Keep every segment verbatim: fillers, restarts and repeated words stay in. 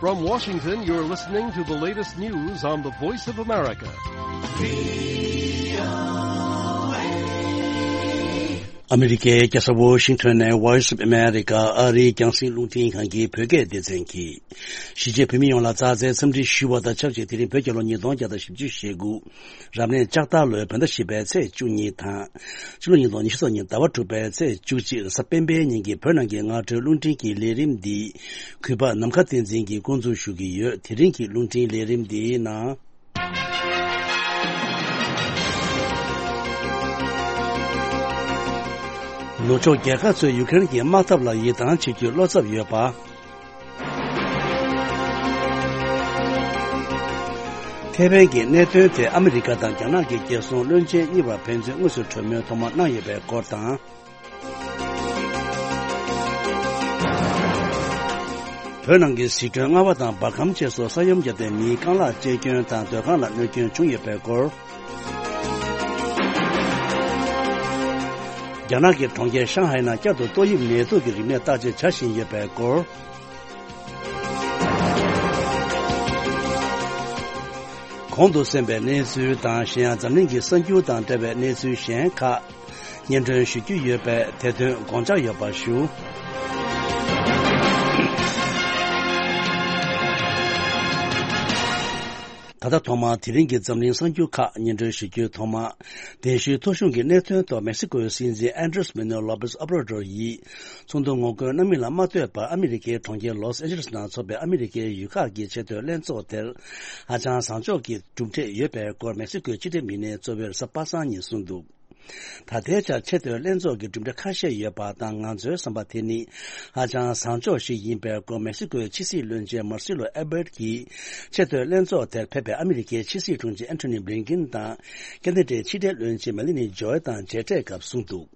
From Washington, you're listening to the latest news on the Voice of America. ཨ་མི་རི་ཀའི་རྒྱལ་ས་ཝོ་ཤིང་ཊོན་ནས་Voice of America ཨ་རིའི་རྒྱང་སྲིང་རླུང་འཕྲིན་ཁང་གི་བོད་སྐད་སྡེ་ཚན་གྱིས། གཞིས་བྱེས་བོད་མི་ཡོངས་ལ་མཛའ་བརྩེའི་འཚམས་འདྲི་ཞུ་བ་དང་ཆབས་ཅིག་དེ་རིང་བོད་རྒྱལ་ལོ་ཉིས་སྟོང་བརྒྱ་དང་བཞི་བཅུ་ཞེ་དགུ། རབ་གནས་ལྕགས་རྟ་ལོའི་བོད་ཟླ་བཞི་པའི་ཚེས་བཅུ་གཉིས་དང་། ཕྱི་ལོ་ཉིས་སྟོང་ཉི་ཤུ་རྩ་གཉིས་ཟླ་བ་དྲུག་པའི་ཚེས་བཅུ་གཅིག་རེས་གཟའ་སྤེན་པའི་ཉིན་གྱི་བོད་ནང་གི་སྔ་དྲོའི་རླུང་འཕྲིན་གྱི་ལས་རིམ་འདི། གུས་པ་ནམ་མཁའ་བསྟན་འཛིན་གྱིས་འགོ་འཛུགས་ཞུ་གི་ཡོད། དེ་རིང་གི་རླུང་འཕྲིན་ལས་རིམ་འདིའི་ནང་། ནུབ་ཕྱོགས་རྒྱལ་ཁབ་ཚོས་ཡུ་ཀེ་རེན་གྱི་དམག་འཐབ་ལ་ཡིད་ཐང་ཆད་རྒྱུའི་བློ་འཚབ་ཡོད་པ། ཁེ་ཕན་གྱི་གནད་དོན་ཐད་ཨ་མི་རི་ཀ་དང་རྒྱ་ནག་གི་རྒྱལ་སྲུང་བློན་ཆེན་གཉིས་བར་ཕན་ཚུན་དངོས་སུ་གྲོས་མོལ་ཐོག་མ་གནང་ཡོད་པའི་སྐོར་དང་། བོད་ནང་གི་ཟི་ཁྲོན་རྔ་བ་དང་འབར་ཁམས་བཅས་སུ་ས་ཡོམ་བརྒྱབ་སྟེ་མིའི་རྐང་ལག་བཅད་སྐྱོན་དང་སྡོད་ཁང་ལ་གནོད་སྐྱོན་བྱུང་ཡོད་པའི་སྐོར། རྒྱ་ནག་གི་གྲོང་ཁྱེར་ཤང་ཧའེ་ནང་བསྐྱར་དུ་ཏོག་དབྱིབས་ནད་དུག་གི་རིམས་ནད་བརྟག་དཔྱད་བྱ་བཞིན་ཡོད་པའི་སྐོར། གོང་དུ་གསན་པའི་གནས་ཚུལ་དང་གཞན་ཡང་འཛམ་གླིང་གི་གསར་འགྱུར་དང་འབྲེལ་བའི་གནས་ཚུལ་གཞན་ཁག་སྙན་སྒྲོན་ཞུ་རྒྱུ་ཡོད་པས་དེ་དོན་དགོངས་འཇགས་ཡོད་པ་ཞུ། ད་ལྟ་ཐོག་མར་དེ་རིང་གི་འཛམ་གླིང་གསར་འགྱུར་ཁག་སྙན་སྒྲོན་ཞུ་རྒྱུའི་ཐོག་མ། གདན་ཞུའི་ཐོ་གཞུང་གི་གནད་དོན་ཐོག་མེག་སི་ཀོའི་སྲིད་འཛིན་ཨན་ཌྲེས་མེ་ནུ་ལོ་པེས་ཨོབ་ར་ཌོར་ཡིས། ཚོགས་འདུ་ངོ་རྒོལ་གནང་མིན་ལ་མ་ལྟོས་པར་ཨ་མི་རི་ཀའི་གྲོང་ཁྱེར་ལོས་ཨན་ཇེ་ལེས་ནང་འཚོགས་པའི་ཨ་མི་རི་ཀའི་ཡུལ་ཁག་གི་ཆེས་མཐོའི་ལྷན་ཚོགས་དེར་ཧ་ཅང་བཟང་ཕྱོགས་ཀྱི་གྲུབ་འབྲས་ཡོད་པའི་སྐོར་མེག་སི་ཀོའི་ཕྱི་འབྲེལ་མི་སྣས་གཙོ་བོའི་རེས་གཟའ་པ་སངས་ཉིན་གསུངས་འདུག་ད་ལྟའི་ཆར་ཆེས་མཐོའི་ལྷན་ཚོགས་ཀྱི་གྲུབ་འབྲས་ཁ་ཤས་ཡོད་པ་དང་། ང་ཚོའི་བསམ་པ་དེ་ནི་ཧ་ཅང་བཟང་ཕྱོགས་ཤིག་ཡིན་པའི་སྐོར་མེག་སི་ཀོའི་ཕྱི་སྲིད་བློན་ཆེན་མར་སི་ལོ་ཨེ་བྷར་ཊ་གྱིས་ཆེས་མཐོའི་ལྷན་ཚོགས་དེར་ཕེབས་པའི་ཨ་མི་རི་ཀའི་ཕྱི་སྲིད་དྲུང་ཆེ་ཨན་ཐོ་ནི་བྷི་ལིན་ཀིན་དང་། ཁེ་ན་ཌའི་ཕྱི་འབྲེལ་བློན་ཆེན་མེ་ལི་ནི་ཇོའི་དང་མཇལ་འཕྲད་སྐབས་གསུངས་འདུག་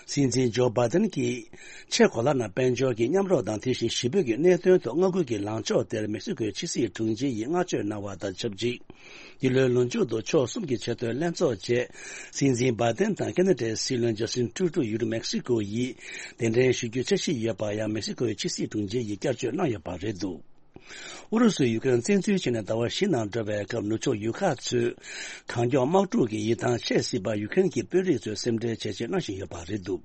སྲིད་འཛིན་ཇོ་བྷའི་ཏན་གྱིས་ཆེས་གོ་ལ་ནང་དཔལ་འབྱོར་གྱི་མཉམ་རོགས་དང་། དེ་བཞིན་གཞིས་སྤོས་ཀྱི་གནད་དོན་ཐོག་མངའ་ཁུལ་གྱི་ལངས་ཕྱོགས་དེར་མེག་སི་ཀོའི་ཕྱི་སྲིད་དྲུང་ཆེ་ཡིས་བསྔགས་བརྗོད་གནང་བ་དང་ཆབས་ཅིག་འདི་ལོའི་ལོ་མཇུག་ཏུ་ཕྱོགས་གསུམ་གྱི་ཆེས་མཐོའི་ལྷན་ཚོགས་རྗེས། སྲིད་འཛིན་བྷའི་ཏན་དང་ཁེ་ན་ཌའི་སྲིད་བློན་ཇ་སི་ཊིན་ཊུ་རུ་ཌོ་ཡུལ་གྲུ་མེག་སི་ཀོ་ཡིས་གདན་འདྲེན་ཞུ་རྒྱུའི་འཆར་གཞི་ཡོད་པ་ཡང་མེག་སི་ཀོའི་ཕྱི་སྲིད་དྲུང་ཆེ་ཡིས་བསྐྱར་བརྗོད་གནང་ཡོད་པ་རེད་འདུག་ཨུ་རུ་སུས་ཡུ་ཀེ་རེན་བཙན་འཛུལ་བྱས་ནས་ཟླ་བ་བཞི་ནང་འགྲོ་བའི་སྐབས། ནུབ་ཕྱོགས་ཡུལ་ཁག་ཚོས་གང་མགྱོགས་དམག་འཁྲུག་གི་ཡིད་ཐང་ཆད་སྲིད་པར་ཡུ་ཀེ་རེན་གྱི་དཔོན་རིགས་ཚོས་སེམས་ཁྲལ་བྱས་རྗེས་གནང་བཞིན་ཡོད་པ་རེད་འདུག་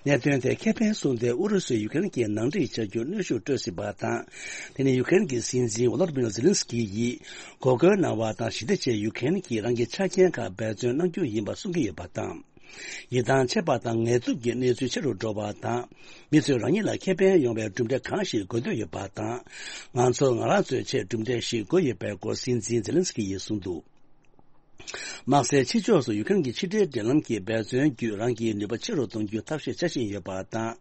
གནད་དོན་དེ་ཁེ་ཕན་བཟུང་སྟེ་ཨུ་རུ་སུས་ཡུ་ཀེ་རེན་གྱི་ནང་འགྲིག་བྱ་རྒྱུར་གནོན་ཤུགས་སྤྲོད་སྲིད་པ་དང་། དེ་ནི་ཡུ་ཀེ་རེན་གྱི་སྲིད་འཛིན་ཝོ་ལོ་ཌི་མིར་ཛེ་ལིན་སི་ཀི་ཡིས་འགོག་རྒོལ་གནང་བ་དང་། ཞི་བདེ་ཆེད་ཡུ་ཀེ་རེན་གྱིས་རང་གི་ཆ་རྐྱེན་ཁག་འབད་བརྩོན་གནང་རྒྱུ་ཡིན་པ་གསུང་གི་ཡོད་པ་དང་། ཡིད་ཐང་ཆད་པ་དང་ངལ་དུབ་ཀྱི་གནས་ཚུལ་ཆེ་རུ་འགྲོ་བ་དང་། མི་ཚོས་རང་ཉིད་ལ་ཁེ་ཕན་ཡོང་བའི་གྲུབ་འབྲས་གང་ཞིག་དགོས་འདོད་ཡོད་པ་དང་། ང་ཚོར་ང་རང་ཚོའི་ཆེད་གྲུབ་འབྲས་ཤིག་དགོས་ཡོད་པའི་སྐོར་སྲིད་འཛིན་ཛེ་ལིན་སི་ཀི་ཡིས་གསུངས་འདུག་དམག་སའི་ཕྱི་ཕྱོགས་སུ་ཡུ་ཀེ་རེན་གྱི་ཕྱི་འབྲེལ་འབྲེལ་ལམ་གྱི་འབད་བརྩོན་བརྒྱུད། རང་གི་ནུས་པ་ཆེ་རུ་གཏོང་རྒྱུའི་ཐབས་ཤེས་བྱ་བཞིན་ཡོད་པ་དང་།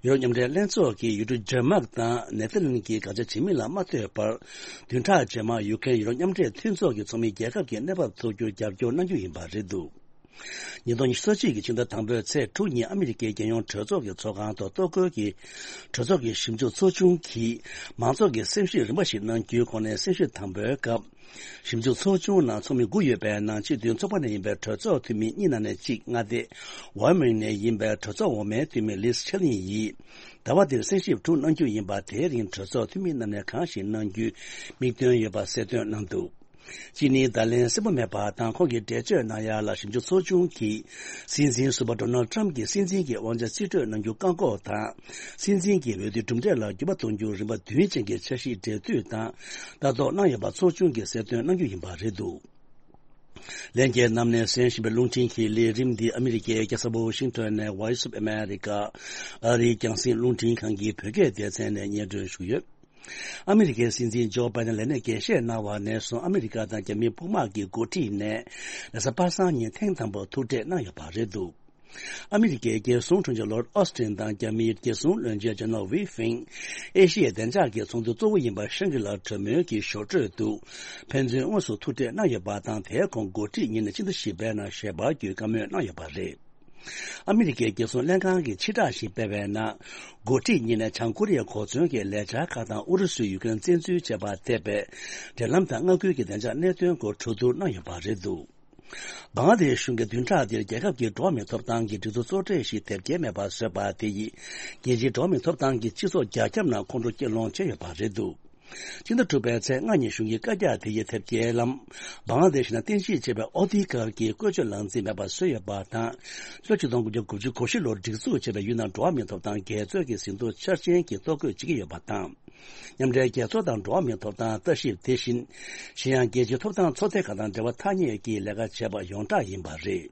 ཡུ་རོབ་མཉམ་འབྲེལ་ལྷན་ཚོགས་ཀྱིས་ཡུལ་གྲུ་ཌེན་མཱག་དང་ནེ་ཐར་ལན་གྱིས་དགག་བྱ་བྱེད་མིན་ལ་མ་ལྟོས་པར། བདུན་ཕྲག་རྗེས་མར་ཡུ་ཀེ་རེན་ཡུ་རོབ་མཉམ་འབྲེལ་མཐུན་ཚོགས་ཀྱི་ཚོགས་མི་རྒྱལ་ཁབ་ཀྱི་གནས་བབ་ཐུགས་རྒྱུར་རྒྱབ་སྐྱོར་གནང་རྒྱུ་ཡིན་པ་རེད་འདུག་ཉིས་སྟོང་ཉི་ཤུ་རྩ་གཅིག་གི་ཕྱི་ཟླ་དང་པོའི་ཚེས་དྲུག་ཉིན་ཨ་མི་རི་ཀའི་རྒྱལ་ཡོངས་གྲོས་ཚོགས་ཀྱི་ཚོགས་ཁང་དུ་གཏོར་རྒོལ་གྱི་གྲོས་ཚོགས་ཀྱི་ཞིབ་འཇུག་ཚོགས་ཆུང་གིས་མང་ཚོགས་ཀྱི་སེམས་ཤུགས་རིམ་པ་ཞིག་གནང་རྒྱུའི་གོ་གནས་གསན་ཞིབ་དང་པོའི་སྐབས། ཞིབ་འཇུག་ཚོགས་ཆུང་ནང་ཚོགས་མི་དགུ་ཡོད་པའི་ནང་སྤྱི་མཐུན་ཚོགས་པ་ནས་ཡིན་པའི་གྲོས་ཚོགས་འཐུས་མི་གཉིས་ནང་ནས་གཅིག་མངའ་སྡེ་ཝའི་མིང་ནས་ཡིན་པའི་གྲོས་ཚོགས་འོག་མའི་འཐུས་མི་ལིས་ཆེ་ལིན་ཡིས་ཟླ་བ་འདིར་གསན་ཞིབ་དྲུག་གནང་རྒྱུ་ཡིན་པ། དེའི་རིང་གྲོས་ཚོགས་འཐུས་མི་རྣམས་ནས་གང་ཞིག་གནང་རྒྱུའི་དམིགས་འདུན་ཡོད་པ་གསལ་སྟོན་གནང་འདུག་གཅིག་ནི་བརྡ་ལན་གསལ་པོ་མེད་པ་དང་། ཁོང་གིས་འགྲེལ་བརྗོད་གནང་ཡ་ལ། ཞིབ་འཇུག་ཚོགས་ཆུང་གིས་སྲིད་འཛིན་ཟུར་པ་ཌོ་ནལ་ཊམ་གྱིས་སྲིད་འཛིན་གྱི་དབང་ཆ་རྩིས་སྤྲོད་གནང་རྒྱུ་བཀག་འགོག་དང་། སྲིད་འཛིན་གྱི་འོས་བསྡུའི་གྲུབ་འབྲས་ལ་འགྱུར་བ་གཏོང་རྒྱུར་རིམ་པ་བདུན་ཅན་གྱི་འཆར་གཞི་འབྲེལ་མཐུད་དང་ལྟ་རྟོག་གནང་ཡོད་པ་ཚོགས་ཆུང་གིས་གསལ་སྟོན་གནང་རྒྱུ་ཡིན་པ་རེད་འདུག་ལྷན་རྒྱས་རྣམས་ནས་གསན་བཞིན་པའི་རླུང་འཕྲིན་གྱི་ལས་རིམ་འདི་ཨ་མི་རི་ཀའི་རྒྱལ་ས་ཝོ་ཤིང་ཊོན་ནས་Voice of America ཨ་རིའི་རྒྱང་སྲིང་རླུང་འཕྲིན་ཁང་གི་བོད་སྐད་སྡེ་ཚན་ནས་སྙན་སྒྲོན་ཞུ་གི་ཡོད། ཨ་མི་རི་ཀའི་སྲིད་འཛིན་ཇོ་བྷའི་ཏན་ལས་གནས་འགན་བཞེས་གནང་བ་ནས་བཟུང་ཨ་མི་རི་ཀ་དང་རྒྱ་མིའི་དཔུང་དམག་གི་འགོ་ཁྲིད་ནས་རེས་གཟའ་པ་སངས་ཉིན་ཐེངས་དང་པོ་ཐུག་འཕྲད་གནང་ཡོད་པ་རེད་འདུག་ཨ་མི་རི་ཀའི་རྒྱལ་སྲུང་དྲུང་ཆེ་ལོར་ཨོ་སི་ཊིན་དང་རྒྱ་མིའི་རྒྱལ་སྲུང་བློན་ཆེན་ཇེ་ནལ་ཝི་ཧྥིང་། ཨེ་ཤི་ཡའི་བདེ་འཇགས་ཀྱི་ཚོགས་འདུ་གཙོ་བོ་ཡིན་པ་ཤང་གི་ལ་གྲོས་མོལ་གྱི་ཞོར་འཕྲོས་དུ་ཕན་ཚུན་དངོས་སུ་ཐུག་འཕྲད་གནང་ཡོད་པ་དང་། དེའི་གོང་འགོ་ཁྲིད་གཉིས་ནས་ཕྱི་ཟླ་བཞི་པའི་ནང་ཞལ་པར་བརྒྱུད་བཀའ་མོལ་གནང་ཡོད་པ་རེད། ཨ་མི་རི་ཀའི་རྒྱལ་སྲུང་ལྷན་ཁང་གིས་ཕྱིར་བསྒྲགས་ཤིག་སྤེལ་བའི་ནང་། འགོ་ཁྲིད་གཉིས་ནས་བྱང་ཀོ་རི་ཡའི་གོ་མཚོན་གྱི་ལས་འཆར་ཁག་དང་། ཨུ་རུ་སུས་ཡུ་ཀེ་རེན་བཙན་འཛུལ་བྱས་པར་འཐེབས་པའི་འབྲེལ་ལམ་དང་མངའ་ཁུལ་གྱི་བདེ་འཇགས་གནད་དོན་སྐོར་གྲོས་བསྡུར་གནང་ཡོད་པ་རེད་འདུག་བང་ལ་དེ་ཤི་གཞུང་གིས་བདུན་ཕྲག་འདིར་རྒྱལ་ཁབ་ཀྱི་འགྲོ་བ་མིའི་ཐོབ་ཐང་གི་སྒྲིག་འཛུགས་གཙོ་གྲས་ཤིག་དེབ་སྐྱེལ་མེད་པར་བཟོས་པ་དེ་ཡིས། རྒྱལ་སྤྱིའི་འགྲོ་བ་མིའི་ཐོབ་ཐང་གི་སྤྱི་ཚོགས་རྒྱ་ཁྱབ་ནང་ཁོང་ཁྲོ་སྐྱེ་ལོང་བྱས་ཡོད་པ་རེད་འདུག་སྤྱི་ཟླ་དྲུག་པའི་ཚེས་ལྔ་ཉིན་གཞུང་གིས་བཀའ་རྒྱ་དེ་ཡི་ཐེབས་སྐྱེལ་ལམ། བང་ལ་དེ་ཤི་ནང་རྟེན་གཞི་བྱས་པའི་ཨོ་ཐི་གྷལ་གྱི་བཀོལ་སྤྱོད་ལག་འཛིན་མེད་པར་བཟོས་ཡོད་པ་དང་། ལོ་ཆིག་སྟོང་དགུ་བརྒྱ་དགུ་བཅུ་གོ་བཞི་ལོར་སྒྲིག་འཛུགས་བྱས་པའི་ཡུལ་ནང་འགྲོ་བ་མིའི་ཐོབ་ཐང་རྒྱ་མཚོའི་གི་ཟིན་ཐོ་འཆར་ཅན་གྱི་གཏོར་རྒོལ་བྱེད་ཀྱི་ཡོད་པ་དང་། མཉམ་འབྲེལ་རྒྱལ་ཚོགས་དང་འགྲོ་བ་མིའི་ཐོབ་ཐང་ལྟ་ཞིབ་དེ་བཞིན། གཞན་ཡང་རྒྱལ་སྤྱིའི་ཐོབ་ཐང་ཚོགས་སྡེ་ཁག་དང་འབྲེལ་བ་ཐག་ཉེ་གི་ལས་ཀ་བྱས་པ་ཡོངས་གྲགས་ཡིན་པ་རེད།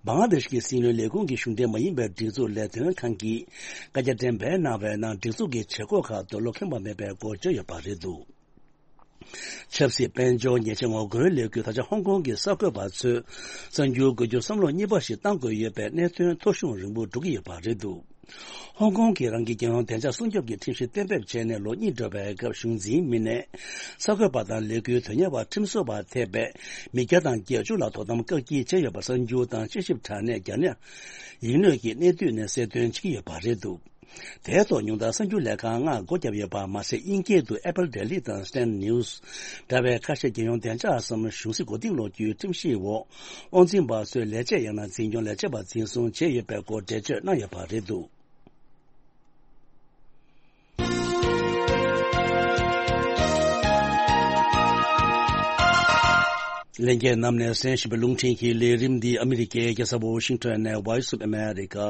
བང་ལ་དེ་ཤི་གི་སྲིད་བློན་ལས་ཁུངས་ཀྱི་གཞུང་འབྲེལ་མ་ཡིན་པའི་སྒྲིག་འཛུགས་ལས་དོན་ཁང་གིས་བཀའ་རྒྱ་འགྲེམས་སྤེལ་གནང་བའི་ནང་སྒྲིག་འཛུགས་ཀྱི་བྱེད་སྒོ་ཁག་ཏུ་བློ་ཁེངས་པ་མེད་པའི་སྐོར་བརྗོད་ཡོད་པ་རེད་འདུག་ཆབ་སྲིད་དཔལ་འབྱོར་ཉེས་ཆད་ངོ་རྒོལ་ལས་འགུལ་ད་ཆ་ཧོང་ཀོང་གི་གསར་འགོད་པ་ཚོས་གསར་འགྱུར་འགོད་རྒྱུར་བསམ་བློ་གཉིས་པ་ཞིག་བཏང་དགོས་ཡོད་པའི་གནད་དོན་ཐོ་གཞུང་རིང་པོ་འགྲོ་གི་ཡོད་པ་རེད་འདུག་ཧོང་ཀོང་གིས་རང་གི་རྒྱལ་ཡོངས་བདེ་འཇགས་སྲུང་སྐྱོབ་ཀྱི་ཁྲིམས་གཞི་གཏན་འབེབས་བྱས་ནས་ལོ་གཉིས་འགྲོ་བའི་སྐབས། གཞུང་འཛིན་མི་སྣས་གསར་འགོད་པ་དང་ལས་འགུལ་དོན་གཉེར་བ་ཁྲིམས་བཟོ་བར་ཐེ་བའི་མི་བརྒྱ་དང་བརྒྱད་ཅུ་ལ་དོ་དམ་བཀག་སྐྱིལ་བྱས་ཡོད་པ་གསར་འགྱུར་དང་དཔྱད་ཞིབ་དྲ་གནས་རྒྱ་ནག་ཡིག་སྣོད་ཀྱི་གནད་བསྡུས་ནས་གསལ་སྟོན་བྱེད་ཀྱི་ཡོད་པ་རེད་འདུག་དེའི་ཐོག་ཉུང་མཐར་གསར་འགྱུར་ལས་ཁང་ལྔ་སྒོ་བརྒྱབ་ཡོད་པ་མ་ཟད། དབྱིན་སྐད་དུ་Apple Daily དང་Stand News འདྲ་བའི་ཁ་ཤས་རྒྱལ་ཡོངས་བདེ་འཇགས་སམ་གཞུང་སྲིད་མགོ་རྟིང་སློག་རྒྱུའི་ཁྲིམས་ཞིབ་འོག་དབང་འཛིན་པ་ཚོའི་ལས་བྱེད་ཡང་ན་འཛིན་སྐྱོང་ལས་བྱེད་པ་འཛིན་བཟུང་བྱས་ཡོད་པའི་སྐོར་འགྲེལ་བརྗོད་གནང་ཡོད་པ་རེད་འདུག་ལྷན་རྒྱས་རྣམས་ནས་གསན་བཞིན་པའི་རླུང་འཕྲིན་གྱི་ལས་རིམ་འདི་ཨ་མི་རི་ཀའི་རྒྱལ་ས་ཝོ་ཤིང་ཊོན་ནས་Voice of America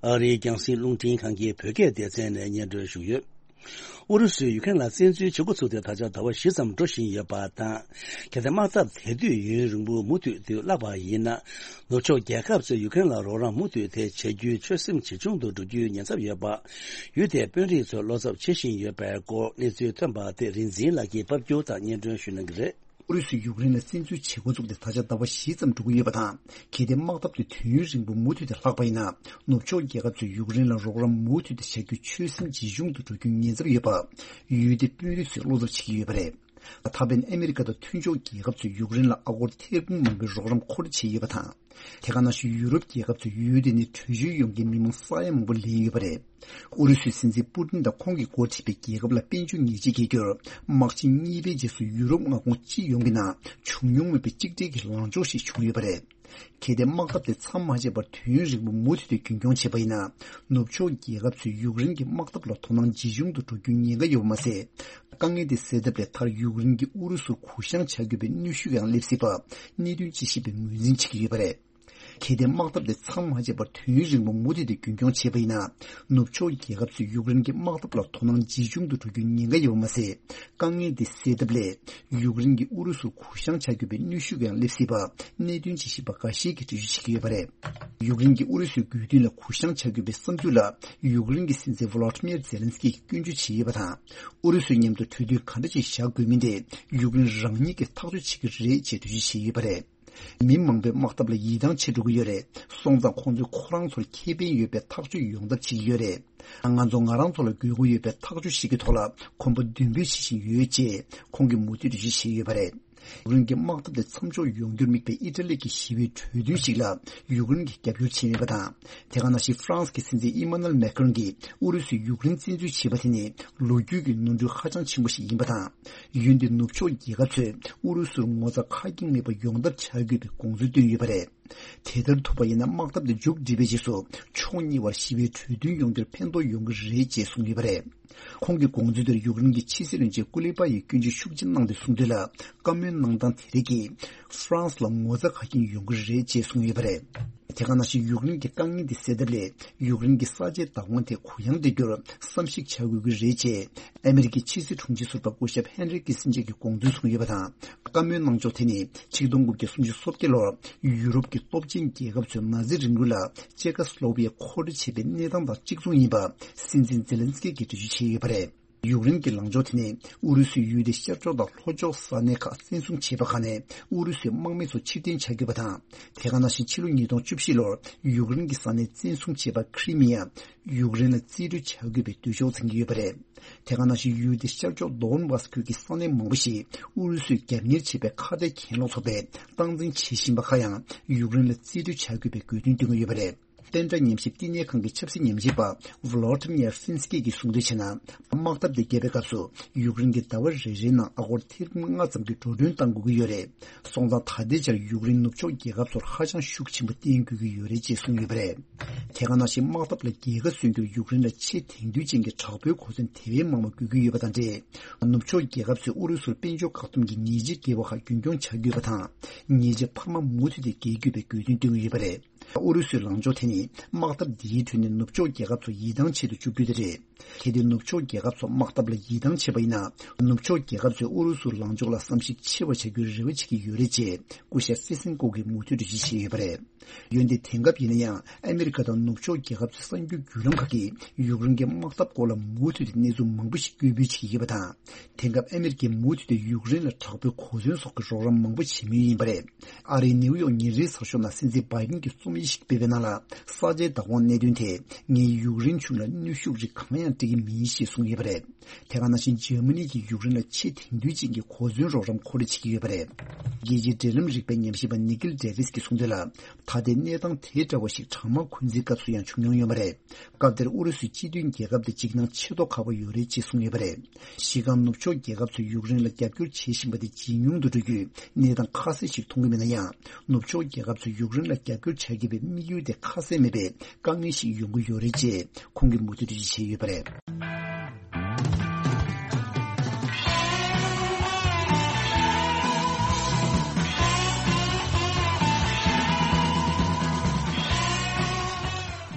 ཨ་རིའི་རྒྱང་སྲིང་རླུང་འཕྲིན་ཁང་གི་བོད་སྐད་སྡེ་ཚན་ནས་སྙན་སྒྲོན་ཞུས་ཡོད། ཨུ་རུ་སུས་ཡུ་ཀེ་རེན་ལ་བཙན་འཛུལ་བྱེད་འགོ་ཚུགས་ཏེ་ད་ཆ་ཟླ་བ་བཞི་ཙམ་འགྲོ་བཞིན་ཡོད་པ་དང་། གལ་ཏེ་དམག་འཐབ་དེ་དུས་ཡུན་རིང་པོ་མུ་མཐུད་དུ་བརླག་པ་ཡིན་ན། ནུབ་ཕྱོགས་རྒྱལ་ཁབ་ཚོས་ཡུ་ཀེ་རེན་ལ་རོགས་རམ་མུ་མཐུད་དེ་བྱ་རྒྱུའི་ཆོད་སེམས་ཇེ་ཆུང་དུ་འགྲོ་རྒྱུའི་ཉེན་ཚབས་ཡོད་པ། ཡུལ་དེའི་དཔོན་རིགས་ཚོས་བློ་འཚབ་བྱེད་བཞིན་ཡོད་པའི་སྐོར་གནས་ཚུལ་ཐོན་པ་དེ་རིག་འཛིན་ལགས་ཀྱིས་ཕབ་སྒྱུར་དང་སྙན་སྒྲོན་ཞུ་གནང་གི་རེད། ཨུ་རུ་སུས་ཡུཀ་རེན་ལ་བཙན་འཛུལ་བྱེད་འགོ་བཙུགས་ཏེ་ད་ཆ་ཟླ་བ་བཞི་ཙམ་འགྲོ་གི་ཡོད་པ་དང་། གལ་ཏེ་དམག་འཐབ་དེ་དུས་ཡུན་རིང་པོ་མུ་མཐུད་དུ་ལྷག་པ་ཡིན་ན། ནུབ་ཕྱོགས་རྒྱལ་ཁབ་ཚོས་ཡུཀ་རེན་ལ་རོགས་རམ་མུ་མཐུད་དུ་བྱ་རྒྱུའི་ཆོད་སེམས་ཇེ་ཆུང་དུ་འགྲོ་རྒྱུའི་ཉེན་ཚབས་ཡོད་པ། ཡུལ་དེའི་དཔོན་རིགས་ཚོས་བློ་འཚབ་བྱེད་ཀྱི་ཡོད་པ་རེད། ད་ཕན་ཨ་མི་རི་ཀ་དང་མཐུན་ཕྱོགས་རྒྱལ་ཁབ་ཚོས་ཡུཀ་རེན་ལ་ཨ་སྒོར་ཐེར་འབུམ་མང་པོའི་རོགས་རམ་མཁོ་སྤྲོད་བྱས་ཡོད་པ་དང་། དེ་ག་ནང་བཞིན་ཡུ་རོབ་རྒྱལ་ཁབ་ཚོས་ཡུལ་དེ་ནས་བྲོས་བྱོལ་ཡོང་མཁན་མི་མང་ས་ཡ་མང་པོ་ལེན་ཡོད་པ་རེད། ཨུ་རུ་སུའི་སྲིད་འཛིན་པུ་ཏིན་དང་ཁོང་གིས་འགོ་ཁྲིད་པའི་རྒྱལ་ཁབ་ལ་དཔལ་འབྱོར་ཉེས་ཆད་འགེལ་རྒྱུར། དམག་ཆེན་གཉིས་པའི་རྗེས་སུ་ཡུ་རོབ་མངའ་ཁོངས་སྤྱི་ཡོངས་ཀྱི་ནང་བྱུང་མྱོང་མེད་པའི་གཅིག་སྒྲིལ་གྱི་ལངས་ཕྱོགས་ཤིག་བྱུང་ཡོད་པ་རེད། གལ་ཏེ་དམག་འཐབ་དེ་མཚམས་མ་ཆད་པར་དུས་ཡུན་རིང་པོ་མུ་མཐུད་དུ་རྒྱུན་འཁྱོངས་བྱས་པ་ཡིན་ན། ནུབ་ཕྱོགས་རྒྱལ་ཁབ་ཚོས་ཡུཀ་རེན་གྱི་དམག་འཐབ་ལ་དོ་སྣང་ཇེ་ཆུང་དུ་འགྲོ་རྒྱུའི་ཉེན་ཁ་ཡོད་པ་མ་ཟད། དཀའ་ངལ་དེ་སེལ་ཐབས་ལས་མཐར་ཡུཀ་རེན་གྱིས་ཨུ་རུ་སུར་གུ་བཤངས་བྱ་དགོས་པའི་གནོན་ཤུགས་ཀྱང་སླེབས་སྲིད་པ། གནད་དོན་དཔྱད་ཞིབ་པས་ངོས་འཛིན་བྱེད་ཀྱི་ཡོད་པ་རེད། གལ་ཏེ་དམག་འཐབ་དེ་མཚམས་མ་ཆད་པར་དུས་ཡུན་རིང་པོ་མུ་མཐུད་དེ་རྒྱུན་འཁྱོངས་བྱས་པ་ཡིན་ན། ནུབ་ཕྱོགས་རྒྱལ་ཁབ་ཚོས་ཡུཀ་རེན་གྱི་དམག་འཐབ་ལ་དོ་སྣང་ཇེ་ཆུང་དུ་འགྲོ་རྒྱུའི་ཉེན་ཁ་ཡོད་པ་མ་ཟད། དཀའ་ངལ་འདི་སེལ་ཐབས་སླད། ཡུཀ་རེན་གྱིས་ཨུ་རུ་སུར་གུ་བཤངས་བྱ་དགོས་པའི་གནོན་ཤུགས་ཀྱང་སླེབས་སྲིད་པ། གནད་དོན་དཔྱད་ཞིབ་པ་འགའ་ཤས་ཀྱིས་འགྲེལ་བརྗོད་བྱེད་ཀྱི་ཡོད་པ་རེད། ཡུཀ་རེན་གྱིས་ཨུ་རུ་སུའི་དགོས་འདུན་ལ་གུ་བཤངས་བྱ་དགོས་པའི་བསམ་ཚུལ་ལ། ཡུཀ་རེན་གྱི་སྲིད་འཛིན་ཝོ་ལོ་ཏི་མིར་ཛེ་ལན་སི་ཀི་གིས་སྐྱོན་བརྗོད་བྱས་ཡོད་པ་དང་། ཨུ་རུ་སུའི་མཉམ་དུ་གྲོས་མཐུན་ག་འདྲ་ཞིག་བཞག་དགོས་མིན་དེ། ཡུཀ་རེན་རང་ཉིད་ཀྱིས་ཐག་གཅོད་བྱེད་ཀྱི་རེད་ཅེས་འགྲེལ་བརྗོད་བྱས་ཡོད་པ་རེད། མི་མང་པོས་དམག་འཐབ་ལ་ཡིད་ཐང་ཆད་འགྲོ་གི་ཡོད་རེད། སོང་ཙང་ཁོང་ཚོས་ཁོ་རང་ཚོར་ཁེ་ཕན་ཡོད་པའི་ཐག་གཅོད་ཡོང་ཐབས་བྱེད་ཀྱི་ཡོད་རེད། ང་ཚོ་ང་རང་ཚོ་ལ་དགོས་མཁོ་ཡོད་པའི་ཐག་གཅོད་ཞིག་གི་ཐོག་ལ་གོམ་པ་མདུན་སྤོས་བྱེད་བཞིན་ཡོད་ཅེས་ཁོང་གིས་མུ་མཐུད་འགྲེལ་བརྗོད་བྱས་ཡོད་པ་རེད། ཡུཀ་རེན་གྱི་དམག་འཐབ་དེ་མཚམས་འཇོག་ཡོང་རྒྱུར་དམིགས་པའི་ཨི་ཊ་ལི་གྱི་ཞི་བའི་གྲོས་མཐུན་ཞིག་ལ་ཡུཀ་རེན་གྱིས་རྒྱབ་སྐྱོར་བྱས་མེད་པ་དང་། དེ་ག་ནང་བཞིན་ཧྥ་རན་སི་གི་སྲིད་འཛིན་ཨི་མ་ནུ་ཨེལ་མེ་ཁ་རོན་གྱིས་ཨུ་རུ་སུས་ཡུཀ་རེན་བཙན་འཛུལ་བྱས་པ་དེ་ནི་ལོ་རྒྱུས་ཀྱི་ནོར་འཁྲུལ་ཧ་ཅང་ཆེན་པོ་ཞིག་ཡིན་པ་དང་། ཡུལ་འདིའི་ནུབ་ཕྱོགས་རྒྱལ་ཁབ་ཚོས་ཨུ་རུ་སུར་ངོ་ཚ་ཁ་སྐྱེངས་མེད་པ་ཡོང་ཐབས་བྱ་དགོས་པའི་དགོངས་ཚུལ་བཏོན་ཡོད་པ་རེད། དེ་ལྟར་ཐུབ་པ་ཡིན་ན། དམག་འཐབ་དེ་མཇུག་སྒྲིལ་བའི་རྗེས་སུ་ཕྱོགས་གཉིས་བར་ཞི་བའི་གྲོས་མཐུན་ཡོང་རྒྱུར་ཕན་ཐོགས་ཡོང་གི་རེད་ཅེས་གསུངས་ཡོད་པ་རེད། ཁོང་གི་དགོངས་ཚུལ་དེར་ཡུཀ་རེན་གྱི་ཕྱི་སྲིད་བློན་ཆེན་ཀུ་ལེ་པ་ཡིས་སྐྱོན་བརྗོད་ཤུགས་ཆེ་གནང་སྟེ་གསུངས་དོན་ལ། བཀའ་མོལ་གནང་སྟངས་དེ་རིགས་ཀྱིས་ཧྥ་རན་སི་ལ་ངོ་ཚ་ཁ་སྐྱེངས་ཡོང་གི་རེད་ཅེས་གསུངས་ཡོད་པ་རེད། དེ་ག་ནང་བཞིན་ཡུཀ་རེན་གྱི་དཀའ་ངལ་འདི་སེལ་ཐབས་སླད། ཡུཀ་རེན་གྱི་ས་ཆའི་བདག་དབང་དེ་གུ་ཡངས་སུ་གཏོང་རྒྱུར་བསམ་གཞིག་བྱ་དགོས་ཀྱི་རེད་ཅེས་ཨ་མི་རི་ཀའི་ཕྱི་སྲིད་དྲུང་ཆེ་ཟུར་པ་སྐུ་ཞབས་ཧན་རི་ཀི་སིན་ཇེ་གིས་དགོངས་ཚུལ་གསུངས་ཡོད་པ་དང་། བཀའ་མོལ་གནང་ཕྱོགས་དེ་ནི་ཆིག་སྟོང་དགུ་བརྒྱ་སུམ་ཅུ་སོ་བརྒྱད་ལོར་ཡུ་རོབ་ཀྱི་སྟོབས་ཆེན་རྒྱལ་ཁབ་ཚོས་ནཱ་ཛི་རིང་ལུགས་ལ་ཅེ་ཀ་སི་ལོ་ཝི་ཡ་མཁོ་སྤྲོད་བྱས་པའི་གནས་སྟངས་དང་གཅིག་མཚུངས་ཡིན་པ་སྲིད་འཛིན་ཛེ་ལན་སི་ཀི་གིས་འགྲེལ་བརྗོད་བྱས་ཡོད་པ་རེད། ཡུཀ་རེན་གྱི་ལངས་ཕྱོགས་དེ་ནི་ཨུ་རུ་སུས་ཡུལ་དེའི་ཤར་ཕྱོགས་དང་ལྷོ་ཕྱོགས་ས་གནས་ཁག་བཙན་བཟུང་བྱས་པ་ཁག་ནས་ཨུ་རུ་སུའི་དམག་མི་ཚོ་ཕྱིར་འཐེན་བྱ་དགོས་པ་དང་། དེ་ག་ནང་བཞིན་ཕྱི་ལོ་ཉིས་སྟོང་བཅུ་བཞི་ལོར་ཡུཀ་རེན་གྱི་ས་གནས་བཙན་བཟུང་བྱས་པ་ཁི་རི་མི་ཡ་ཡུཀ་རེན་ལ་རྩིས་སྤྲོད་བྱ་དགོས་པའི་འདོད་ཕྱོགས་འཛིན་གྱི་ཡོད་པ་རེད། དེ་ག་ནང་བཞིན་ཡུལ་དེའི་ཤར་ཕྱོགས་དོན་བྷ་སི་ཁུལ་གྱི་ས་གནས་མང་པོ་ཞིག་ཨུ་རུ་སུས་རྒྱབ་གཉེར་བྱས་པའི་ཁ་བྲལ་གྱེན་ལོག་ཚོགས་པས་སྟངས་འཛིན་བྱེད་བཞིན་པ་ཁག་ཡང་ཡུཀ་རེན་ལ་རྩིས་སྤྲོད་བྱ་དགོས་པའི་དགོས་འདུན་བཏོན་གྱི་ཡོད་པ་རེད། བསྟན་དགྲ་ཉམས་ཞིབ་བསྟི་གནས་ཁང་གི་ཆབ་སྲིད་ཉམས་ཞིབ་པ་ཝ་ལོ་ཏི་མི་ཡར་སིན་སི་ཀི་གིས་གསུངས་དོན་བྱས་ན། དམག་འཐབ་དེ་བརྒྱབ་པའི་སྐབས་སུ་ཡུཀ་རེན་གྱིས་ཟླ་བ་རེ་རེའི་ནང་ཨ་སྒོར་ཐེར་འབུམ་ལྔ་ཙམ་གྱི་འགྲོ་གྲོན་གཏང་དགོས་ཀྱི་ཡོད་རེད། སོང་ཙང་ད་ལྟའི་ཆར་ཡུཀ་རེན་ནུབ་ཕྱོགས་རྒྱལ་ཁབ་ཚོར་ཧ་ཅང་ཤུགས་ཆེན་པོ་བརྟེན་དགོས་ཀྱི་ཡོད་རེད་ཅེས་གསུངས་ཡོད་པ་རེད། དེ་ག་ནང་བཞིན་དམག་འཐབ་ལ་རྒྱལ་ཁ་སོན་རྒྱུར་ཡུཀ་རེན་ལ་ཆེས་དེང་དུས་ཅན་གྱི་དྲག་པོའི་གོ་མཚོན་དེ་བས་མང་བ་དགོས་ཀྱི་ཡོད་པ་དང་འབྲེལ། ནུབ་ཕྱོགས་རྒྱལ་ཁབ་ཚོས་ཨུ་རུ་སུར་དཔལ་འབྱོར་བཀག་སྡོམ་གྱི་ཉེས་ཆད་འགེལ་བ་ཁག་རྒྱུན་འཁྱོངས་བྱ་དགོས་པ་དང་། ཉེས་ཆད་འཕར་མ་མུ་མཐུད་དེ་འགེལ་དགོས་པའི་དགོས་འདུན་བཏོན་གྱི་ཡོད་པ་རེད། ཨུ་རུ་སུའི་ལངས་ཕྱོགས་དེ་ནི་དམག་འཐབ་འདིའི་ཁྲོད་ནས་ནུབ་ཕྱོགས་རྒྱལ་ཁབ་ཚོ་ཡིད་ཐང་ཆད་དུ་བཅུག་རྒྱུ་དེ་རེད། གལ་ཏེ་ནུབ་ཕྱོགས་རྒྱལ་ཁབ་ཚོ་དམག་འཐབ་ལ་ཡིད་ཐང་ཆད་པ་ཡིན་ན། ནུབ་ཕྱོགས་རྒྱལ་ཁབ་ཚོས་ཨུ་རུ་སུའི་ལངས་ཕྱོགས་ལ་བསམ་གཞིག་ཆེ་བ་བྱ་རྒྱུའི་རེ་བ་བྱེད་ཀྱི་ཡོད་རེད་ཅེས་སྐུ་ཞབས་སི་སན་ཀོ་གིས་མུ་མཐུད་དུ་འགྲེལ་བཤད་བྱས་ཡོད་པ་རེད། འོན་ཏེ་དེང་སྐབས་ཡིན་ན་ཡང་ཨ་མེ་རི་ཁ་དང་ནུབ་ཕྱོགས་རྒྱལ་ཁབ་ཚོའི་གསར་འགྱུར་བརྒྱུད་ལམ་ཁག་གིས་ཡུཀ་རེན་གྱི་དམག་འཐབ་སྐོར་ལ་མུ་མཐུད་དེ་གནས་ཚུལ་མང་པོ་ཞིག་སྐྱོ་འབོད་བྱེད་ཀྱི་ཡོད་པ་དང་། དེང་སྐབས་ཨ་མེ་རི་ཁས་མུ་མཐུད་དེ་ཡུཀ་རེན་ལ་དྲག་པོའི་གོ་མཚོན་སོགས་ཀྱི་རོགས་རམ་མང་པོ་བྱེད་མུས་ཡིན་པ་རེད། ཨ་རིའི་ནེའུ་ཡོག་ཉིན་རེའི་ཚགས་ཤོག་ནང་སྲིད་འཛིན་བྷའི་ཌེན་གྱིས་རྩོམ་ཡིག་ཞིག་སྤེལ་བའི་ནང་ལ། ས་ཆའི་བདག་དབང་གནད་དོན་དེས་ངས་ཡུཀ་རེན་གཞུང་ལ་གནོན་ཤུགས་རིགས་གང་ཡང་སྤྲད་ཀྱི་མིན་ཞེས་གསུངས་ཡོད་པ་རེད། དེ་ག་ནང་བཞིན་འཇར་མ་ནི་གིས་ཡུཀ་རེན་ལ་ཆེས་དེང་དུས་ཅན་གྱི་གོ་མཚོན་རོགས་རམ་མཁོ་སྤྲོད་བྱེད་ཀྱི་ཡོད་པ་རེད། རྒྱལ་སྤྱིའི་འབྲེལ་ལམ་རིག་པའི་ཉམས་ཞིབ་པ་ནི་ཀིལ་ཌེ་ཝིས་ཀྱིས་གསུངས་དོན་ལ། ད་ལྟའི་གནས་སྟངས་དེ་འདྲ་བ་ཞིག་གྲང་དམག་འཁོན་འཛིན་སྐབས་སུ་ཡང་བྱུང་མྱོང་ཡོད་པ་རེད། སྐབས་དེར་ཨུ་རུ་སུའི་སྤྱི་མཐུན་རྒྱལ་ཁབ་དེ་འཇིགས་སྣང་ཆེ་མདོག་ཁ་པོ་ཡོད་རེད་ཅེས་གསུངས་ཡོད་པ་རེད། གཞི་རྐང་ནུབ་ཕྱོགས་རྒྱལ་ཁབ་ཚོས་ཡུཀ་རེན་ལ་རྒྱབ་སྐྱོར་བྱེད་བཞིན་པ་དེ་ཇེ་ཉུང་དུ་འགྲོ་རྒྱུའི་གནས་སྟངས་ཁ་གསལ་ཞིག་མཐོང་གི་མེད་ན་ཡང་། ནུབ་ཕྱོགས་རྒྱལ་ཁབ་ཚོས་ཡུཀ་རེན་ལ་རྒྱབ་སྐྱོར་བྱ་དགོས་པའི་དམིགས་ཡུལ་དེ་ཁ་གསལ་མེད་པའི་དཀའ་ངལ་ཞིག་ཡོང་གི་ཡོད་རེད་ཅེས་ཁོང་གིས་མུ་མཐུད་འགྲེལ་བརྗོད་བྱས་ཡོད་པ་རེད།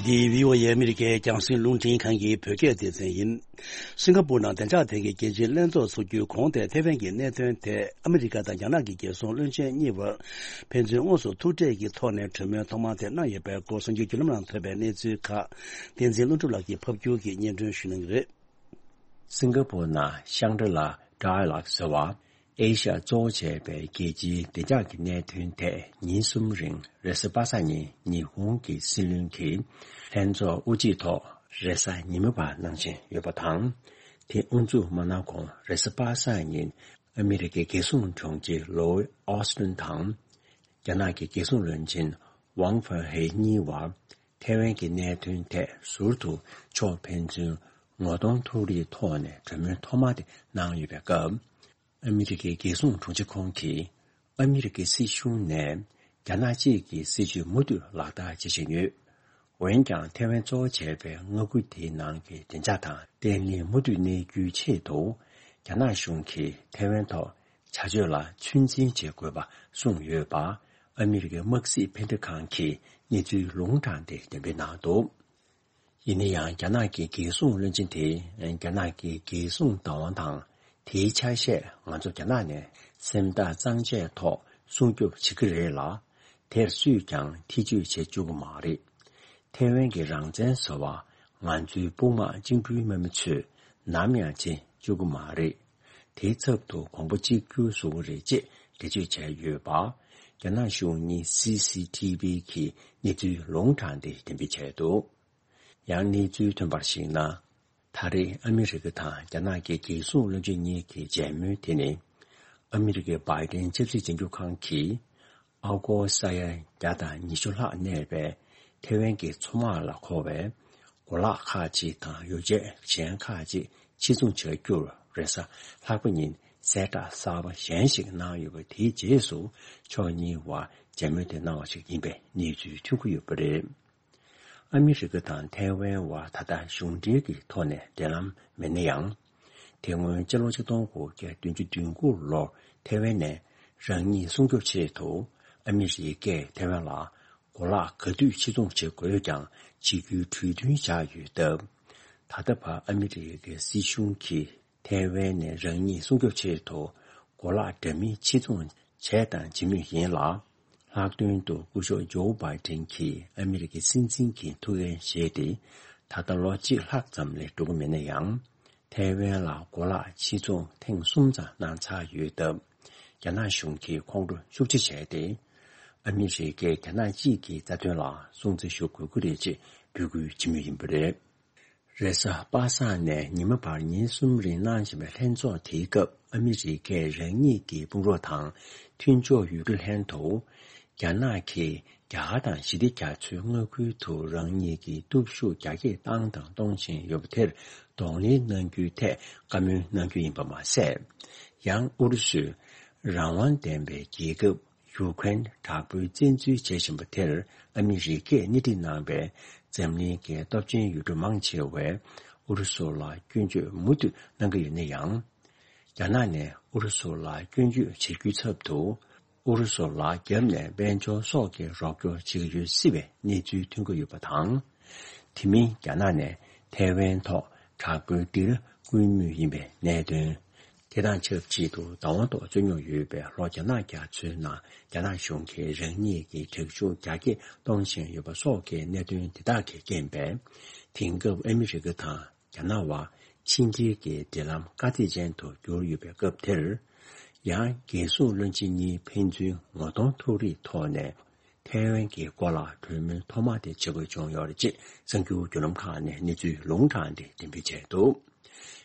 འདི་བྷི་ཨོ་ཨེ་ཨ་མི་རི་ཀའི་རྒྱང་སྲིང་རླུང་འཕྲིན་ཁང་གི་བོད་སྐད་སྡེ་ཚན་ཡིན། སིང་ག་པུར་ནང་བདེ་འཇགས་ཐད་ཀྱི་རྒྱལ་སྤྱིའི་ལྷན་ཚོགས་འཚོགས་རྒྱུའི་གོང་དེ་ཐེ་ཝན་གྱི་གནད་དོན་ཐད་ཨ་མི་རི་ཀ་དང་རྒྱ་ནག་གི་རྒྱལ་སྲུང་བློན་ཆེན་གཉིས་བར་ཕན་ཚུན་དངོས་སུ་ཐུག་འཕྲད་ཀྱི་ཐོག་ནས་གྲོས་མོལ་ཐོག་མ་དེ་གནང་ཡོད་པའི་སྐོར་གསར་འགྱུར་བརྒྱུད་ལམ་ནང་ཐོན་པའི་གནས་ཚུལ་ཁག་བསྟན་འཛིན་ལྷུན་གྲུབ་ལགས་ཀྱིས་ཕབ་སྒྱུར་གྱིས་སྙན་སྒྲོན་ཞུ་གནང་གི་རེད། སིང་ག་པུར་ནང་ཤང་གྲི་ལ་ཌའི་ལོག་ཟེར་བ། ཨེ་ཤ་ཡ་གཙོ་བོ་བྱས་པའི་རྒྱལ་སྤྱིའི་བདེ་འཇགས་ཀྱི་གནད་དོན་ཐད་ཉིན་གསུམ་རིང་རེས་གཟའ་པ་སངས་ཉིན་ཉི་ཧོང་གི་སྲིད་བློན་གྱི་ལྷན་ཚོགས་དབུ་འབྱེད་ཐོག་རེས་གཟའ་ཉི་མ་བར་གནང་བཞིན་ཡོད་པ་དང་། དེ་དབུ་འཛུགས་མ་གནང་གོང་རེས་གཟའ་པ་སངས་ཉིན་ཨ་མི་རི་ཀའི་རྒྱལ་སྲུང་དྲུང་ཆེ་ལོའི་ཨོ་སི་ཏིན་དང་། རྒྱ་ནག་གི་རྒྱལ་སྲུང་བློན་ཆེན་ཝང་ཧྥེ་ཧེ་གཉིས་བར་ཐེ་ཝན་གྱི་གནད་དོན་ཐད་ཟུར་དུ་ཕྱོགས་ཕན་ཚུན་ངོ་གདོང་ཐུག་རིས་ཐོག་ནས་གྲོས་མོལ་ཐོག་མ་དེ་གནང་ཡོད་པའི་སྐབས། ཨ་མི་རི་ཀའི་རྒྱལ་སྲུང་དྲུང་ཆེ་ཁོང་གིས་ཨ་མི་རི་ཀའི་སྲིད་གཞུང་ནས་རྒྱ་ནག་གཅིག་གི་སྲིད་བྱུས་མུ་མཐུད་ལག་བསྟར་བྱེད་བཞིན་ཡོད། འོན་ཀྱང་ཐེ་ཝན་གཙོ་བོ་བྱས་པའི་མངའ་ཁུལ་དེའི་ནང་གི་བདེ་འཇགས་དང་བརྟན་ལྷིང་མུ་མཐུད་གནས་རྒྱུའི་ཆེད་དུ་རྒྱ་ནག་གཞུང་གིས་ཐེ་ཝན་ཐོག་བྱ་སྤྱོད་ལ་ཚོད་འཛིན་བྱེད་དགོས་པ་གསུངས་ཡོད་པ། ཨ་མི་རི་ཀའི་དམག་སྲིད་འཕེལ་འགྲིབ་ཁང་གིས་གནས་ཚུལ་ལུང་དྲངས་ཏེ་འགྲེམས་སྤེལ་གནང་འདུག་ཡིན་ན་ཡང་རྒྱ་ནག་གི་རྒྱལ་སྲུང་བློན་ཆེན་དེས་རྒྱ་ནག་གི་རྒྱལ་སྲུང་བདག་དབང་དང་དེའི་ཆ་ཤས་ང་ཚོ་རྒྱ་ནག་ནས་སེམས་ཐག་གཙང་བཅད་ཐོག་སྲུང་སྐྱོབ་བྱེད་ཀྱི་རེད་ལ། དེར་སུས་ཀྱང་ཐེ་བྱུས་བྱེད་བཅུག་གི་མ་རེད། ཐེ་ཝན་གྱི་རང་བཙན་ཟེར་བ་ང་ཚོའི་དཔུང་དམག་བཅིངས་འགྲོལ་དམག་མི་ཚོས་ནམ་ཡང་བྱེད་བཅུག་གི་མ་རེད། དེའི་ཚབ་ཏུ་གོང་བུ་གཅིག་གྱུར་བཟོ་གི་རེད་ཅེས་འགྲེལ་བརྗོད་བྱས་ཡོད་པ། རྒྱ་ནག་གཞུང་གཉིས་སི་སི་ཐི་བི་གིས་གནས་ཚུལ་ལུང་དྲངས་ཏེ་འགྲེམས་སྤེལ་བྱས་འདུག་ཡང་གནས་ཚུལ་ཐོན་པར་གཞིགས་ན། ད་རེས་ཨ་མི་རི་ཀ་དང་རྒྱ་ནག་གི་རྒྱལ་སྲུང་བློན་ཆེན་གཉིས་ཀྱི་མཇལ་མོལ་དེ་ནི། ཨ་མི་རི་ཀའི་བྷའི་ཏིན་ཆབ་སྲིད་བྱང་ཆུབ་ཁང་གིས། ཨ་སྒོར་ས་ཡ་བརྒྱ་དང་ཉི་ཤུ་ལྷག་གནས་པའི་ཐེ་ཝན་གྱི་མཚོ་དམག་ལ་མཁོ་བའི་གོ་ལག་ཁག་ཅིག་དང་ཡོ་བྱད་གཞན་ཁག་ཅིག་ཕྱིར་ཚོང་བྱ་རྒྱུར་རེས་གཟའ་ལྷག་པ་ཉིན་གསལ་བསྒྲགས་གསར་པ་གཞན་ཞིག་གནང་ཡོད་པ་དེའི་རྗེས་སུ་ཕྱོགས་གཉིས་བར་མཇལ་མོལ་དེ་གནང་བ་ཞིག་ཡིན་པའི་གནས་ཚུལ་ཐོན་གྱི་ཡོད་པ་རེད། ཨ་མི་རི་ཀ་དང་ཐའེ་ཝན་བར་ད་ལྟ་གཞུང་འབྲེལ་གྱི་ཐོག་ནས་འབྲེལ་ལམ་མེད་ན་ཡང་། དེ་སྔོན་སྤྱི་ལོ་ཆིག་སྟོང་དགུ་བརྒྱ་བདུན་ཅུ་དོན་དགུ་ལོར་ཐའེ་ཝན་ནས་རང་ཉིད་སྲུང་སྐྱོབ་ཆེད་དུ་ཨ་མི་རི་ཀས་ཐའེ་ཝན་ལ་གོ་ལག་ག་དུས་ཕྱིར་ཚོང་བྱེད་དགོས་ཀྱང་གཅིག་གྱུར་གྲོས་མཐུན་བཞག་ཡོད་སྟབས། ད་ལྟ་བར་ཨ་མི་རི་ཀའི་སྲིད་གཞུང་གིས་ཐའེ་ཝན་ནས་རང་ཉིད་སྲུང་སྐྱོབ་ཆེད་དུ་གོ་ལག་འདྲ་མིན་ཕྱིར་ཚོང་བྱས་དང་བྱེད་མུས་ཡིན་ལ། ལྷག་དོན་དུ་སྐུ་ཞབས་ཇོ་བྷའི་ཏིན་གྱིས་ཨ་མི་རི་ཀའི་སྲིད་འཛིན་གྱི་ཐུགས་འགན་བཞེས་ཏེ། ད་ལྟ་ལོ་གཅིག་ལྷག་ཙམ་ལས་འགྲོ་གི་མེད་ན་ཡང་། ཐའེ་ཝན་ལ་གོ་ལག་ཕྱིར་ཚོང་ཐེངས་གསུམ་ཙམ་གནང་ཚར་ཡོད་སྟབས། རྒྱ་ནག་གཞུང་གིས་ཁོང་ཁྲོ་ཤུགས་ཆེ་བྱས་ཏེ། ཨ་མི་རི་ཀས་རྒྱ་ནག་གཅིག་གི་རྩ་དོན་ལ་སྲུང་བརྩི་ཞུ་དགོས་ཀྱི་རེད་ཅེས་འབོད་སྐུལ་བྱེད་མུས་ཡིན་པ་རེད། རེས་གཟའ་པ་སངས་ནས་ཉི་མ་བར་ཉིན་གསུམ་རིང་གནང་བཞིན་པའི་ལྷན་ཚོགས་དེའི་སྐབས་ཨ་མི་རི་ཀས་རང་ཉིད་ཀྱི་དཔུང་རོགས་དང་མཐུན་ཕྱོགས་ཡོད་རྒྱུ་ལྷན་དུ། རྒྱ་ནག་གིས་རྒྱ་གར་དང་ཞི་བདེ་རྒྱ་མཚོའི་མངའ་ཁུལ་དུ་རང་ཉིད་ཀྱི་སྟོབས་ཤུགས་རྒྱ་སྐྱེད་བཏང་དང་གཏོང་བཞིན་ཡོད་པ་དེར་གདོང་ལེན་གནང་རྒྱུའི་ཐད་བཀའ་མོལ་གནང་རྒྱུ་ཡིན་པ་མ་ཟད། ཡང་ཨུ་རུ་སུས་རང་དབང་ལྡན་པའི་རྒྱལ་ཁབ། ཡུ་ཀེ་རེན་དྲག་པོའི་བཙན་འཛུལ་བྱེད་བཞིན་པ་དེར་ཨ་མི་རི་ཀས་སྣེ་ཁྲིད་གནང་བའི་འཛམ་གླིང་གི་སྟོབས་ཆེན་ཡུལ་གྲུ་མང་ཆེ་བས་ཨུ་རུ་སུ་ལ་སྐྱོན་བརྗོད་མུ་མཐུད་གནང་གི་ཡོད་ན་ཡང་། རྒྱ་ནག་ནས་ཨུ་རུ་སུ་ལ་སྐྱོན་བརྗོད་བྱེད་རྒྱུའི་ཚབ་ཏུ། ཨུ་རུ་སུ་ལ་རྒྱབ་ནས་དཔལ་འབྱོར་སོགས་ཀྱི་རོགས་སྐྱོར་བྱེད་ཀྱི་ཡོད་སྲིད་པའི་གནས་ཚུལ་ཐོན་གྱི་ཡོད་པ་དང་། དེ་མིན་རྒྱ་ནག་ནས་ཐའེ་ཝན་ཐོག་དྲག་པོའི་སྒྲིལ་བཀོལ་མུས་ཡིན་པའི་གནད་དོན། དེ་དང་ཆབས་ཅིག་ཏུ་བདག་དབང་ཐོག་རྩོད་རྙོག་ཡོད་པའི་ལྷོ་རྒྱ་ནག་རྒྱ་མཚོའི་ནང་རྒྱ་ནག་གཞུང་གིས་རང་ཉིད་ཀྱི་དྲག་ཤུགས་རྒྱ་སྐྱེད་གཏོང་བཞིན་ཡོད་པ་སོགས་ཀྱི་གནད་དོན་དེ་དག་གིས་རྐྱེན་པས། དེང་སྐབས་ཨ་མི་རི་ཀ་དང་རྒྱ་ནག་བར་ཕྱི་འབྲེལ་གྱི་འབྲེལ་ལམ་དཀའ་ཚེགས་ཅན་དུ་གྱུར་ཡོད་པའི་སྐབས་དེར། ཡང་རྒྱལ་སྲུང་བློན་ཆེན་གཉིས་ཕན་ཚུན་ངོ་གདོང་ཐུག་རེས་ཐོག་ནས་ཐའེ་ཝན་གྱི་སྐོར་ལ་གྲོས་མོལ་ཐོག་མ་དེ་བྱེད་དགོས་བྱུང་ཡོད་རེད་ཅེས་གསར་འགྱུར་བརྒྱུད་ལམ་ཁག་ནས་གནས་ཚུལ་ལུང་དྲངས་ཏེ་འགྲེམས་སྤེལ་བྱས་འདུག་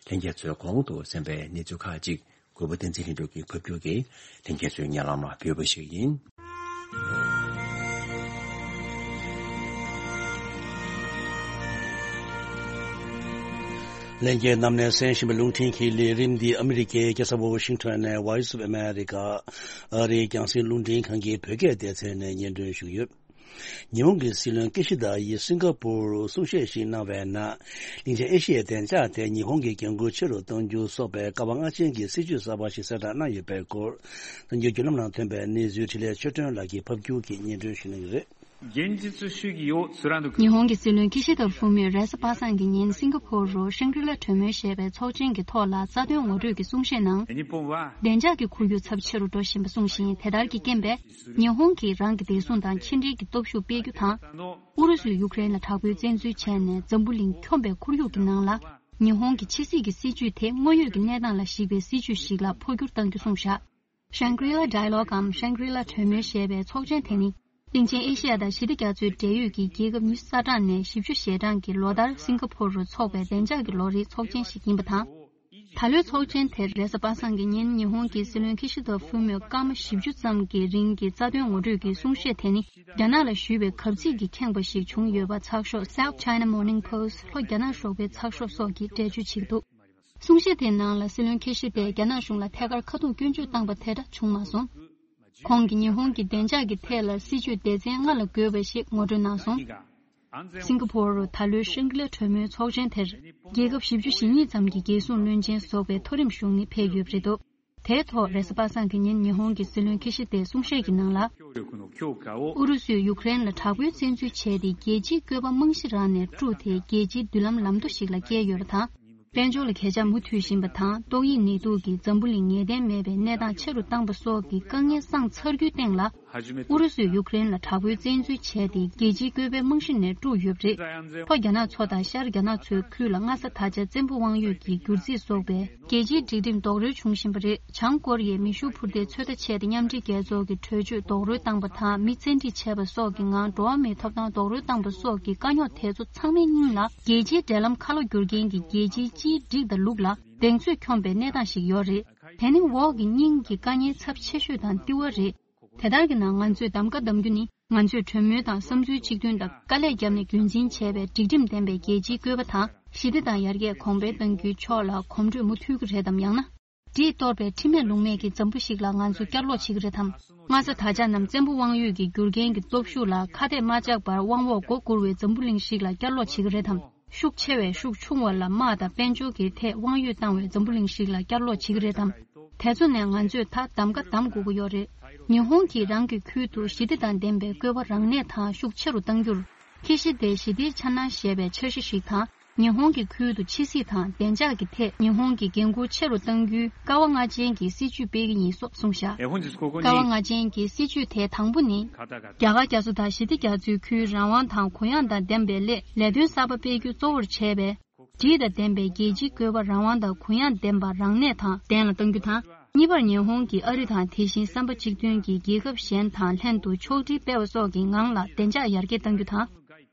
ལྷན་རྒྱས་ཚོས་གོང་དུ་གསན་པའི་གནས་ཚུལ་ཁག་ཅིག་གུས་པ་བསྟན་འཛིན་ལྷུན་གྲུབ་ཀྱིས་ཕབ་སྒྱུར་གྱིས་ལྷན་རྒྱས་ཚོའི་སྙན་ལམ་ལ་ཕུལ་བ་ཞིག་ཡིན། ལྷན་རྒྱས་རྣམས་ནས་གསན་བཞིན་པའི་རླུང་འཕྲིན་གྱི་ལས་རིམ་འདི་ཨ་མི་རི་ཀའི་རྒྱལ་ས་ཝ་ཤིང་ཊོན་ནས་Voice of America ཨ་རིའི་རྒྱང་སྲིང་རླུང་འཕྲིན་ཁང་གི་བོད་སྐད་སྡེ་ཚན་ནས་སྙན་སྒྲོན་ཞུས་ཡོད། ཉི་ཧོང་གི་སྲིད་བློན་ཀི་ཤི་དཱ་ཡིས་སིང་ག་པུར་གསུང་བཤད་ཞིག་གནང་བའི་ནང་། གླིང་ཆེན་ཨེ་ཤི་ཡའི་བདེ་འཇགས་ཐད་ཉི་ཧོང་གི་འགན་འཁུར་ཆེ་རུ་གཏོང་རྒྱུ་སོགས་པའི་ཀ་བ་ལྔ་ཅན་གྱི་སྲིད་ཇུས་གསར་པ་ཞིག་གསལ་བསྒྲགས་གནང་ཡོད་པའི་སྐོར། གསར་འགྱུར་བརྒྱུད་ལམ་ནང་ཐོན་པའི་གནས་ཚུལ་འཕྲིན་ལས་ཆོས་སྒྲོན་ལགས་ཀྱིས་ཕབ་སྒྱུར་གྱིས་སྙན་སྒྲོན་ཞུ་གནང་གི་རེད། 現実主義を貫く། ཉི་ཧོང་གི་སྲིད་བློན་ཁི་ཤི་ད་ཧྥུ་མོས་རེས་གཟའ་པ་སངས་ཀྱི་ཉིན་སིང་ག་ཕོར་རུ་ཤང་གྲི་ལ་གྲོས་མོལ་ཞེས་པའི་ཚོགས་ཆེན་གྱི་ཐོག་ལ་རྩ་དོན་ངོ་སྤྲོད་ཀྱི་གསུང་བཤད་ནང་། 日本は བདེ་འཇགས་ཀྱི་ཁོར་ཡུག་ཚབས་ཆེ་རུ་འགྲོ་བཞིན་པ་གསུངས་ཤིང་། དེ་ལྟར་གྱི་རྐྱེན་པས་ཉི་ཧོང་གིས་རང་གི་བདེ་སྲུང་དང་ཕྱི་འབྲེལ་གྱི་སྟོབས་ཤུགས་སྤེལ་རྒྱུ་དང་། ཨུ་རུ་སུས་ཡུཀ་རེན་ལ་དྲག་པོའི་བཙན་འཛུལ་བྱས་ནས་འཛམ་བུ་གླིང་འཁྱོམས་པའི་ཁོར་ཡུག་གི་ནང་ལ། ཉི་ཧོང་གི་ཕྱི་སྲིད་ཀྱི་སྲིད་ཇུས་དེ་དངོས་ཡོད་ཀྱི་གནས་སྟངས་ལ་གཞིགས་པའི་སྲིད་ཇུས་ཤིག་ལ་འཕོ་འགྱུར་གཏང་རྒྱུ་གསུངས་བཞག Shangri-La Dialogue་འམ་Shangri-La་གྲོས་མོལ་ཞེས་པའི་ཚོགས་ཆེན་དེ་ནི། གླིང་ཆེན་ཨེ་ཤི་ཡ་དང་ཞི་བདེ་རྒྱ་མཚོའི་འབྲེལ་ཡོད་ཀྱི་རྒྱལ་ཁབ་ཉི་ཤུ་རྩ་གྲངས་ནས་བཞི་བཅུ་ཞེ་གྲངས་ཀྱིས་ལོ་ལྟར་སིང་ག་ཕོར་རུ་འཚོགས་པའི་བདེ་འཇགས་ཀྱི་ལོ་རེའི་ཚོགས་ཆེན་ཞིག་ཡིན་པ་དང་། ད་ལོའི་ཚོགས་ཆེན་དེར་རེས་གཟའ་པ་སངས་ཀྱི་ཉིན་ཉི་ཧོང་གི་སྲིད་བློན་ཁི་ཤི་ཏོ་ཧྥུ་མོས་སྐར་མ་བཞི་བཅུ་ཙམ་གྱི་རིང་གི་རྩ་དོན་ངོ་སྤྲོད་ཀྱི་གསུང་བཤད་དེ་ནི། རྒྱ་ནག་ལ་ཞུས་པའི་གབ་ཚིག་གིས་ཁེངས་པ་ཞིག་བྱུང་ཡོད་པ་ཚགས་ཤོག་South China Morning Post་ལྷོ་རྒྱ་ནག་ཞོགས་པའི་ཚགས་ཤོག་སོགས་ཀྱིས་འགྲེལ་བརྗོད་བྱེད་ཀྱི་འདུག་གསུང་བཤད་དེའི་ནང་ལ་སྲིད་བློན་ཁེ་ཤི་ཏས་རྒྱ་ནག་གཞུང་ལ་ཐད་ཀར་ཁ་ཐུག་སྐྱོན་བརྗོད་བཏང་པ་དེ་འདྲ་བྱུང་མ་སོང་། ཁོང་གིས་ཉི་ཧོང་གི་བདེ་འཇགས་ཀྱི་ཐད་ལ་སྲིད་ཇུས་སྡེ་ཚན་ལྔ་ལ་བགོས་པ་ཞིག་ངོ་སྤྲོད་གནང་སོང་། སིང་ག་ཕོར་རུ་ད་ལོའི་ཤང་གི་ལ་གྲོས་མོལ་ཚོགས་ཆེན་དེར་རྒྱལ་ཁབ་བཞི་བཅུ་ཞེ་གཉིས་ཙམ་གྱི་རྒྱལ་སྲུང་བློན་ཆེན་ཟུར་པའི་མཐོ་རིམ་གཞུང་ནི་ཕེབས་ཡོད་པ་རེད་འདུག་དེའི་ཐོག་རེས་གཟའ་པ་སངས་ཀྱི་ཉིན་ཉི་ཧོང་གི་སྲིད་བློན་ཁི་ཤི་ཏས་གསུང་བཤད་ཀྱི་ནང་ལ། ཨུ་རུ་སུས་ཡུཀ་རེན་ལ་དྲག་པོའི་བཙན་འཛུལ་བྱས་ཏེ་རྒྱལ་སྤྱིའི་བཀོད་པ་རྨང་གཞི་རང་ནས་དཀྲུགས་ཏེ་རྒྱལ་སྤྱིའི་མདུན་ལམ་ལམ་རྡོ་ཞིག་ལ་བསྐྱལ་ཡོད་པ་དང་། དཔལ་འབྱོར་ལ་གས་ཆག་མུ་མཐུད་བཞིན་པ་དང་། ཏོག་དབྱིབས་ནད་དུག་གིས་འཛམ་བུ་གླིང་ངེས་གཏན་མེད་པའི་གནས་སྟངས་ཆེ་རུ་བཏང་པ་སོགས་ཀྱི་དཀའ་ངལ་སངས་ཚར་རྒྱུའི་སྟེང་ལ། ཨུ་རུ་སུས་ཡུཀ་རེན་ལ་དྲག་པོའི་བཙན་འཛུལ་བྱས་ཏེ་རྒྱལ་སྤྱིའི་བཀོད་པའི་རྨང་གཞི་ནས་དཀྲུགས་ཡོད་པ་རེད། ལྷོ་རྒྱ་ནག་མཚོ་དང་ཤར་རྒྱ་ནག་མཚོའི་ཁུལ་ལ་སྔ་ས་ད་ཆ་བཙན་པོ་དབང་ཡོད་ཀྱི་སྒྱུར་རྩིས་སོགས་པའི་རྒྱལ་སྤྱིའི་སྒྲིག་ཁྲིམས་རྡོག་རོལ་བྱུང་བཞིན་པ་རེད། བྱང་ཀོ་རི་ཡས་མེ་ཤུགས་འཕུར་མདེལ་ཚོད་ལྟ་བྱས་ཏེ་མཉམ་འབྲེལ་རྒྱལ་ཚོགས་ཀྱི་གྲོས་ཆོད་རྡོག་རོལ་བཏང་པ་དང་། མི་བཙན་ཁྲིད་བྱས་པ་སོགས་ཀྱི་ངང་འགྲོ་བ་མིའི་ཐོབ་ཐང་རྡོག་རོལ་བཏང་པ་སོགས་ཀྱི་དཀའ་རྙོག་དེ་ཚོ་ཚང་མའི་སྙིང་ལ། རྒྱལ་སྤྱིའི་འབྲེལ་ལམ་ཁ་ལོ་བསྒྱུར་མཁན་གྱི་རྒྱལ་སྤྱིའི་སྤྱིའི་སྒྲིག་དང་ལུགས་ལ་གདེང་ཚོད་འཁྱོངས་པའི་གནས་སྟངས་ཤིག་ཡོད་རེད། དེ་ནི་འོག་གི་སྙིང་གི་དཀའ་ངལ་ཚབས་ཆེ་ཤོས་དང་ལྟེ་བ་རེད། དེ་ལྟར་གྱི་ནང་ང་ཚོས་གདམ་ག་གདམ་རྒྱུ་ནི། ང་ཚོས་གྲོས་མོལ་དང་བསམ་ཚུལ་གཅིག་མཐུན་དང་དཀའ་ལས་བརྒྱབ་ནས་རྒྱུན་འཛིན་བྱས་པའི་སྒྲིག་ཁྲིམས་ལྡན་པའི་རྒྱལ་སྤྱིའི་བཀོད་པ་དང་། ཞི་བདེ་དང་ཡར་རྒྱས་གོང་འཕེལ་གཏང་རྒྱུའི་ཕྱོགས་ལ་གོམ་བགྲོད་མུ་མཐུད་ཀྱི་རེད་དམ། ཡང་ན། གྲིས་གཏོར་པའི་ཁྲིམས་མེད་ལུགས་མེད་ཀྱི་འཛམ་བུ་ཞིག་ལ་ང་ཚོ་བསྐྱར་ལོག་བྱེད་ཀྱི་རེད་དམ། སྔ་ས་ད་ཆ་ནམ་བཙན་པོ་དབང་ཡོད་ཀྱི་བསྒྱུར་མཁན་གྱི་སྟོབས་ཤུགས་ལ་ཁ་གཏད་མ་བཅག་པར་དབང་འོག་མགོ་སྒུར་བའི་འཛམ་བུ་གླིང་ཞིག་ལ་བསྐྱར་ལོག་བྱེད་ཀྱི་རེད་དམ། ཤུགས་ཆེ་བས་ཤུགས་ཆུང་བ་ལ་དམག་དང་དཔལ་འབྱོར་གྱི་ཐད་དབང་ཡོད་བཏང་བའི་འཛམ་བུ་གླིང་ཞིག་ལ་བསྐྱར་ལོག་བྱེད་ཀྱི་རེད་དམ། དེ་ཚོ་ནས་ང་ཚོས་ད་གདམ་ག་གདམ་དགོས་ཀྱི་ཡོད་རེད། ཉི་ཧོང་གིས་རང་གི་ཁུལ་དུ་ཞི་བདེ་དང་ལྡན་པའི་བཀོད་པ་རང་གནས་དང་ཤུགས་ཆེ་རུ་གཏང་རྒྱུར། ཁེ་ཤི་ཏེ་ཞི་བདེའི་འཆར་སྣང་ཞེས་པའི་འཆར་གཞི་ཞིག་དང་། ཉི་ཧོང་གི་ཁུལ་དུ་ཕྱི་སྲིད་དང་བདེ་འཇགས་ཀྱི་ཐད་ཉི་ཧོང་གི་འགན་འཁུར་ཆེ་རུ་གཏང་རྒྱུའི་ཀ་བ་ལྔ་ཅན་གྱི་སྲིད་ཇུས་སྤེལ་གྱི་ཡིན་སོགས་གསུངས་བཞག་ཀ་བ་ལྔ་ཅན་གྱི་སྲིད་ཇུས་དེ་དང་པོ་ནི། རྒྱ་གར་རྒྱ་མཚོ་དང་ཞི་བདེ་རྒྱ་མཚོའི་ཁུལ་རང་དབང་དང་གུ་ཡངས་དང་ལྡན་པའི་སླད་ལས་དོན་གསར་པ་སྤེལ་རྒྱུ་གཙོ་བོར་བྱས་པའི། སྒྲིག་དང་ལྡན་པའི་རྒྱལ་སྤྱིའི་བཀོད་པ་རང་དབང་དང་གུ་ཡངས་ལྡན་པ་རང་གནས་དང་ལྡན་ལ་གཏང་རྒྱུ་དང་། གཉིས་པར་ཉི་ཧོང་གིས་ཨ་རི་དང་དེ་བཞིན་བསམ་པ་གཅིག་མཐུན་གྱི་རྒྱལ་ཁབ་གཞན་དང་ལྷན་དུ་ཕྱོགས་སྒྲིག་སྤེལ་བ་སོགས་ཀྱི་ངང་ལ་བདེ་འཇགས་ཡར་རྒྱས་གཏང་རྒྱུ་དང་།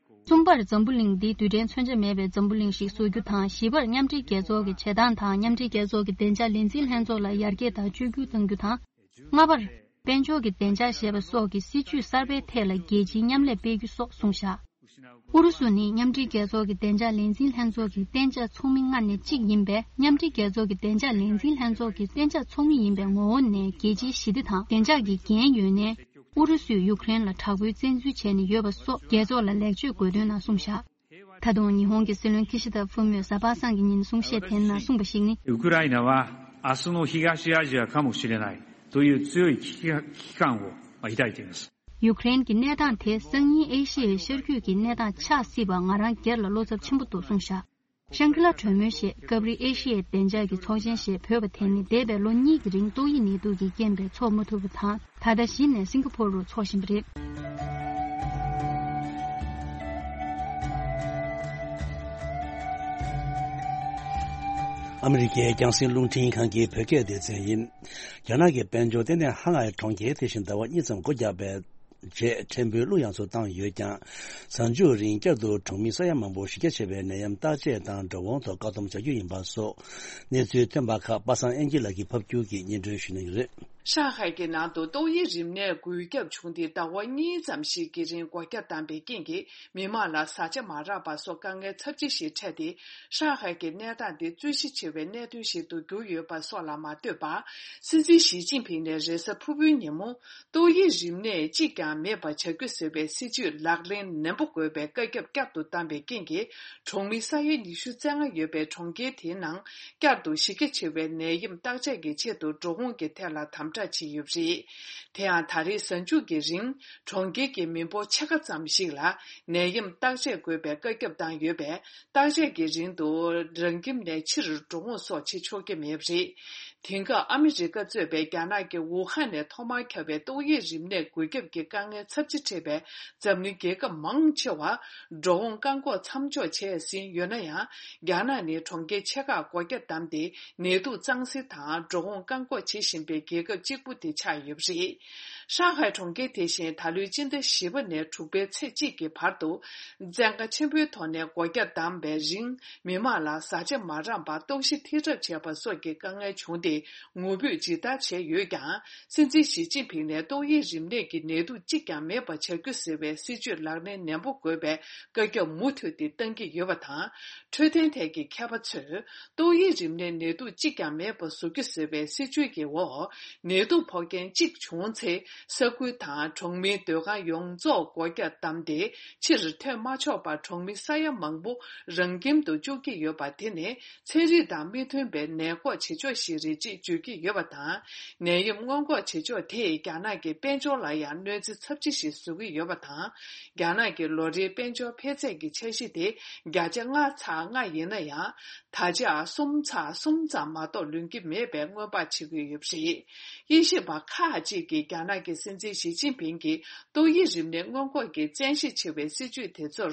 གསུམ་པར་འཛམ་བུ་གླིང་འདི་རྡུལ་ཕྲན་མཚོན་ཆ་མེད་པའི་འཛམ་བུ་གླིང་ཞིག་བཟོ་རྒྱུ་དང་། བཞི་པར་མཉམ་འབྲེལ་རྒྱལ་ཚོགས་ཀྱི་བྱེད་སྟངས་དང་མཉམ་འབྲེལ་རྒྱལ་ཚོགས་ཀྱི་བདེ་འཇགས་ལས་འཛིན་ལྷན་ཚོགས་ལ་ཡར་རྒྱས་དང་བཅོས་བསྒྱུར་གཏང་རྒྱུ་དང་། ལྔ་པར། དཔལ་འབྱོར་གྱི་བདེ་འཇགས་ཞེས་པ་སོགས་ཀྱི་སྲིད་ཇུས་གསར་པའི་ཐད་ལ་རྒྱལ་སྤྱིའི་མཉམ་ལས་སྤེལ་རྒྱུ་སོགས་གསུངས་བཞག་ཨུ་རུ་སུ་ནི་མཉམ་འབྲེལ་རྒྱལ་ཚོགས་ཀྱི་བདེ་འཇགས་ལས་འཛིན་ལྷན་ཚོགས་ཀྱི་གཏན་འཇགས་ཚོགས་མི་ལྔ་ནས་གཅིག་ཡིན་པས། མཉམ་འབྲེལ་རྒྱལ་ཚོགས་ཀྱི་བདེ་འཇགས་ལས་འཛིན་ལྷན་ཚོགས་ཀྱི་གཏན་འཇགས་ཚོགས་མི་ཡིན་པའི་ངོ་བོ་ནས་རྒྱལ་སྤྱིའི་ཞི་བདེ་དང་བདེ་འཇགས་ཀྱི་འགན་ཡོད་ནས། ཨུ་རུ་སུས་ཡུཀ་རེན་ལ་དྲག་པོའི་བཙན་འཛུལ་བྱས་ནས་ཡོད་པ་སོགས་རྒྱལ་ཚོགས་ལ་ལེགས་བཅོས་དགོས་དོན་ནང་གསུངས་བཞག་ད་དུང་ཉི་ཧོང་གི་སྲིད་བློན་ཁི་ཤི་ད་ཧྥུ་མོས་གཟའ་པ་སངས་ཀྱི་ཉིན་གསུང་བཤད་དེའི་ནང་གསུངས་པ་ཞིག་ནི། ウクライナは明日の東アジアかもしれないという強い危機感を抱いています。 ཡུཀ་རེན་གྱི་གནས་སྟངས་དེ་སང་ཉིན་ཨེ་ཤི་ཡའི་ཤར་རྒྱུད་ཀྱི་གནས་སྟངས་ཆགས་སྲིད་པ་ང་རང་སྒེར་ལ་བློ་འཚབ་ཆེན་པོ་འདུག་གསུངས་བཞག་ཤང་ཀི་ལ་གྲོས་མོལ་ཞེས་སྐབས་རེ་ཨེ་ཤི་ཡའི་བདེ་འཇགས་ཀྱི་ཚོགས་ཆེན་ཞེས་འབོད་པ་དེ་ནི་འདས་པའི་ལོ་གཉིས་ཀྱི་རིང་ཏོག་དབྱིབས་ནད་དུག་གི་རྐྱེན་པས་འཚོགས་མ་ཐུབ་པ་དང་། ད་ལྟ་གཞི་ནས་སིང་ག་ཕོར་རུ་འཚོགས་བཞིན་པ་རེད། ཨ་མི་རི་ཀའི་རྒྱང་སྲིང་རླུང་འཕྲིན་ཁང་གི་བོད་སྐད་སྡེ་ཚན་ཡིན། རྒྱ་ནག་གི་དཔལ་འབྱོར་ཏན་ཏན་ཧ་ལའི་གྲོང་ཁྱེར་དེ་བཞིན་ཟླ་བ་གཉིས་ཙམ་སྒོ་བརྒྱབ་པའི་རྗེས་ཕྲན་བུ་གློ་ཡངས་སུ་བཏང་ཡོད་ཀྱང་། གཟའ་མཇུག་རིང་བསྐྱར་དུ་གྲོང་མི་ས་ཡ་མང་པོ་གཞི་རྒྱ་ཆེ་བའི་ནད་ཡམས་བརྟག་དཔྱད་དང་འགྲོ་འོང་ཐོག་བཀག་སྡོམ་བྱ་རྒྱུ་ཡིན་པ་སོགས་གནས་ཚུལ་ཐོན་པ་ཁག་པ་སངས་དབྱངས་སྐྱིད་ལགས་ཀྱིས་ཕབ་སྒྱུར་གྱིས་སྙན་སྒྲོན་ཞུ་གནང་གི་རེད། ཧྲང་ཧའེ་གྱི་ནང་དུ་ཏོག་དབྱིབས་རིམས་ནད་འགོས་ཁྱབ་བྱུང་སྟེ་ཟླ་བ་གཉིས་ཙམ་ཞིག་གི་རིང་སྒོ་རྒྱ་བསྡམས་པའི་རྐྱེན་གྱིས་མི་མང་ལ་བཟའ་བཅའ་མ་རག་པ་སོགས་དཀའ་ངལ་ཚབས་ཆེ་ཞིག་འཕྲད་དེ། ཧྲང་ཧའེ་གྱི་གནས་སྟངས་འདི་རྩོད་གཞི་ཆེ་བའི་གནད་དོན་ཞིག་ཏུ་གྱུར་ཡོད་པ་སོགས་ལ་མ་ལྟོས་པར། སྲིད་འཛིན་ཞི་ཅིན་ཕིང་ནས་རེས་གཟའ་ཕུར་བུའི་ཉིན་མོ། ཏོག་དབྱིབས་རིམས་ནད་གཅིག་ཀྱང་མེད་པ་བྱ་རྒྱུ་ཟེར་བའི་སྲིད་ཇུས་ལག་ལེན་ནན་པོ་དགོས་པའི་བཀའ་ཁྱབ་བསྐྱར་དུ་བཏང་པའི་རྐྱེན་གྱིས། གྲོང་མི་ས་ཡ་ཉི་ཤུ་རྩ་ལྔ་ཡོད་པའི་གྲོང་ཁྱེར་དེའི་ནང་བསྐྱར་དུ་གཞི་རྒྱ་ཆེ་བའི་ནད་ཡམས་བརྟག་དཔྱད་ཀྱི་ཆེད་དུ་འགྲོ་འོང་གི་ཐད་ལ་དམ་དྲག་བྱས་ཡོད་པ་རེད། དེ་ཡང་ད་རེས་གཟའ་མཇུག་གི་རིང་གྲོང་ཁྱེར་གྱི་མི་འབོར་ཕྱེད་ཀ་ཙམ་ཞིག་ལ་ནད་ཡམས་བརྟག་དཔྱད་དགོས་པའི་བཀའ་ཁྱབ་བཏང་ཡོད་པས། བརྟག་དཔྱད་ཀྱི་རིང་དུ་རང་ཁྱིམ་ནས་ཕྱིར་འགྲོ་འོང་སོགས་བྱེད་ཆོག་གི་མེད་པ་རེད། དེང་སྐབས་ཨ་མི་རི་ཀ་གཙོས་པའི་རྒྱ་ནག་གི་ཝུ་ཧན་ནས་ཐོག་མར་ཁྱབ་པའི་ཏོག་དབྱིབས་རིམས་ནད་འགོས་ཁྱབ་ཀྱི་དཀའ་ངལ་ཚབས་ཆེ་འཕྲད་པའི་འཛམ་གླིང་རྒྱལ་ཁབ་མང་ཆེ་བར་འགྲོ་འོང་བཀག་འགོག་མཚམས་འཇོག་བྱས་ཟིན་ཡོད་ན་ཡང་། རྒྱ་ནག་ནི་གྲོང་ཁྱེར་ཆེ་ཁག་སྒོ་རྒྱ་བསྡམས་ཏེ་ནད་དུག་གཙང་སེལ་དང་འགྲོ་འོང་བཀག་འགོག་བྱེད་བཞིན་པའི་རྒྱལ་ཁབ་གཅིག་པུ་དེ་ཆགས་ཡོད་པ་རེད། ཧྲང་ཧའེ་གྲོང་ཁྱེར་དེ་བཞིན་ད་ལོའི་སྤྱི་ཟླ་བཞི་པ་ནས་དྲུག་པའི་ཚེས་གཅིག་གི་བར་དུ། བཙན་བཀའ་ཆེན་པོའི་ཐོག་ནས་སྒོ་རྒྱ་བསྡམས་པའི་རིང་། མི་མང་ལ་བཟའ་བཅའ་མ་རག་པར་ལྟོགས་ཤི་ཐེབས་གྲབས་བྱས་པ་སོགས་ཀྱི་དཀའ་ངལ་བྱུང་སྟེ། ངུ་འབོད་ཇི་ལྟར་བྱས་ཡོད་ཀྱང་། སྲིད་འཛིན་ཞི་ཅིན་ཕིང་ནས་ཏོག་དབྱིབས་རིམས་ནད་ཀྱི་ནད་དུག་གཅིག་ཀྱང་མེད་པ་བྱ་རྒྱུ་ཟེར་བའི་སྲིད་ཇུས་ལག་ལེན་ནན་པོ་དགོས་པའི་བཀའ་ཁྱབ་མུ་མཐུད་དེ་བཏང་གི་ཡོད་པ་དང་། འཕྲོད་བསྟེན་ཐད་ཀྱི་མཁས་པ་ཚོས། ཏོག་དབྱིབས་རིམས་ནད་ནད་དུག་གཅིག་ཀྱང་མེད་པ་བཟོ་རྒྱུ་ཟེར་བའི་སྲིད་ཇུས་ཀྱི་འོག་ནད་དུག་ཕོག་མཁན་གཅིག་བྱུང་ཚེ། ས་ཁུལ་དང་གྲོང་མིའི་སྡོད་ཁང་ཡོངས་རྫོགས་སྒོ་རྒྱ་བསྡམས་ཏེ། ཕྱིར་ཐོན་མ་ཆོག་པར་གྲོང་མི་ས་ཡ་མང་པོ་རང་ཁྱིམ་དུ་བཅུག་གི་ཡོད་པ་དེ་ནི། ཚན་རིག་དང་མི་མཐུན་པའི་ནད་འགོག་བྱེད་ཕྱོགས་ཤིག་རེད་ཅེས་བརྗོད་ཀྱི་ཡོད་པ་དང་། ནད་ཡམས་སྔོན་འགོག་བྱེད་ཕྱོགས་དེས་རྒྱ་ནག་གི་དཔལ་འབྱོར་ལ་ཡང་གནོད་འཚེ་ཚབས་ཆེ་ཞིག་བཟོ་གི་ཡོད་པ་དང་། རྒྱ་ནག་གི་ལོ་རེའི་དཔལ་འབྱོར་འཕེལ་ཚད་ཀྱི་འཆར་གཞི་དེ་བརྒྱ་ཆ་ལྔ་ཚེག་ལྔ་ཡིན་ན་ཡང་། ད་ཆ་གསུམ་ཚེག་གསུམ་ཙམ་མ་གཏོགས་ལོན་གྱི་མེད་པའི་སྔོན་དཔག་བྱེད་ཀྱི་ཡོད་པ་རེད། དབྱེ་ཞིབ་པ་ཁག་ཅིག་གིས་རྒྱ་ནག་གི་སྲིད་འཛིན་ཞི་ཅིན་ཕིང་གིས་ཏོག་དབྱིབས་རིམས་ནད་སྔོན་འགོག་གི་བཙན་ཤེད་ཆེ་བའི་སྲིད་ཇུས་དེ་ཚོར།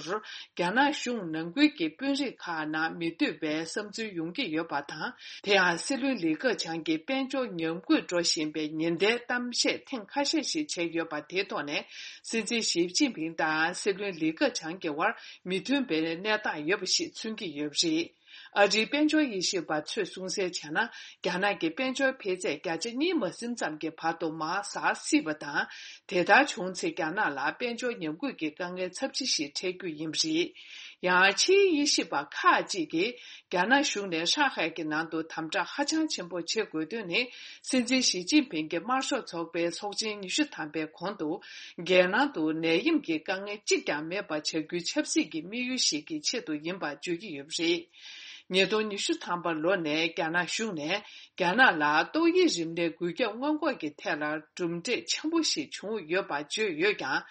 རྒྱ་ནག་གཞུང་ནང་ཁུལ་གྱི་དཔོན་རིགས་ཁག་ནང་མི་འདོད་པའི་བསམ་ཚུལ་ཡོང་གི་ཡོད་པ་དང་། དེ་ཡང་སྲིད་བློན་ལི་ཁེ་ཆང་གིས་དཔལ་འབྱོར་ཉམས་རྒུད་འགྲོ་བཞིན་པའི་ཉེན་བརྡའི་གཏམ་བཤད་ཐེངས་ཁ་ཤས་ཤིག་བྱས་ཡོད་པ་དེའི་ཐོག་ནས། སྲིད་འཛིན་ཞི་ཅིན་ཕིང་དང་སྲིད་བློན་ལི་ཁེ་ཆང་གི་དབར་མི་མཐུན་པའི་གནས་སྟངས་ཡོད་པ་ཞིག་མཚོན་གྱི་ཡོད་པ་རེད། ཨ་རིའི་དཔལ་འབྱོར་དབྱེ་ཞིབ་པ་ཚོས་གསུངས་གསལ་བྱས་ན། རྒྱ་ནག་གི་དཔལ་འབྱོར་འཕེལ་ཚད་བརྒྱ་ཆ་གཉིས་མ་ཟིན་ཙམ་གྱི་བར་དུ་མར་ཟག་སྲིད་པ་དང་། དེ་ལྟར་བྱུང་ཚེ་རྒྱ་ནག་ལ་དཔལ་འབྱོར་ཉམས་རྒུད་ཀྱི་དཀའ་ངལ་ཚབས་ཆེ་ཞིག་འཕྲད་རྒྱུ་ཡིན་པ་རེད། ཡང་ཕྱིའི་དབྱེ་ཞིབ་པ་ཁག་ཅིག་གིས། རྒྱ་ནག་གཞུང་ནས་ཧྲང་ཧའེ་གྱི་ནང་དུ་དམ་དྲག་ཧ་ཅང་ཆེན་པོ་བྱེད་དགོས་དོན་ནི། སྲིད་འཛིན་ཞི་ཅིན་ཕིང་གིས་དམར་ཤོག་ཚོགས་པའི་ཚོགས་ཆེན་ཉི་ཤུ་ཐམ་པའི་གོང་དུ། རྒྱལ་ནང་དུ་ནད་ཡམས་ཀྱི་དཀའ་ངལ་གཅིག་ཀྱང་མེད་པ་བྱ་རྒྱུའི་ཆབ་སྲིད་ཀྱི་དམིགས་ཡུལ་ཞིག་གི་ཆེད་དུ་ཡིན་པ་བརྗོད་ཀྱི་ཡོད་པ་རེད། ཉིས་སྟོང་ཉི་ཤུ་ཐམ་པ་ལོ་ནས་རྒྱ་ནག་གཞུང་ནས་རྒྱ་ནག་ལ་ཏོག་དབྱིབས་རིམས་ནད་འགོས་ཁྱབ་སྔོན་འགོག་གི་ཐད་ལ་གྲུབ་འབྲས་ཆེན་པོ་ཞིག་བྱུང་ཡོད་པ་བརྗོད་ཡོད་ཀྱང་།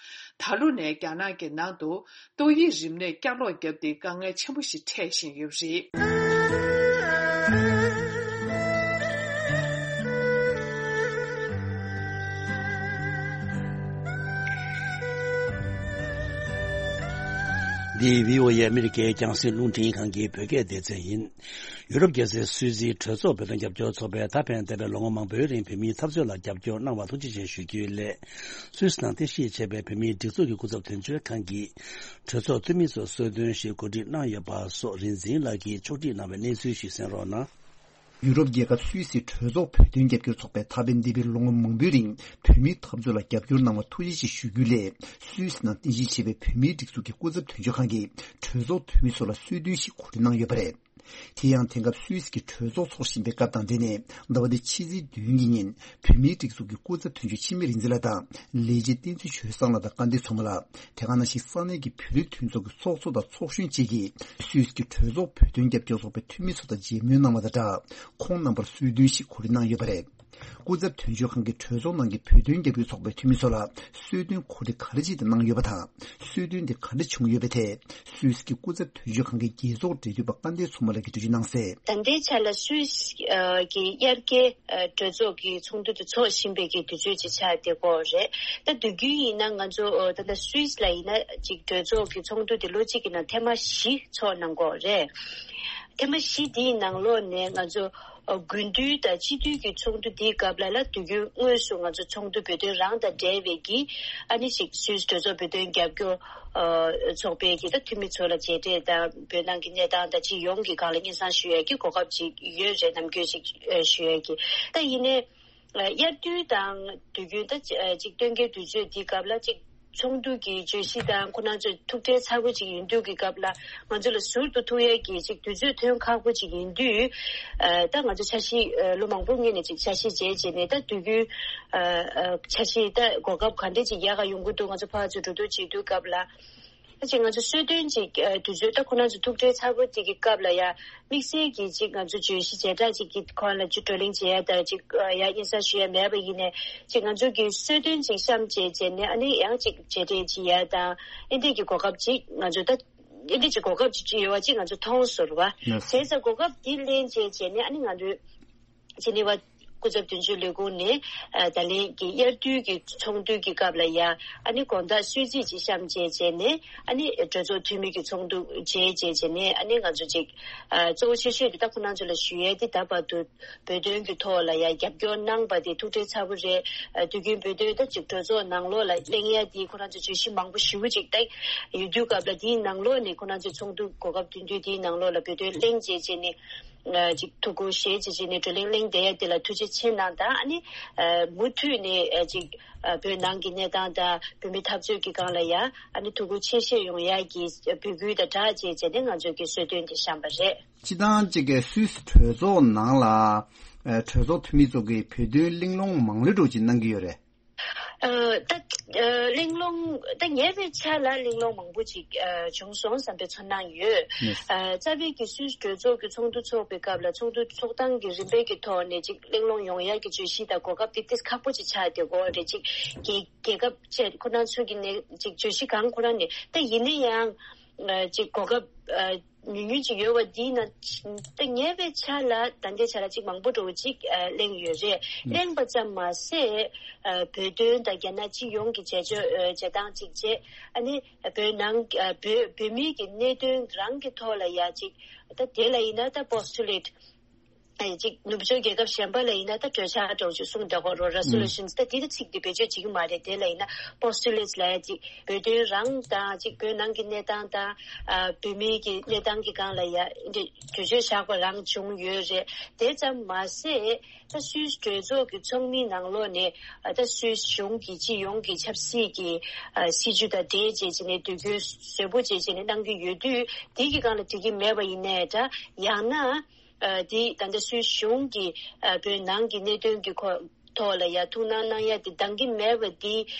ད་ལོ་ནས་རྒྱ་ནག་གི་ནང་དུ་ཏོག་དབྱིབས་རིམས་ནད་བསྐྱར་ལོག་བརྒྱབ་སྟེ་དཀའ་ངལ་ཆེན་པོ་ཞིག་འཕྲད་བཞིན་ཡོད་པ་རེད། འདི་བྷི་ཨོ་ཨེ་ཨ་མི་རི་ཀའི་རྒྱང་སྲིང་རླུང་འཕྲིན་ཁང་གི་བོད་སྐད་སྡེ་ཚན་ཡིན། ཡུ་རོབ་རྒྱལ་སའི་སུད་སིའི་གྲོས་ཚོགས་བོད་དོན་རྒྱབ་སྐྱོར་ཚོགས་པས་ད་ཕན་འདས་པའི་ལོ་ངོ་མང་པོའི་རིང་བོད་མིའི་འཐབ་རྩོད་ལ་རྒྱབ་སྐྱོར་གནང་བར་ཐུགས་རྗེ་ཆེ་ཞུ་རྒྱུའི་སླད། སུད་སི་ནང་རྟེན་གཞི་བྱས་པའི་བོད་མིའི་སྒྲིག་འཛུགས་ཀྱི་སྐུ་ཚབ་དོན་གཅོད་ཁང་གིས་གྲོས་ཚོགས་འཐུས་མི་ཚོར་གསོལ་སྟོན་ཞིག་གོ་སྒྲིག་གནང་ཡོད་པ་སོགས་རིག་འཛིན་ལགས་ཀྱིས་ཕྱོགས་སྒྲིག་གནང་བའི་གནས་ཚུལ་ཞིག་གསན་རོགས་གནང་། ཡུ་རོབ་རྒྱལ་ཁབ་སུད་སི་གྲོས་ཚོགས་བོད་དོན་རྒྱབ་སྐྱོར་ཚོགས་པས་ད་ཕན་འདས་པའི་ལོ་ངོ་མང་པོའི་རིང་བོད་མིའི་འཐབ་རྩོད་ལ་རྒྱབ་སྐྱོར་གནང་བར་ཐུགས་རྗེ་ཆེ་ཞུ་རྒྱུའི་སླད། སུད་སི་ནང་རྟེན་གཞི་བྱས་པའི་བོད་མིའི་སྒྲིག་འཛུགས་ཀྱི་སྐུ་ཚབ་དོན་གཅོད་ཁང་གིས་གྲོས་ཚོགས་འཐུས་མི་ཚོ་ལ་གསོལ་སྟོན་ཞིག་གོ་སྒྲིག་གནང་ཡོད་པ་རེད། དེ་ཡང་དེང་སྐབས་སུད་སི་གི་གྲོས་ཚོགས་འཚོགས་བཞིན་པའི་སྐབས་དང་འབྲེལ་ནས། ཟླ་བ་འདིའི་ཕྱི་ཚེས་བདུན་གྱི་ཉིན་བོད་མིའི་སྒྲིག་འཛུགས་ཀྱི་སྐུ་ཚབ་དོན་གཅོད་འཆི་མེད་རིག་འཛིན་ལགས་དང་ལས་བྱེད་བསྟན་འཛིན་ཆོས་བཟང་ལགས་དང་སྐལ་ལྡན་མཚོ་མོ་ལགས། དེ་ག་ནང་བཞིན་ས་གནས་ཀྱི་བོད་རིགས་མཐུན་ཚོགས་ཀྱི་ཚོགས་གཙོ་དང་ཚོགས་གཞོན་བཅས་ཀྱིས་སུད་སི་གི་གྲོས་ཚོགས་བོད་དོན་རྒྱབ་སྐྱོར་ཚོགས་པའི་འཐུས་མི་ཚོ་དང་མཇལ་མོལ་གནང་བ་དང་སྦྲགས། ཁོང་རྣམ་པར་གསོལ་སྟོན་ཞིག་གོ་སྒྲིག་གནང་ཡོད་པ་རེད། སྐུ་ཚབ་དོན་གཅོད་ཁང་གིས་གྲོས་ཚོགས་ནང་གི་བོད་དོན་རྒྱབ་སྐྱོར་ཚོགས་པའི་འཐུས་མི་ཚོ་ལ་གསོལ་སྟོན་གོ་སྒྲིག་ག་རེ་བྱས་ཏེ་གནང་ཡོད་པ་དང་། གསོལ་སྟོན་དེ་ག་འདྲ་བྱུང་ཡོད་པའི་ཐད། སུད་སི་གི་སྐུ་ཚབ་དོན་གཅོད་ཁང་གི་རྒྱལ་ཚོགས་འབྲེལ་མཐུད་པ་སྐལ་ལྡན་མཚོ་མོ་ལགས་ཀྱིས་འགྲེལ་བརྗོད་གནང་གསལ། ད་ལྟའི་ཆ་ལ་སུད་སི་ཨ་གི་དབྱར་ཁའི་ཨ་གྲོས་ཚོགས་ཀྱི་ཚོགས་འདུ་དེ་འཚོགས་བཞིན་པའི་གི་དུས་ཚོད་ཅིག་ཆགས་བསྡད་ཀྱི་ཡོད་རེད། ད་དུས་རྒྱུན་ཡིན་ན་ང་ཚོ་ཨ་ད་ལྟ་སུད་སི་ལ་ཡིན་ན་ཅིག་གྲོས་ཚོགས་ཀྱི་ཚོགས་འདུ་དེ་ལོ་གཅིག་གི་ནང་ཐེངས་མ་བཞི་འཚོགས་གནང་གི་ཡོད་རེད། ཐེངས་མ་བཞི་དེའི་ནང་ལོགས་ནས་ང་ཚོ་ཨ་དགུན་དུས་དང་དཔྱིད་དུས་ཀྱི་ཚོགས་འདུ་དེའི་སྐབས་ལ་ལ་དུས་རྒྱུན་དངོས་སུ་ང་ཚོ་ཚོགས་འདུ་བོད་དོན་རང་དང་འབྲེལ་བའི་གི་ཨ་ནི་ཅིག་སུད་སི་གྲོས་ཚོགས་བོད་དོན་རྒྱབ་སྐྱོར་ཨ་ཚོགས་པའི་གི་ད་འཐུས་མི་ཚོ་ལ་མཇལ་འཕྲད་དང་བོད་ནང་གི་གནས་སྟངས་དང་སྤྱི་ཡོངས་ཀྱི་སྒང་ལ་སྙན་སེང་ཞུ་ཡས་ཀྱི་གོ་སྐབས་ཅིག་ཡོད་རེད། ནམ་རྒྱུན་ཅིག་ཨ་ཞུ་ཡས་ཀྱི། ད་ཡིན་ནའི་ཨ་དབྱར་དུས་དང་དུས་རྒྱུན་ད་ཅི་ཨ་ཅིག་སྟོན་ཁའི་དུས་ཚོད་འདིའི་སྐབས་ལ་ཅིག་ཚོགས་འདུ་གི་བརྗོད་གཞི་དང་ཁོ་རང་ཚོའི་ཐུགས་ཁྲལ་ཚ་པོ་ཅིག་ཡིན་དུས་ཀྱི་སྐབས་ལ་ང་ཚོ་ལ་ཟུར་དུ་ཐུག་ཡས་ཀྱི་ཅིག་དུས་ཚོད་ཐོན་ཁག་པོ་ཅིག་ཡིན་དུས། ཨ་ད་ང་ཚོ་འཆར་གཞི་ཨ་ལོ་མང་པོ་སྔོན་ནས་ཅིག་འཆར་གཞི་བྱས་བྱས་ནས་ད་དུས་རྒྱུན་ཨ་ཨ་འཆར་གཞི་ད་གོ་སྐབས་ག་འདྲས་ཅིག་ཡག་ག་ཡོང་གི་འདུག་ང་ཚོ་ཕར་ཚུར་འགྲོ་འདུག་བྱེད་དུས་སྐབས་ལ། ད་ཅིག་ང་ཚོ་གསོལ་སྟོན་ཅིག་ཨ་དུས་ཚོད་ད་ཁོ་རང་ཚོ་ཐུགས་ཁྲལ་ཚ་པོ་ཅིག་གི་སྐབས་ལ་ཡ། དམིགས་བསལ་གྱི་ཅིག་ང་ཚོ་བརྗོད་གཞི་བྱེ་བྲག་ཅིག་གི་ཁོངས་ལ་ཅིག་བགྲོ་གླེང་བྱེད་ཡ་དང་ཅིག་ཡ་སྙན་སེང་ཞུ་ཡ་མེད་པ་ཡིན་ནའི་ཅིག་ང་ཚོ་གི་གསོལ་སྟོན་ཅིག་བཤམས་བྱས་བྱས་ནས་ཨ་ནི་ཡང་ཅིག་མཇལ་འཕྲད་བྱེད་ཡ་དང་ཨེ་འདྲས་ཀྱི་གོ་སྐབས་ཅིག་ང་ཚོ་ད་ཨེ་འདྲས་ཀྱི་གོ་སྐབས་ཅིག་ཡོད་པ་ཅིག་ང་ཚོ་མཐོང་སོང་བ། བྱས་ཙང་གོ་སྐབས་འདི་ལེན་བྱས་བྱས་ནས་ཨ་ནི་ང་ཚོས་ཇི་ནི་ཝ་སྐུ་ཚབ་དོན་གཅོད་ལས་ཁུངས་ནས་ཨ་ད་ལན་གྱི་དབྱར་དུས་ཀྱི་ཚོགས་འདུ་གི་སྐབས་ལ་ཡ་ཨ་ནི་དགོང་དག་གསོལ་ཚིགས་ཅིག་བཤམས་བྱས་བྱས་ནས་ཨ་ནི་གྲོས་ཚོགས་འཐུས་མི་གི་ཚོགས་འདུ་མཇལ་བྱས་བྱས་ནས་ཨ་ནི་ང་ཚོ་ཅིག་ཨ་གཙོ་བོ་ཆེ་ཤོས་དེ་ད་ཁོ་རང་ཚོ་ལ་ཞུ་ཡས་དེ་ད་བར་དུ་བོད་དོན་གྱི་ཐོག་ལ་ཡ་རྒྱབ་སྐྱོར་གནང་པ་དེ་ཐུགས་ཁྲལ་ཚ་པོ་རེད། ཨ་དུས་རྒྱུན་བོད་དོན་ད་ཅིག་གྲོས་ཚོགས་ནང་ལོགས་ལ་གླེང་ཡས་དེ་ཁོ་རང་ཚོ་བརྗོད་གཞི་མང་པོ་ཞེ་པོ་ཅིག་ད་ཡོད་དུས་སྐབས་ལ་དེའི་ནང་ལོགས་ནས་ཁོ་རང་ཚོའི་ཚོགས་འདུ་གོ་སྐབས་བསྟུན་དུས་དེའི་ནང་ལོགས་ལ་བོད་དོན་གླེང་བྱས་བྱས་ནས། ཅིག་ཐུགས་ཁུར་བཞེས་བྱས་བྱས་ནས་བགྲོ་གླེང་གླེང་བསྡད་ཡ་དེ་ལ་ཐུགས་རྗེ་ཆེ་གནང་དང་ཨ་ནི་མུ་མཐུད་ནས་ཅིག་བོད་ནང་གི་གནས་སྟངས་དང་བོད་མི་འཐབ་རྩོད་ཀྱི་སྒང་ལ་ཡ་ཨ་ནི་ཐུགས་ཁུར་ཆེ་བཞེས་ཡོང་ཡ་གི་འབོད་སྐུལ་དང་སྦྲགས་བྱས་བྱས་ནས་ང་ཚོ་གི་གསོལ་སྟོན་དེ་བཤམས་པ་རེད། སྤྱི་བཏང་ཅིག་གི་སུད་སི་གྲོས་ཚོགས་ནང་ལ་གྲོས་ཚོགས་འཐུས་མི་ཚོ་གིས་བོད་དོན་གླེང་སློང་མང་ལོས་འགྲོ་ཅིག་གནང་གི་ཡོད་རེད། ཨ་ད་ཨ་གླེང་སློང་ད་ཉེ་བའི་ཆར་ལ་གླེང་སློང་མང་པོ་ཅིག་ཨ་བྱུང་སོང་བསམ་པའི་ཚོར་སྣང་ཡོད། ཨ་རྩ་བའི་གི་སུད་སི་གྲོས་ཚོགས་ཀྱི་ཚོགས་འདུ་འཚོགས་པའི་སྐབས་ལ་ཚོགས་འདུ་འཚོགས་སྟངས་ཀྱི་རིམ་པའི་གི་ཐོག་ནས་ཅིག་གླེང་སློང་ཡོང་ཡག་གི་བརྗོད་གཞི་དང་གོ་སྐབས་ཏིག་ཏིག་ཁག་པོ་ཅིག་ཆགས་བསྡད་ཀྱི་ཡོད་རེད། ཅིག་རྒྱལ་རྒྱལ་ཁབ་བཅས་ཁོ་རང་ཚོ་གི་ནས་ཅིག་བརྗོད་གཞི་གང་ཁོ་རང་ནས་ད་ཡིན་ན་ཡང་ཨ་ཅིག་གོ་སྐབས་ཨ་ཉུང་ཉུང་ཅིག་ཡོད་པ་འདིའི་ནང་ད་ཉེ་བའི་ཆར་ལ་ད་ལྟའི་ཆར་ལ་ཅིག་མང་པོ་འདྲ་བོ་ཅིག་ཨ་གླེང་ཡོད་རེད། གླེང་པ་ཙམ་མ་ཟད་ཨ་བོད་དོན་དང་རྒྱ་ནག་སྤྱི་ཡོངས་ཀྱི་བྱེད་ཕྱོགས་ཨ་བྱེད་སྟངས་ཅིག་བྱས་ཨ་ནི་བོད་ནང་ཨ་བོད་བོད་མིའི་གི་གནད་དོན་རང་གི་ཐོག་ལ་ཡ་ཅིག་ད་དེ་ལ་ཡིན་ན་ད་པོ་སི་ཊུ་ལེ་ཊི་ཨ་ཅིག་ནུབ་ཕྱོགས་རྒྱལ་ཁབ་གཞན་པ་ལ་ཡིན་ན་ད་གྲོས་འཆར་འདྲ་བོ་ཅིག་གསུངས་བསྡད་ཀྱི་ཡོད་རེད། རེ་སོ་ལུ་ཤན་ད་དེ་ཚིག་དེ་བེད་སྤྱོད་བྱེད་ཀྱི་མ་རེད། དེ་ལ་ཡིན་ན་པོ་སི་ཊུ་ལེ་ཊི་ལབ་ཡ་ཅིག་བོད་དོན་རང་དང་ཅིག་བོད་ནང་གི་གནས་སྟངས་དང་ཨ་བོད་མིའི་གི་གནས་སྟངས་ཀྱི་སྒང་ལ་ཡ་འདི་གྲོས་ཆོད་བཞག་པ་རང་བྱུང་ཡོད་རེད། དེ་ཙམ་མ་ཟད་ད་སུད་སི་གྲོས་ཚོགས་ཀྱི་ཚོགས་མིའི་ནང་ལོགས་ནས་ཨ་ད་སུད་སི་གཞུང་གི་སྤྱི་ཡོངས་ཀྱི་ཆབ་སྲིད་ཀྱི་ཨ་སྲིད་བྱུས་དང་འབྲེལ་བྱས་བྱས་ནས་དུས་འགྱུར་བཟོ་པོ་བྱས་བྱས་ནས་གནང་གི་ཡོད་དུས་དེ་གི་སྒང་ལ་འགྲིག་གི་མེད་པ་ཡིན་ནའི་འདྲ་ཡང་ན། ཨ་དེ་ད་ལྟ་སུད་སི་གཞུང་གིས་ཨ་བོད་ནང་གི་གནད་དོན་གྱི་ཁོ་ཐོག་ལ་ཡ་ཐུགས་སྣང་གནང་ཡ་དེ་འདང་གི་མེད་པ་དེ་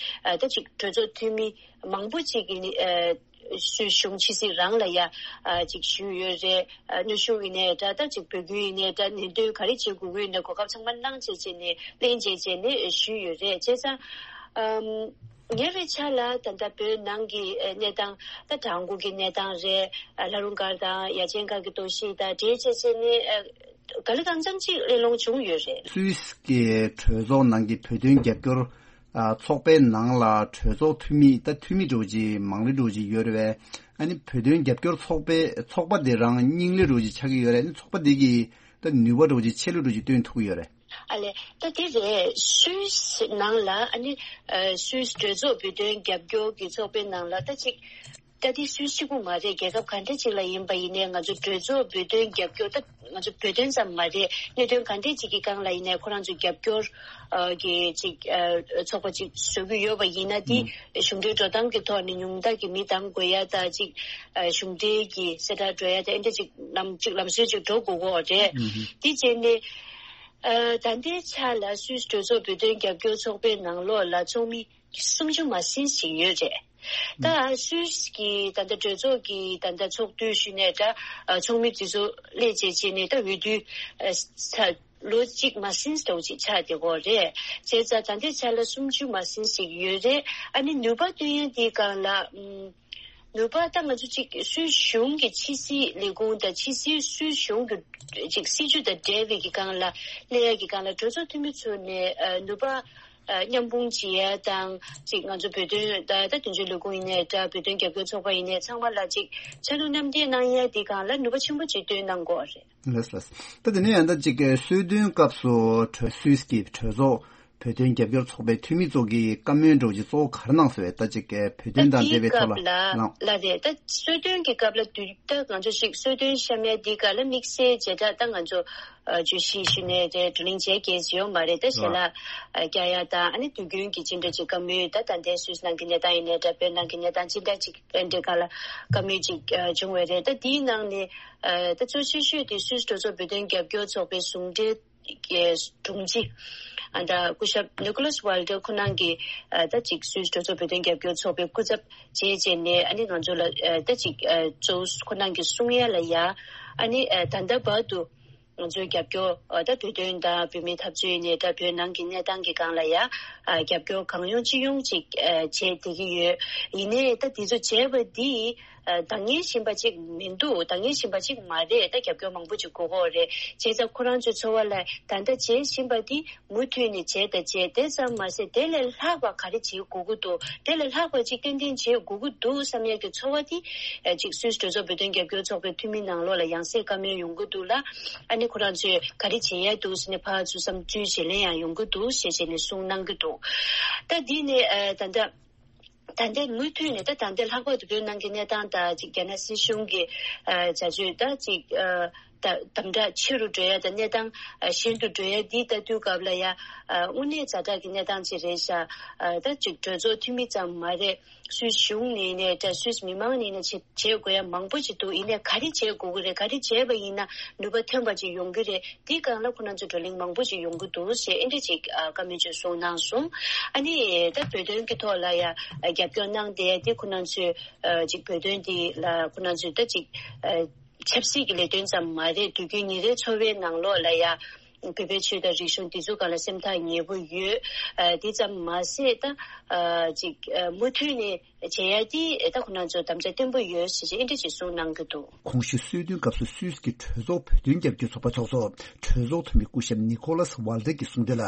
ཨ་ད་ཅིག་གྲོས་ཚོགས་འཐུས་མི་མང་པོ་ཅིག་གིས་ཨ་སུད་སི་གཞུང་ཕྱི་སྲིད་རང་ལ་ཡ་ཨ་ཅིག་ཞུས་ཡོད་རེད། ཨ་གནོན་ཤུགས་ཡིན་ནའི་འདྲ་ད་ཅིག་འབོད་སྐུལ་ཡིན་ནའི་འདྲ་ནན་སྟོན་ག་རེ་བྱེད་དགོས་ཀྱི་ཡོད་ནའི་གོ་སྐབས་ཚང་མ་གནང་བྱས་བྱས་ནས་ལེན་བྱས་བྱས་ནས་ཞུས་ཡོད་རེད། བྱས་ཙང་ཨམ། ཉེ་བའི་ཆར་ལ་ད་ལྟ་བོད་ནང་གི་ཨ་གནས་སྟངས་ད་བྲག་འགོ་གི་གནས་སྟངས་རེད། ཨ་ལྷ་རུང་སྒར་དང་ཡ་ཆེན་སྒར་གྱི་གཏོར་བཤིག་དང་འབྲེལ་བྱས་བྱས་ནས་ཨ་ག་ལེ་གང་འཚམ་ཅིག་གླེང་སློང་བྱུང་ཡོད་རེད། སུད་སི་གི་གྲོས་ཚོགས་ནང་གི་བོད་དོན་རྒྱབ་སྐྱོར་ཨ་ཚོགས་པའི་ནང་ལ་གྲོས་ཚོགས་འཐུས་མི་ད་འཐུས་མི་འདྲ་བོ་ཅིག་མང་ལོས་འདྲ་བོ་ཅིག་ཡོད་རེད་པས། ཨ་ནི་བོད་དོན་རྒྱབ་སྐྱོར་ཚོགས་པའི་ཚོགས་པ་དེ་རང་རྙིང་ལོས་འདྲ་བོ་ཅིག་ཆགས་ཀྱི་ཡོད་རེད། ཨ་ནི་ཚོགས་པ་དེ་གིས་ད་ནུས་པ་འདྲ་བོ་ཅིག་ཆེ་ལོས་འདྲ་བོ་ཅིག་བཏོན་ཐུབ་ཀྱི་ཡོད་རེད། ཨ་ལས་ད་དེ་རེད། སུད་སི་ནང་ལ་ཨ་ནི་ཨ་སུད་སི་གྲོས་ཚོགས་བོད་དོན་རྒྱབ་སྐྱོར་གྱི་ཚོགས་པའི་ནང་ལ་ད་ཅིག་ ད་དེ་སུད་སི་གཅིག་པུ་མ་རེད། རྒྱལ་ཁབ་ག་འདྲ་ཅིག་ལ་ཡིན་པ་ཡིན་ནའི་ང་ཚོ་གྲོས་ཚོགས་བོད་དོན་རྒྱབ་སྐྱོར། ད་ང་ཚོ་བོད་དོན་ཙམ་མ་རེད། གནད་དོན་ག་འདྲ་ཅིག་གི་སྒང་ལ་ཡིན་ནའི་ཁོ་རང་ཚོ་རྒྱབ་སྐྱོར་ཨ་གི་ཅིག་ཨ་ཚོགས་པ་ཅིག་བཟོ་གི་ཡོད་པ་ཡིན་ན། དེ་གཞུང་འབྲེལ་འགྲོ་སྟངས་ཀྱི་ཐོག་ནས་ཉུང་མཐའ་གི་མི་གདམ་དགོས་ཡ་ད་ཅིག་ཨ་གཞུང་འབྲེལ་གྱི་གསལ་བསྒྲགས་འགྲོ་ཡ་ད་ཨེ་འདྲ་ཅིག་ལམ་ཅིག་ལམ་སྲོལ་ཅིག་འགྲོ་དགོས་ཀྱི་ཡོད་རེད། དེ་བྱས་ནས་ཨ་ད་ལྟའི་ཆ་ལ་སུད་སི་གྲོས་ཚོགས་བོད་དོན་རྒྱབ་སྐྱོར་ཚོགས་པའི་ནང་ལོགས་ལ་ཚོགས་མི་སུམ་ཅུ་མ་ཟིན་ཞིག་ཡོད་རེད། ད་སུད་སི་གི་ད་ལྟ་གྲོས་ཚོགས་ཀྱི་ད་ལྟ་ཚོགས་དུས་ཞུས་ནས་ད་ཚོགས་མི་དེ་ཚོ་སླེབས་བྱས་བྱས་ནས་ད་འོས་བསྡུ་ཚར་ལོ་གཅིག་མ་ཟིན་ཙམ་ཅིག་ཆགས་བསྡད་ཀྱི་ཡོད་རེད། བྱས་ཙང་ད་ལྟའི་ཆ་ལ་སུམ་ཅུ་མ་ཟིན་ཞིག་ཡོད་རེད། ཨ་ནི་ནུས་པ་བཏོན་ཡ་དེའི་སྒང་ལ་ཨམ། ནུས་པ་ད་ང་ཚོ་ཅིག་སུད་སི་གཞུང་གི་ཕྱི་སྲིད་ལས་ཁུངས་དང་ཕྱི་སྲིད་སུད་སི་གཞུང་གི་ཅིག་སྲིད་ཇུས་དང་འབྲེལ་བའི་གི་སྒང་ལ་སླེབས་ཡ་གི་སྒང་ལ་གྲོས་ཚོགས་འཐུས་མི་ཚོ་ནས་ཨ་ནུས་པ་ཨ་མཉམ་སྤུངས་བྱེད་ཡ་དང་། ཅིག་ང་ཚོ་བོད་དོན་ད་ད་དོན་གཅོད་ལས་ཁུངས་ཡིན་ནའི་འདྲ། བོད་དོན་རྒྱབ་སྐྱོར་ཚོགས་པ་ཡིན་ནའི་ཚང་མ་ལ་ཅིག་ཕྱག་ལུ་མཉམ་འདེགས་གནང་ཡ་དེ་སྒང་ལ་ནུས་པ་ཆེན་པོ་ཅིག་བཏོན་གནང་དགོས་རེད། ལགས་ལགས། ད་དེ་ནས་ཡང་ད་ཅིག་གསོལ་སྟོན་སྐབས་སུ་གྲོས་སུད་སི་གི་གྲོས་ཚོགས་བོད་དོན་རྒྱབ་སྐྱོར་ཚོགས་པའི་འཐུས་མི་ཚོ་གིས་བཀའ་མོལ་འདྲ་བོ་ཅིག་གཙོ་བོ་ག་རེ་གནང་སོང་བས། ད་ཅིག་བོད་དོན་དང་འབྲེལ་བའི་ཐོག་ལ་གནང་། ལ་རེད། ད་གསོལ་སྟོན་གྱི་སྐབས་ལ་དུས་ད་ང་ཚོ་ཅིག་གསོལ་སྟོན་བཤམས་ཡ་དེའི་སྐབས་ལ་དམིགས་བསལ་བྱེ་བྲག་ད་ང་ཚོ་ཨ་བརྗོད་གཞི་ཞུས་ནས་རེད། བགྲོ་གླེང་བྱས་རྒྱུ་ཡོད་མ་རེད། ད་ཞལ་ལག་ཨ་རྒྱག་ཡ་དང་། ཨ་ནི་དུས་རྒྱུན་གྱི་ཅི་འདྲ་ཅིག་བཀའ་མོལ། ད་ད་ལྟའི་སུད་སི་ནང་གི་གནས་སྟངས་ཡིན་ནའི་འདྲ། བོད་ནང་གི་གནས་སྟངས་ཅི་འདྲ་ཅིག་ཨེ་འདྲའི་སྒང་ལ་བཀའ་མོལ་ཅིག་ཨ་བྱུང་བ་རེད། ད་དེའི་ནང་ནས་ཨ་ད་གཙོ་ཆེ་ཤོས་དེ་སུད་སི་གྲོས་ཚོགས་བོད་དོན་རྒྱབ་སྐྱོར་ཚོགས་པའི་ཟུང་འབྲེལ་གྱི་དྲུང་ཆེ་ཨ་ད་སྐུ་ཞབས་ནིག་ལོས་ཝལ་ཏེར་ཁོ་རང་གིས་ཨ་ད་ཅིག་སུད་སི་གྲོས་ཚོགས་བོད་དོན་རྒྱབ་སྐྱོར་ཚོགས་པའི་སྐུ་ཚབ་བྱས་བྱས་ནས། ཨ་ནི་ང་ཚོ་ལ་ཨ་ད་ཅིག་ཨ་གཙོ་བོ་ཁོ་རང་གིས་གསུང་ཡ་ལ་ཡ། ཨ་ནི་ཨ་ད་ལྟ་བར་དུ་ང་ཚོའི་རྒྱབ་སྐྱོར་ཨ་ད་བོད་དོན་དང་བོད་མིའི་འཐབ་རྩོད་ཡིན་ནའི་འདྲ། བོད་ནང་གི་གནས་སྟངས་ཀྱི་སྒང་ལ་ཡ་ཨ་རྒྱབ་སྐྱོར་གང་ཡོང་ཅི་ཡོང་ཅིག་ཨ་བྱས་བསྡད་ཀྱི་ཡོད། ཡིན་ནའི་ད་དེ་ཚོ་བྱས་པ་འདི་ཨ་འདང་ངེས་བཞིན་པ་ཅིག་མི་འདུག་འདང་ངེས་བཞིན་པ་ཅིག་མ་རེད། ད་རྒྱབ་སྐྱོར་མང་པོ་ཅིག་དགོས་ཀྱི་ཡོད་རེད། བྱས་ཙང་ཁོ་རང་ཚོའི་ཚོར་བ་ལ་ད་ལྟ་བྱེད་བཞིན་པ་འདི་མུ་མཐུད་ནས་བྱས་དང་བྱས། དེ་ཙམ་མ་ཟད་དེ་ལས་ལྷག་པ་ག་རེ་བྱེད་དགོས་ཀྱི་འདུག་དེ་ལས་ལྷག་པ་ཅིག་ཏན་ཏན་བྱེད་དགོས་ཀྱི་འདུག་བསམ་ཡས་ཀྱི་ཚོར་བ་དེ་ཨ་ཅིག་སུད་སི་གྲོས་ཚོགས་བོད་དོན་རྒྱབ་སྐྱོར་ཚོགས་པའི་འཐུས་མི་ནང་ལོགས་ལ་ཡང་སེ་བཀའ་མོལ་ཡོང་གི་འདུག་ལ། ཨ་ནི་ཁོ་རང་ཚོས་ག་རེ་བྱེད་ཡས་འདུག་ཟེར་ནས་ཕར་ཚུར་བསམ་ཚུལ་བརྗེ་ལེན་ཡང་ཡོང་གི་འདུག་ཞེས་བྱས་ནས་གསུངས་གནང་གི་འདུག་ད་འདི་ནས་ཨ་ད་ལྟ་ད་ལྟའི་མུ་མཐུད་ནས་ད་ད་ལྟའི་ལྷག་པར་དུ་བོད་ནང་གི་གནས་སྟངས་དང་ཅིག་རྒྱ་ནག་སྲིད་གཞུང་གི་ཨ་བྱ་སྤྱོད་ད་ཅིག་ཨ་ད་དམ་དྲག་ཆེ་རུ་འགྲོ་ཡ་དང་གནས་སྟངས་ཨ་ཞན་དུ་འགྲོ་ཡ་འདི་ལྟ་དུས་སྐབས་ལ་ཡ་ཨ་དངོས་གནས་ཛ་དྲག་གི་གནས་སྟངས་ཅིག་རེད་ཤག་ཨ་ད་ཅིག་གྲོས་ཚོགས་འཐུས་མི་ཙམ་མ་རེད། སུད་སི་གཞུང་ནས་ནས་ད་སུད་སི་མི་མང་ནས་ནས་བྱེད་བྱེད་དགོས་ཡ་མང་པོ་ཅིག་འདུག་ཡིན་ནའི་ག་རེ་བྱེད་དགོས་ཀྱི་རེད། ག་རེ་བྱས་པ་ཡིན་ན་ནུས་པ་ཐོན་པ་ཅིག་ཡོང་གི་རེད། དེའི་སྒང་ལ་ཁོ་རང་ཚོ་བགྲོ་གླེང་མང་པོ་ཅིག་ཡོང་གི་འདུག་ཞེས་ཨེ་འདྲ་ཅིག་ཨ་བཀའ་མོལ་ཅིག་གསུངས་གནང་སོང་། ཨ་ནི་ད་བོད་དོན་གྱི་ཐོག་ལ་ཡ་ཨ་རྒྱབ་སྐྱོར་གནང་བསྡད་ཡ་དེ་ཁོ་རང་ཚོས་ཨ་ཅིག་བོད་དོན་དེ་ལ་ཁོ་རང་ཚོས་ད་ཅིག་ཨ་ཆབ་སྲིད་ཀྱི་ལས་དོན་ཙམ་མ་རེད། དུས་རྒྱུན་ཉིན་རེའི་འཚོ་བའི་ནང་ལོགས་ལ་ཡ་བོད་པའི་ཆོས་དང་རིག་གཞུང་འདི་ཚོ་སྒང་ལ་སེམས་ཐག་ཉེ་པོ་ཡོད། ཨ་དེ་ཙམ་མ་ཟད་ད་ཨ་ཅིག་ཨ་མུ་མཐུད་ནས་བྱེད་ཡ་དེ་ད་ཁོ་རང་ཚོ་དམ་བཅའ་བརྟན་པོ་ཡོད་ཟེར་བྱས་ཨེ་འདྲ་ཅིག་གསུངས་གནང་གི་འདུག་གོང་ཞུས་གསོལ་སྟོན་སྐབས་སུ་སུད་སི་གི་གྲོས་ཚོགས་བོད་དོན་རྒྱབ་སྐྱོར་ཚོགས་པ་ཚོགས་གཙོ་གྲོས་ཚོགས་འཐུས་མི་སྐུ་ཞབས་ནི་ཁོ་ལཱས་ཝལ་ཏེར་གྱིས་གསུངས་དོན་ལ།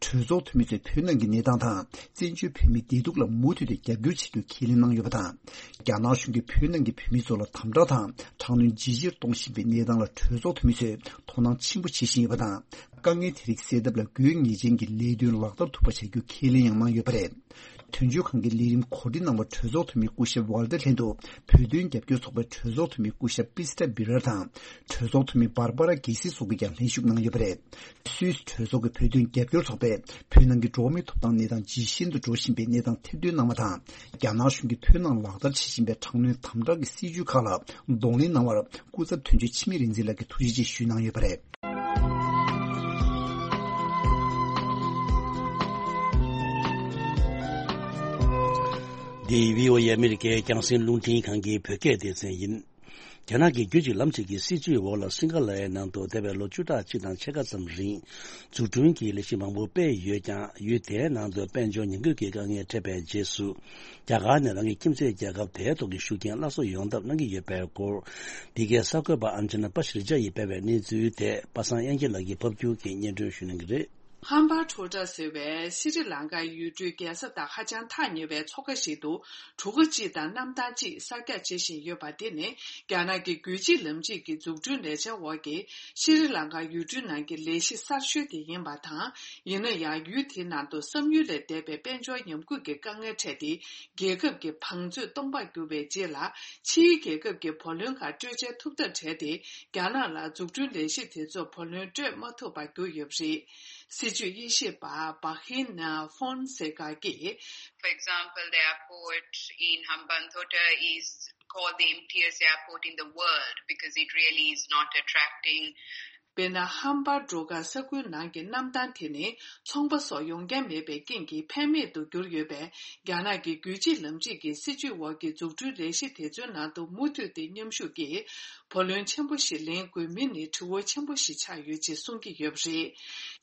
གྲོས་ཚོགས་འཐུས་མི་ཚོས་བོད་ནང་གི་གནས་སྟངས་དང་བཙན་བྱོལ་བོད་མིའི་བདེ་སྡུག་ལ་མུ་མཐུད་དུ་རྒྱབ་སྐྱོར་བྱེད་རྒྱུ་ཁས་ལེན་གནང་ཡོད་པ་དང་། རྒྱ་ནག་གཞུང་གིས་བོད་ནང་གི་བོད་མི་ཚོ་ལ་དམ་དྲག་དང་དྲག་གནོན་ཇེ་ཆེར་གཏོང་བཞིན་པའི་གནས་སྟངས་ལ་གྲོས་ཚོགས་འཐུས་མི་ཚོས་དོ་སྣང་ཆེན་པོ་བྱེད་བཞིན་ཡོད་པ་དང་། དཀའ་ངལ་དེ་རིགས་སེལ་ཐབས་ལ་དགོས་ངེས་ཅན་གྱི་ལས་དོན་ལག་བསྟར་ཐུབ་པ་བྱ་རྒྱུ་ཁས་ལེན་ཡང་གནང་ཡོད་པ་རེད། དོན་གཅོད་ཁང་གི་ལས་རིམ་གོ་སྒྲིག་གནང་བར་གྲོས་ཚོགས་འཐུས་མི་སྐུ་ཞབས་ཝལ་ཏེར་ལྷན་དུ་བོད་དོན་རྒྱབ་སྐྱོར་ཚོགས་པའི་གྲོས་ཚོགས་འཐུས་མི་སྐུ་ཞབས་པི་སི་ཏྲ་བི་རར་དང་། གྲོས་ཚོགས་འཐུས་མི་བར་བ་ར་གེ་སི་སོགས་ཀྱིས་ཀྱང་ལྷན་ཞུགས་གནང་ཡོད་པ་རེད། སུད་སི་གྲོས་ཚོགས་ཀྱི་བོད་དོན་རྒྱབ་སྐྱོར་ཚོགས་པས་བོད་ནང་གི་འགྲོ་བ་མིའི་ཐོབ་ཐང་གནས་སྟངས་ཇེ་ཞན་དུ་འགྲོ་བཞིན་པའི་གནས་སྟངས་ཐེར་འདོན་གནང་བ་དང་། རྒྱ་ནག་གཞུང་གིས་བོད་ནང་ལག་བསྟར་བྱེད་བཞིན་པའི་དྲག་གནོན་དམ་དྲག་གི་སྲིད་ཇུས་ཁག་ལ་གདོང་ལེན་གནང་བར་སྐུ་ཚབ་དོན་གཅོད་འཆི་མེད་རིག་འཛིན་ལགས་ཀྱིས་ཐུགས་རྗེ་ཆེ་ཞུས་གནང་ཡོད་པ་རེད། འདི་བྷི་ཨོ་ཨེ་ཨ་མི་རི་ཀའི་རྒྱང་སྲིང་རླུང་འཕྲིན་ཁང་གི་བོད་སྐད་སྡེ་ཚན་ཡིན། རྒྱ་ནག་གི་རྒྱུད་གཅིག་ལམ་གཅིག་གི་སྲིད་བྱུས་འོག་ལ་སིང་ག་ལའི་ནང་དུ་འདས་པའི་ལོ་བཅུ་ཕྲག་གཅིག་དང་ཕྱེད་ཀ་ཙམ་རིང་འཛུགས་སྐྲུན་གྱི་ལས་གཞི་མང་པོ་སྤེལ་ཡོད་ཀྱང་། ཡུལ་དེའི་ནང་དུ་དཔལ་འབྱོར་ཉམས་རྒུད་ཀྱི་དཀའ་ངལ་འཕྲད་པའི་རྗེས་སུ། རྒྱ་གར་ནས་རང་གི་ཁྱིམ་མཚེས་རྒྱལ་ཁབ་དེའི་ཐོག་གི་ཤུགས་རྐྱེན་སླར་གསོ་ཡོང་ཐབས་གནང་གི་ཡོད་པའི་སྐོར། འདི་གའི་གསར་འགོད་པ་ཨན་ཇི་ན་པ་ཤི་རི་ཇ་ཡིས་སྤེལ་བའི་གནས་ཚུལ་དེ་པ་སངས་དབྱངས་སྐྱིད་ལགས་ཀྱིས་ཕབ་སྒྱུར་གྱིས་སྙན་སྒྲོན་ཞུ་གནང་གི་རེད། ཧམ་པ་ཊོ་ཊ་ཟེར་བའི་སི་རི་ལང་ཀའི་ཡུལ་གྲུའི་རྒྱལ་ས་དང་ཧ་ཅང་ཐག་ཉེ་བའི་མཚོ་ཁ་ཞིག་ཏུ། གྲུ་ཁ་གཅིག་དང་གནམ་ཐང་གཅིག་གསར་རྒྱག་བྱེད་བཞིན་ཡོད་པ་དེ་ནི། རྒྱ་ནག་གི་རྒྱུད་གཅིག་ལམ་གཅིག་གི་འཛུགས་སྐྲུན་ལས་འཆར་འོག་གི་སི་རི་ལང་ཀ་ཡུལ་གྲུའི་ནང་གི་ལས་གཞི་གསར་ཤོས་དེ་ཡིན་པ་དང་། ཡིན་ན་ཡང་ཡུལ་དེའི་ནང་དུ་བསམ་ཡུལ་ལས་འདས་པའི་དཔལ་འབྱོར་ཉམས་རྒུད་ཀྱི་དཀའ་ངལ་འཕྲད་དེ། རྒྱལ་ཁབ་ཀྱི་བང་མཛོད་སྟོང་པར་གྱུར་བའི་རྗེས་ལ། ཕྱིའི་རྒྱལ་ཁབ་ཀྱི་བུ་ལོན་ཁག་སྤྲོད་འཇལ་ཐུབ་ཐབས་བྲལ་ཏེ། རྒྱ་ནག་ལ་འཛུགས་སྐྲུན་ལས་གཞི་དེ་ཚོར་བུ་ལོན་སྤྲོད་མ་ཐུབ་པར་གྱུར་ཡོད་པ་རེད། སྲིད་བྱུས་དབྱེ་ཞིབ་པ་བྷ་ཧིན་ཧྥོན་སེ་ཀ་གིས། For example, the airport in Hambantota is called the emptiest airport in the world because it really is not attracting དཔེར་ན། ཧམ་པ་ཊོ་ཊ་ས་ཁུལ་ནང་གི་གནམ་ཐང་དེ་ནི་ཚོང་པ་སོགས་ཡོང་མཁན་མེད་པའི་རྐྱེན་གྱིས་ཕན་མེད་དུ་གྱུར་ཡོད་པས། རྒྱ་ནག་གི་རྒྱུད་གཅིག་ལམ་གཅིག་གི་སྲིད་བྱུས་འོག་གི་འཛུགས་སྐྲུན་ལས་གཞི་དེ་ཚོའི་ནང་དུ་མུ་མཐུད་དེ་མཉམ་ཞུགས་ཀྱིས། བུ་ལོན་ཆེན་པོ་ཞིག་ལེན་དགོས་མིན་ནི་དྲི་བ་ཆེན་པོ་ཞིག་ཆགས་ཡོད་ཅེས་གསུང་གི་ཡོད་པ་རེད།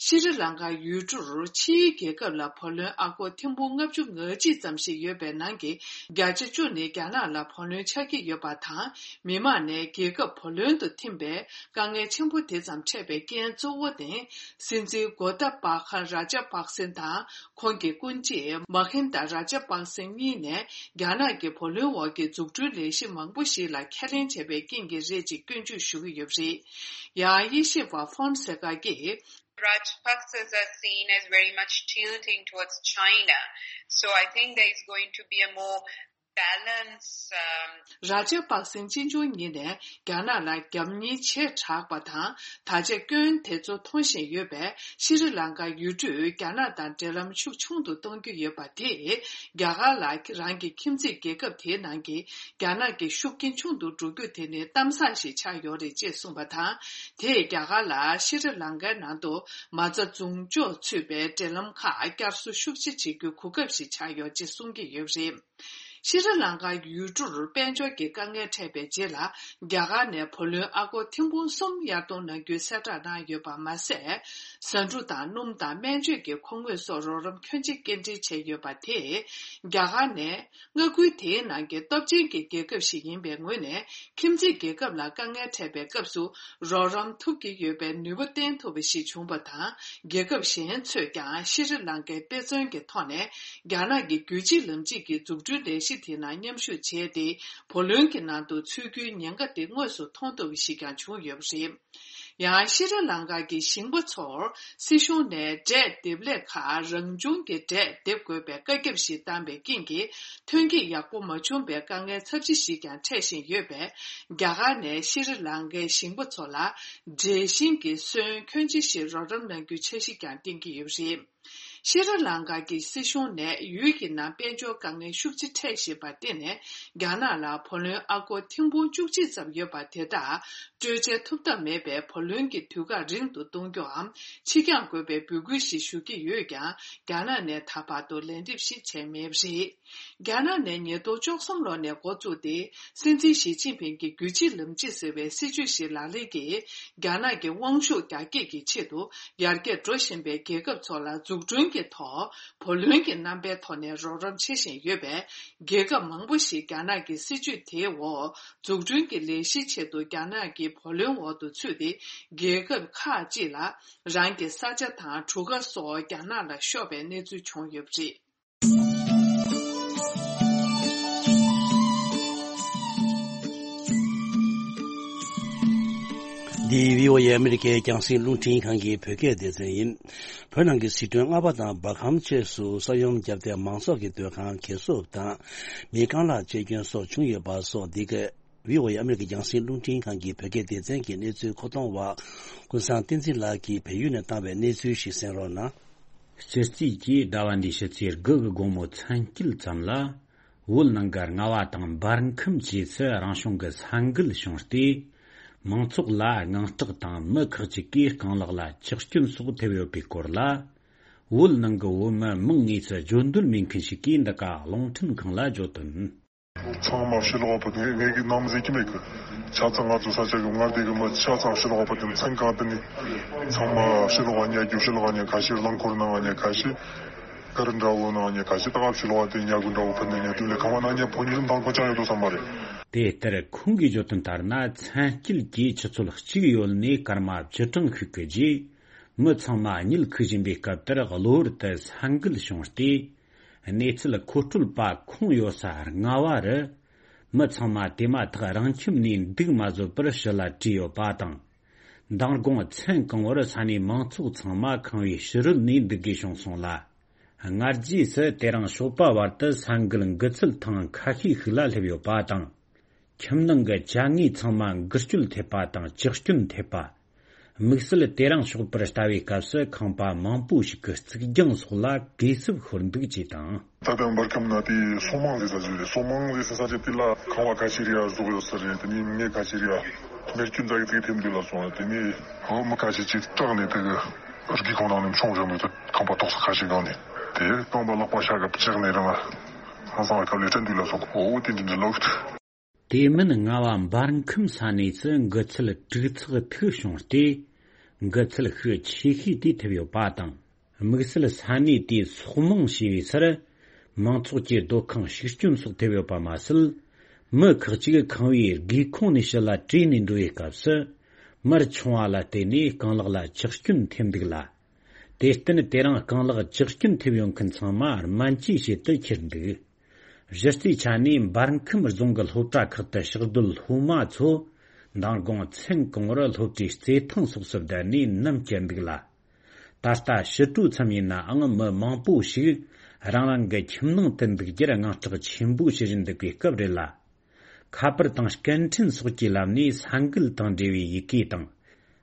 ཤྲི་ལང་ཀ་ཡུལ་གྲུར་ཕྱིའི་རྒྱལ་ཁབ་ལ་བུ་ལོན་ཨ་སྒོར་ཐེར་འབུམ་ལྔ་བཅུ་ང་གཅིག་ཙམ་ཞིག་ཡོད་པའི་ནང་གི་བརྒྱ་ཆ་བཅུ་ནི་རྒྱ་ནག་ལ་བུ་ལོན་ཆགས་ཀྱི་ཡོད་པ་དང་། མི་མང་ནས་རྒྱལ་ཁབ་བུ་ལོན་དུ་ཐིམ་པའི་དཀའ་ངལ་ཆེན་པོ་དེ་ཙམ་འཕྲད་པའི་རྐྱེན་གཙོ་བོ་ནི། སྲིད་འཛིན་གོ་ཏ་པ་ཁ་ར་ཇ་པག་སེན་དང་། ཁོང་གི་སྐུ་མཆེད་མ་ཧིན་ད་ར་ཇ་པག་སེན་གཉིས་ནས། རྒྱ་ནག་གི་བུ་ལོན་འོག་གི་འཛུགས་སྐྲུན་ལས་གཞི་མང་པོ་ཞིག་ལ་ཁས་ལེན་བྱས་པའི་རྐྱེན་གྱིས་རེད་ཅེས་སྐྱོན་བརྗོད་ཞུ་གི་ཡོད་པ་རེད། ཡང་དབྱེ་ཞིབ་པ་ཧྥོན་སེ་ཀ་གིས། Rajapaksa's are seen as very much tilting towards China. So I think there is going to be a more balance, um, ར་ཇ་པག་སེན་གཅེན་གཅུང་ཉིད་ནས་རྒྱ་ནག་ལ་རྒྱབ་གཉེར་བྱས་དྲགས་པ་དང་། ད་ཆ་སྐྱོན་དེ་ཚོ་མཐོང་བཞིན་ཡོད་པས། ཤྲི་ལང་ཀ་ཡུལ་གྲུས་རྒྱ་ནག་དང་འབྲེལ་ལམ་ཤུགས་ཆུང་དུ་གཏོང་རྒྱུ་ཡོད་པ་དེས། རྒྱ་གར་ལ་རང་གི་ཁྱིམ་མཚེས་རྒྱལ་ཁབ་དེའི་ནང་གི་རྒྱ་ནག་གི་ཤུགས་རྐྱེན་ཆུང་དུ་འགྲོ་རྒྱུ་དེ་ནི་གཏམ་བཟང་ཞིག་ཆགས་ཡོད་རེད་ཅེས་གསུངས་པ་དང་། དེས་རྒྱ་གར་ལ་ཤྲི་ལང་ཀའི་ནང་དུ་མ་རྩ་རྫོང་ཕྱོགས་ཚུད་པའི་འབྲེལ་ལམ་ཁག་བསྐྱར་གསོ་ཤུགས་ཆེ་བྱེད་རྒྱུའི་གོ་སྐབས་ཤིག་ཆགས་ཡོད་ཅེས་གསུང་གི་ཡོད་པ་རེད། ཤྲི་ལང་ཀ་ཡུལ་གྲུར་དཔལ་འབྱོར་གྱི་དཀའ་ངལ་འཕྲད་པའི་རྗེས་ལ། རྒྱ་གར་ནས་བུ་ལོན་ཨ་སྒོར་ཐེར་འབུམ་གསུམ་གཡར་གཏོང་གནང་རྒྱུའི་གསལ་བསྒྲགས་གནང་ཡོད་པ་མ་ཟད། ཟ་འབྲུ་དང་སྣུམ་དང་སྨན་བཅོས་ཀྱི་མཁོ་དངོས་སོགས་རོགས་རམ་ཁྱོན་ཆེ་སྐྱེལ་འདྲེན་བྱས་ཡོད་པ་དེས། རྒྱ་གར་ནས་མངའ་ཁུལ་དེའི་ནང་གི་སྟོབས་ཆེན་གྱི་རྒྱལ་ཁབ་ཞིག་ཡིན་པའི་ངོས་ནས། ཁྱིམ་མཚེས་རྒྱལ་ཁབ་ལ་དཀའ་ངལ་འཕྲད་པའི་སྐབས་སུ་རོགས་རམ་ཐུབ་ཀྱི་ཡོད་པའི་ནུས་པ་བསྟན་ཐུབ་པ་ཞིག་བྱུང་བ་དང་། རྒྱལ་ཁབ་གཞན་ཚོས་ཀྱང་ཤྲི་ལང་ཀའི་དཔེ་མཚོན་གྱི་ཐོག་ནས། རྒྱ་ནག་གི་རྒྱུད་གཅིག་ལམ་གཅིག་གི་འཛུགས་སྐྲུན་ལས་གཞི་དེ་ནང་མཉམ་ཞུགས་བྱས་ཏེ། བུ་ལོན་གྱི་ནང་དུ་ཚུད་རྒྱུའི་ཉེན་ཁ་དེ་དངོས་སུ་མཐོང་ཐུབ་པ་ཞིག་ཀྱང་བྱུང་ཡོད་པ་རེད། ཡང་ཤྲི་ལང་ཀ་གི་ཞིང་པ་ཚོར་སྲིད་གཞུང་ནས་འབྲས་འདེབས་ལས་ཁག་རང་བྱུང་གི་འབྲས་འདེབས་དགོས་པའི་བཀའ་ཁྱབ་ཞིག་བཏང་པའི་རྐྱེན་གྱིས། ཐོན་སྐྱེད་ཡག་པོ་མ་བྱུང་བའི་དཀའ་ངལ་ཚབས་ཆེ་ཞིག་ཀྱང་འཕྲད་བཞིན་ཡོད་པས། རྒྱ་གར་ནས་ཤྲི་ལང་ཀའི་ཞིང་པ་ཚོ་ལ་འབྲས་ཞིང་གི་སོན་ཁྱོན་ཆེ་ཞིག་རོགས་རམ་གནང་རྒྱུའི་འཆར་གཞི་ཀྱང་བཏིང་གི་ཡོད་པ་རེད། ཤྲི་ལང་ཀ་གི་སྲིད་གཞུང་ནས་ཡུལ་གྱི་ནང་དཔལ་འབྱོར་དཀའ་ངལ་ཤུགས་ཆེ་འཕྲད་བཞིན་པར་བརྟེན་ནས། རྒྱ་ནག་ལ་བུ་ལོན་ཨ་སྒོར་ཐེར་འབུམ་བཅུ་གཅིག་ཙམ་ཡོད་པ་དེ་དག་སྤྲོད་འཇལ་ཐུབ་ཐབས་མེད་པས། བུ་ལོན་གྱི་དུས་བཀག་རིང་དུ་གཏོང་རྒྱུའམ་ཕྱིར་འགྱངས་དགོས་པའི་འབོད་སྐུལ་ཞིག་ཞུ་གི་ཡོད་ཀྱང་། རྒྱ་ནག་ནས་ད་བར་དུ་ལན་འདེབས་ཤིག་བྱས་མེད་པ་རེད། རྒྱ་ནག་ནས་ཉིས་སྟོང་བཅུ་གསུམ་ལོ་ནས་འགོ་བཙུགས་ཏེ། སྲིད་འཛིན་ཞི་ཅིན་ཕིང་གིས་རྒྱུད་གཅིག་ལམ་གཅིག་ཟེར་བའི་སྲིད་བྱུས་ཤིག་ལག་ལེན་གྱིས། རྒྱ་ནག་གི་དབང་ཤུགས་རྒྱ་སྐྱེད་ཀྱི་ཆེད་དུ་ཡར་རྒྱས་འགྲོ་བཞིན་པའི་རྒྱལ་ཁབ་ཚོ་ལ་འཛུགས་སྐྲུན་གྱི་ཐོག་བུ་ལོན་གྱི་རྣམ་པའི་ཐོག་ནས་རོགས་རམ་བྱེད་བཞིན་ཡོད་པས། རྒྱལ་ཁབ་མང་པོ་ཞིག་རྒྱ་ནག་གི་སྲིད་བྱུས་དེའི་འོག་འཛུགས་སྐྲུན་གྱི་ལས་གཞིའི་ཆེད་དུ་རྒྱ་ནག་གི་བུ་ལོན་འོག་ཏུ་ཚུད་དེ། རྒྱལ་ཁབ་ཁག་ཅིག་ལ་རང་གི་ས་ཆ་དང་གྲུ་ཁ་སོགས་རྒྱ་ནག་ལ་ཤོར་བའི་གནས་ཚུལ་བྱུང་ཡོད་པ་རེད། འདི་བྷི་ཨོ་ཨེ་ཨ་མི་རི་ཀའི་རྒྱང་སྲིང་རླུང་འཕྲིན་ཁང་གི་བོད་སྐད་སྡེ་ཚན་ཡིན། བོད་ནང་གི་ཟི་ཁྲོན་རྔ་བ་དང་འབར་ཁམས་བཅས་སུ་ས་ཡོམ་བརྒྱབ་སྟེ་མང་ཚོགས་ཀྱི་སྡོད་ཁང་གས་སྲུབས་དང་མིའི་རྐང་ལག་གཅེས་སྐྱོན་སོགས་བྱུང་ཡོད་པ་སོགས། འདི་ག་བྷི་ཨོ་ཨེ་ཨ་མི་རི་ཀའི་རྒྱང་སྲིང་རླུང་འཕྲིན་ཁང་གི་བོད་སྐད་སྡེ་ཚན་གྱི་གནས་ཚུལ་མཁོ་གཏོང་བ་ཀུན་བཟང་བསྟན་འཛིན་ལགས་ཀྱིས་བལ་ཡུལ་ནས་བཏང་བའི་གནས་ཚུལ་ཞིག་གསན་རོགས་གནང་། སྤྱི་རྩིས་ཀྱིས་ཟླ་བ་འདིའི་ཕྱི་ཚེས་དགུ་གི་དགོང་མོ་མཚན་དཀྱིལ་ཙམ་ལ། བོད་ནང་གི་རྔ་བ་དང་འབར་ཁམས་བཅས་སུ་རང་བྱུང་གི་ས་འགུལ་བྱུང་སྟེ། མང་ཚོགས་ལ་དངངས་སྐྲག་དང་མི་ཁག་ཅིག་གིས་རྐང་ལག་ལ་གཅེས་སྐྱོན་སོགས་ཐེབས་ཡོད་པའི་སྐོར་ལ། བོད་ནང་གི་བོད་མི་མང་དངོས་སུ་བརྗོད་འདོད་མེད་མཁན་ཞིག་གིས་འདི་ག་རླུང་འཕྲིན་ཁང་ལ་བརྗོད་དོན། ཚང་མ་ཕྱི་ལོགས་པ་དེ་ངས་ཀྱི་ནམ་ཟེར་གྱི་མེད་གི། ཆ་ཚང་ང་ཚོ་ས་ཆ་གི་མངའ་སྡེ་གི་མི་ཆ་ཚང་ཕྱི་ལོགས་པ་དེ་མཚན་གང་དུ་ནི། ཚང་མ་ཕྱི་ལོགས་ཉལ་རྒྱུ་ཕྱི་ལོགས་ཉལ་ཁ་ཤས་རླངས་འཁོར་ནང་ཉལ་ཁ་ཤས། གར་འདྲ་བོ་ནང་ཉལ་ཁ་ཤས་ད་ཕྱི་ལོགས་དེ་ཉལ་གི་འདྲ་བོ་ཕུ་ནི་ཉལ་དུས་ལས་ཁང་བ་ནང་ཉལ་ཕོ་ཉི་རིམ་དང་གོ་ཅང་ཡོད་དོ་བསམ་པ་རེད། དེ་ལྟར་ཁོང་གིས་བརྗོད་དོན་ལྟར་ན། མཚན་དཀྱིལ་གྱི་ཆུ་ཚོད་གཅིག་ཡོལ་ནས་སྐར་མ་བཅུ་གྲངས་ཤིག་གི་རྗེས། མི་ཚང་མ་གཉིད་ཁུག་བཞིན་པའི་སྐབས་དེར་གློ་བུར་དུ་ས་འགུལ་བྱུང་སྟེ། གནས་ཚུལ་མཁོ་སྤྲོད་པ་ཁོང་ཡོད་ས་རྔ་བ་རུ། མི་ཚང་མ་དེ་མ་ཐག་རང་ཁྱིམ་ནས་འདུག་མ་བཟོད་པར་ཕྱི་ལ་བྲོས་ཡོད་པ་དང་། མདང་དགོང་མཚན་གང་བོར་ས་གནས་མང་ཚོགས་ཚང་མ་ཁང་པའི་ཕྱི་རོལ་ནས་འདུག་དགོས་བྱུང་སོང་ལ། སྔ་རྗེས་སུ་དེ་རིང་ཞོགས་པ་བར་དུ་ས་འགུལ་འགུལ་ཚུལ་ཐེངས་ཁ་ཤས་ཤིག་ལ་སླེབས་ཡོད་པ་དང་། ཁྱིམ་ནང་གི་ཅ་དངོས་ཚང་མ་འགུལ་སྐྱོད་ཐེབས་པ་དང་། ཇག་སྐྱོན་ཐེབས་པ། དམིགས་བསལ་དེ་རིང་ཞོགས་པར་ལྟ་བའི་སྐབས་སུ་ཁང་པ་མང་པོ་ཞིག་གི་རྩིག་གྱང་སོགས་ལ་གས་སྲུབས་ཤོར་འདུག་ཅེས་དང་། ད་ལྟ་འབར་ཁམས་ན་དེ་སོ་མང་ཟེར་ས་ཞིག་རེད། སོ་མང་ཟེར་ས་ས་ཆ་དེ་ལ་ཁང་པ་ཁ་ཤས་རེ་ཡར་ཟུག་ཡོད་ས་རེད། དེ་ནས་མེ་ཁ་ཤས་རེ་ཡར་མེ་སྐྱོན་ཙག་གི་ཙིག་ཐེབས་འདུག་ལབ་སོང་། དེ་ནས་ཧོ་མི་ཁ་ཤས་ཅིག་སྐྲག་ནས་དེ་གི་རི་སྒང་ཁོག་ནང་ནས་མཆོང་བཞག་འདུག་ད་ཁང་པ་ཐོག་ས་ཁ་ཤས་སྒང་ནས་དེ་རྐང་པ་ལག་པ་ཤ་ག་བཅག་ནས་རང་ཧང་སང་བའི་ཐབས་ལས་བྲལ་འདུག་ལབ་སོང་། ཨོ་དེ་འདྲ་འདྲ་ལོག་དེ་མིན་རྔ་བ་འབར་ཁམས་ས་གནས་སུ་འགུལ་ཚུལ་དྲུག་ཚེག་ཐིག་བྱུང་སྟེ། འགུལ་ཚུལ་ཤུགས་ཆེ་ཤོས་དེ་ཐེབས་ཡོད་པ་དང་། དམིགས་བསལ་ས་གནས་དེའི་སོག་མང་ཞེས་པའི་སར། མང་ཚོགས་ཀྱི་སྡོད་ཁང་ཞིག་སྐྱོན་སོགས་ཐེབས་ཡོད་པ་མ་ཟད། མི་ཁག་ཅིག་ཁང་པའི་སྒེའུ་ཁུང་ནས་ཕྱི་ལ་བྲོས་ནས་འགྲོ་བའི་སྐབས་སུ། མར་མཆོང་བ་ལ་བརྟེན་ནས་རྐང་ལག་ལ་ཇག་སྐྱོན་ཐེབས་འདུག་ལ། དེར་བརྟེན་དེ་རིང་རྐང་ལག་ཇག་སྐྱོན་ཐེབས་ཡོད་མཁན་ཚང་མ་སྨན་བཅོས་བྱེད་དུ་ཁྱེར་འདུག་གཞི་རྩའི་ཆ་ནས་འབར་ཁམས་རྫོང་གི་སློབ་གྲྭ་ཁག་ཏུ་ཕྱག་སྡོད་སློབ་མ་ཚོ་མདང་དགོང་མཚན་གང་བོར་སློབ་གྲྭའི་རྩེད་ཐང་སོགས་སུ་བསྡད་ནས་ནམ་བསྐྱལ་འདུག་ལ། ད་ལྟ་ཕྱི་དྲོ་མཚམས་ཡིན་ནའང་མི་མང་པོ་ཞིག་རང་རང་གི་ཁྱིམ་ནང་དུ་འདུག་རྒྱུར་དངངས་སྐྲག་ཆེན་པོ་བྱེད་བཞིན་འདུག་པའི་སྐབས་རེད་ལ། ཁ་པར་དང་སྐད་འཕྲིན་སོགས་ཀྱི་ལམ་ནས་ས་འགུལ་དང་འབྲེལ་བའི་ཡི་གེ་དང་།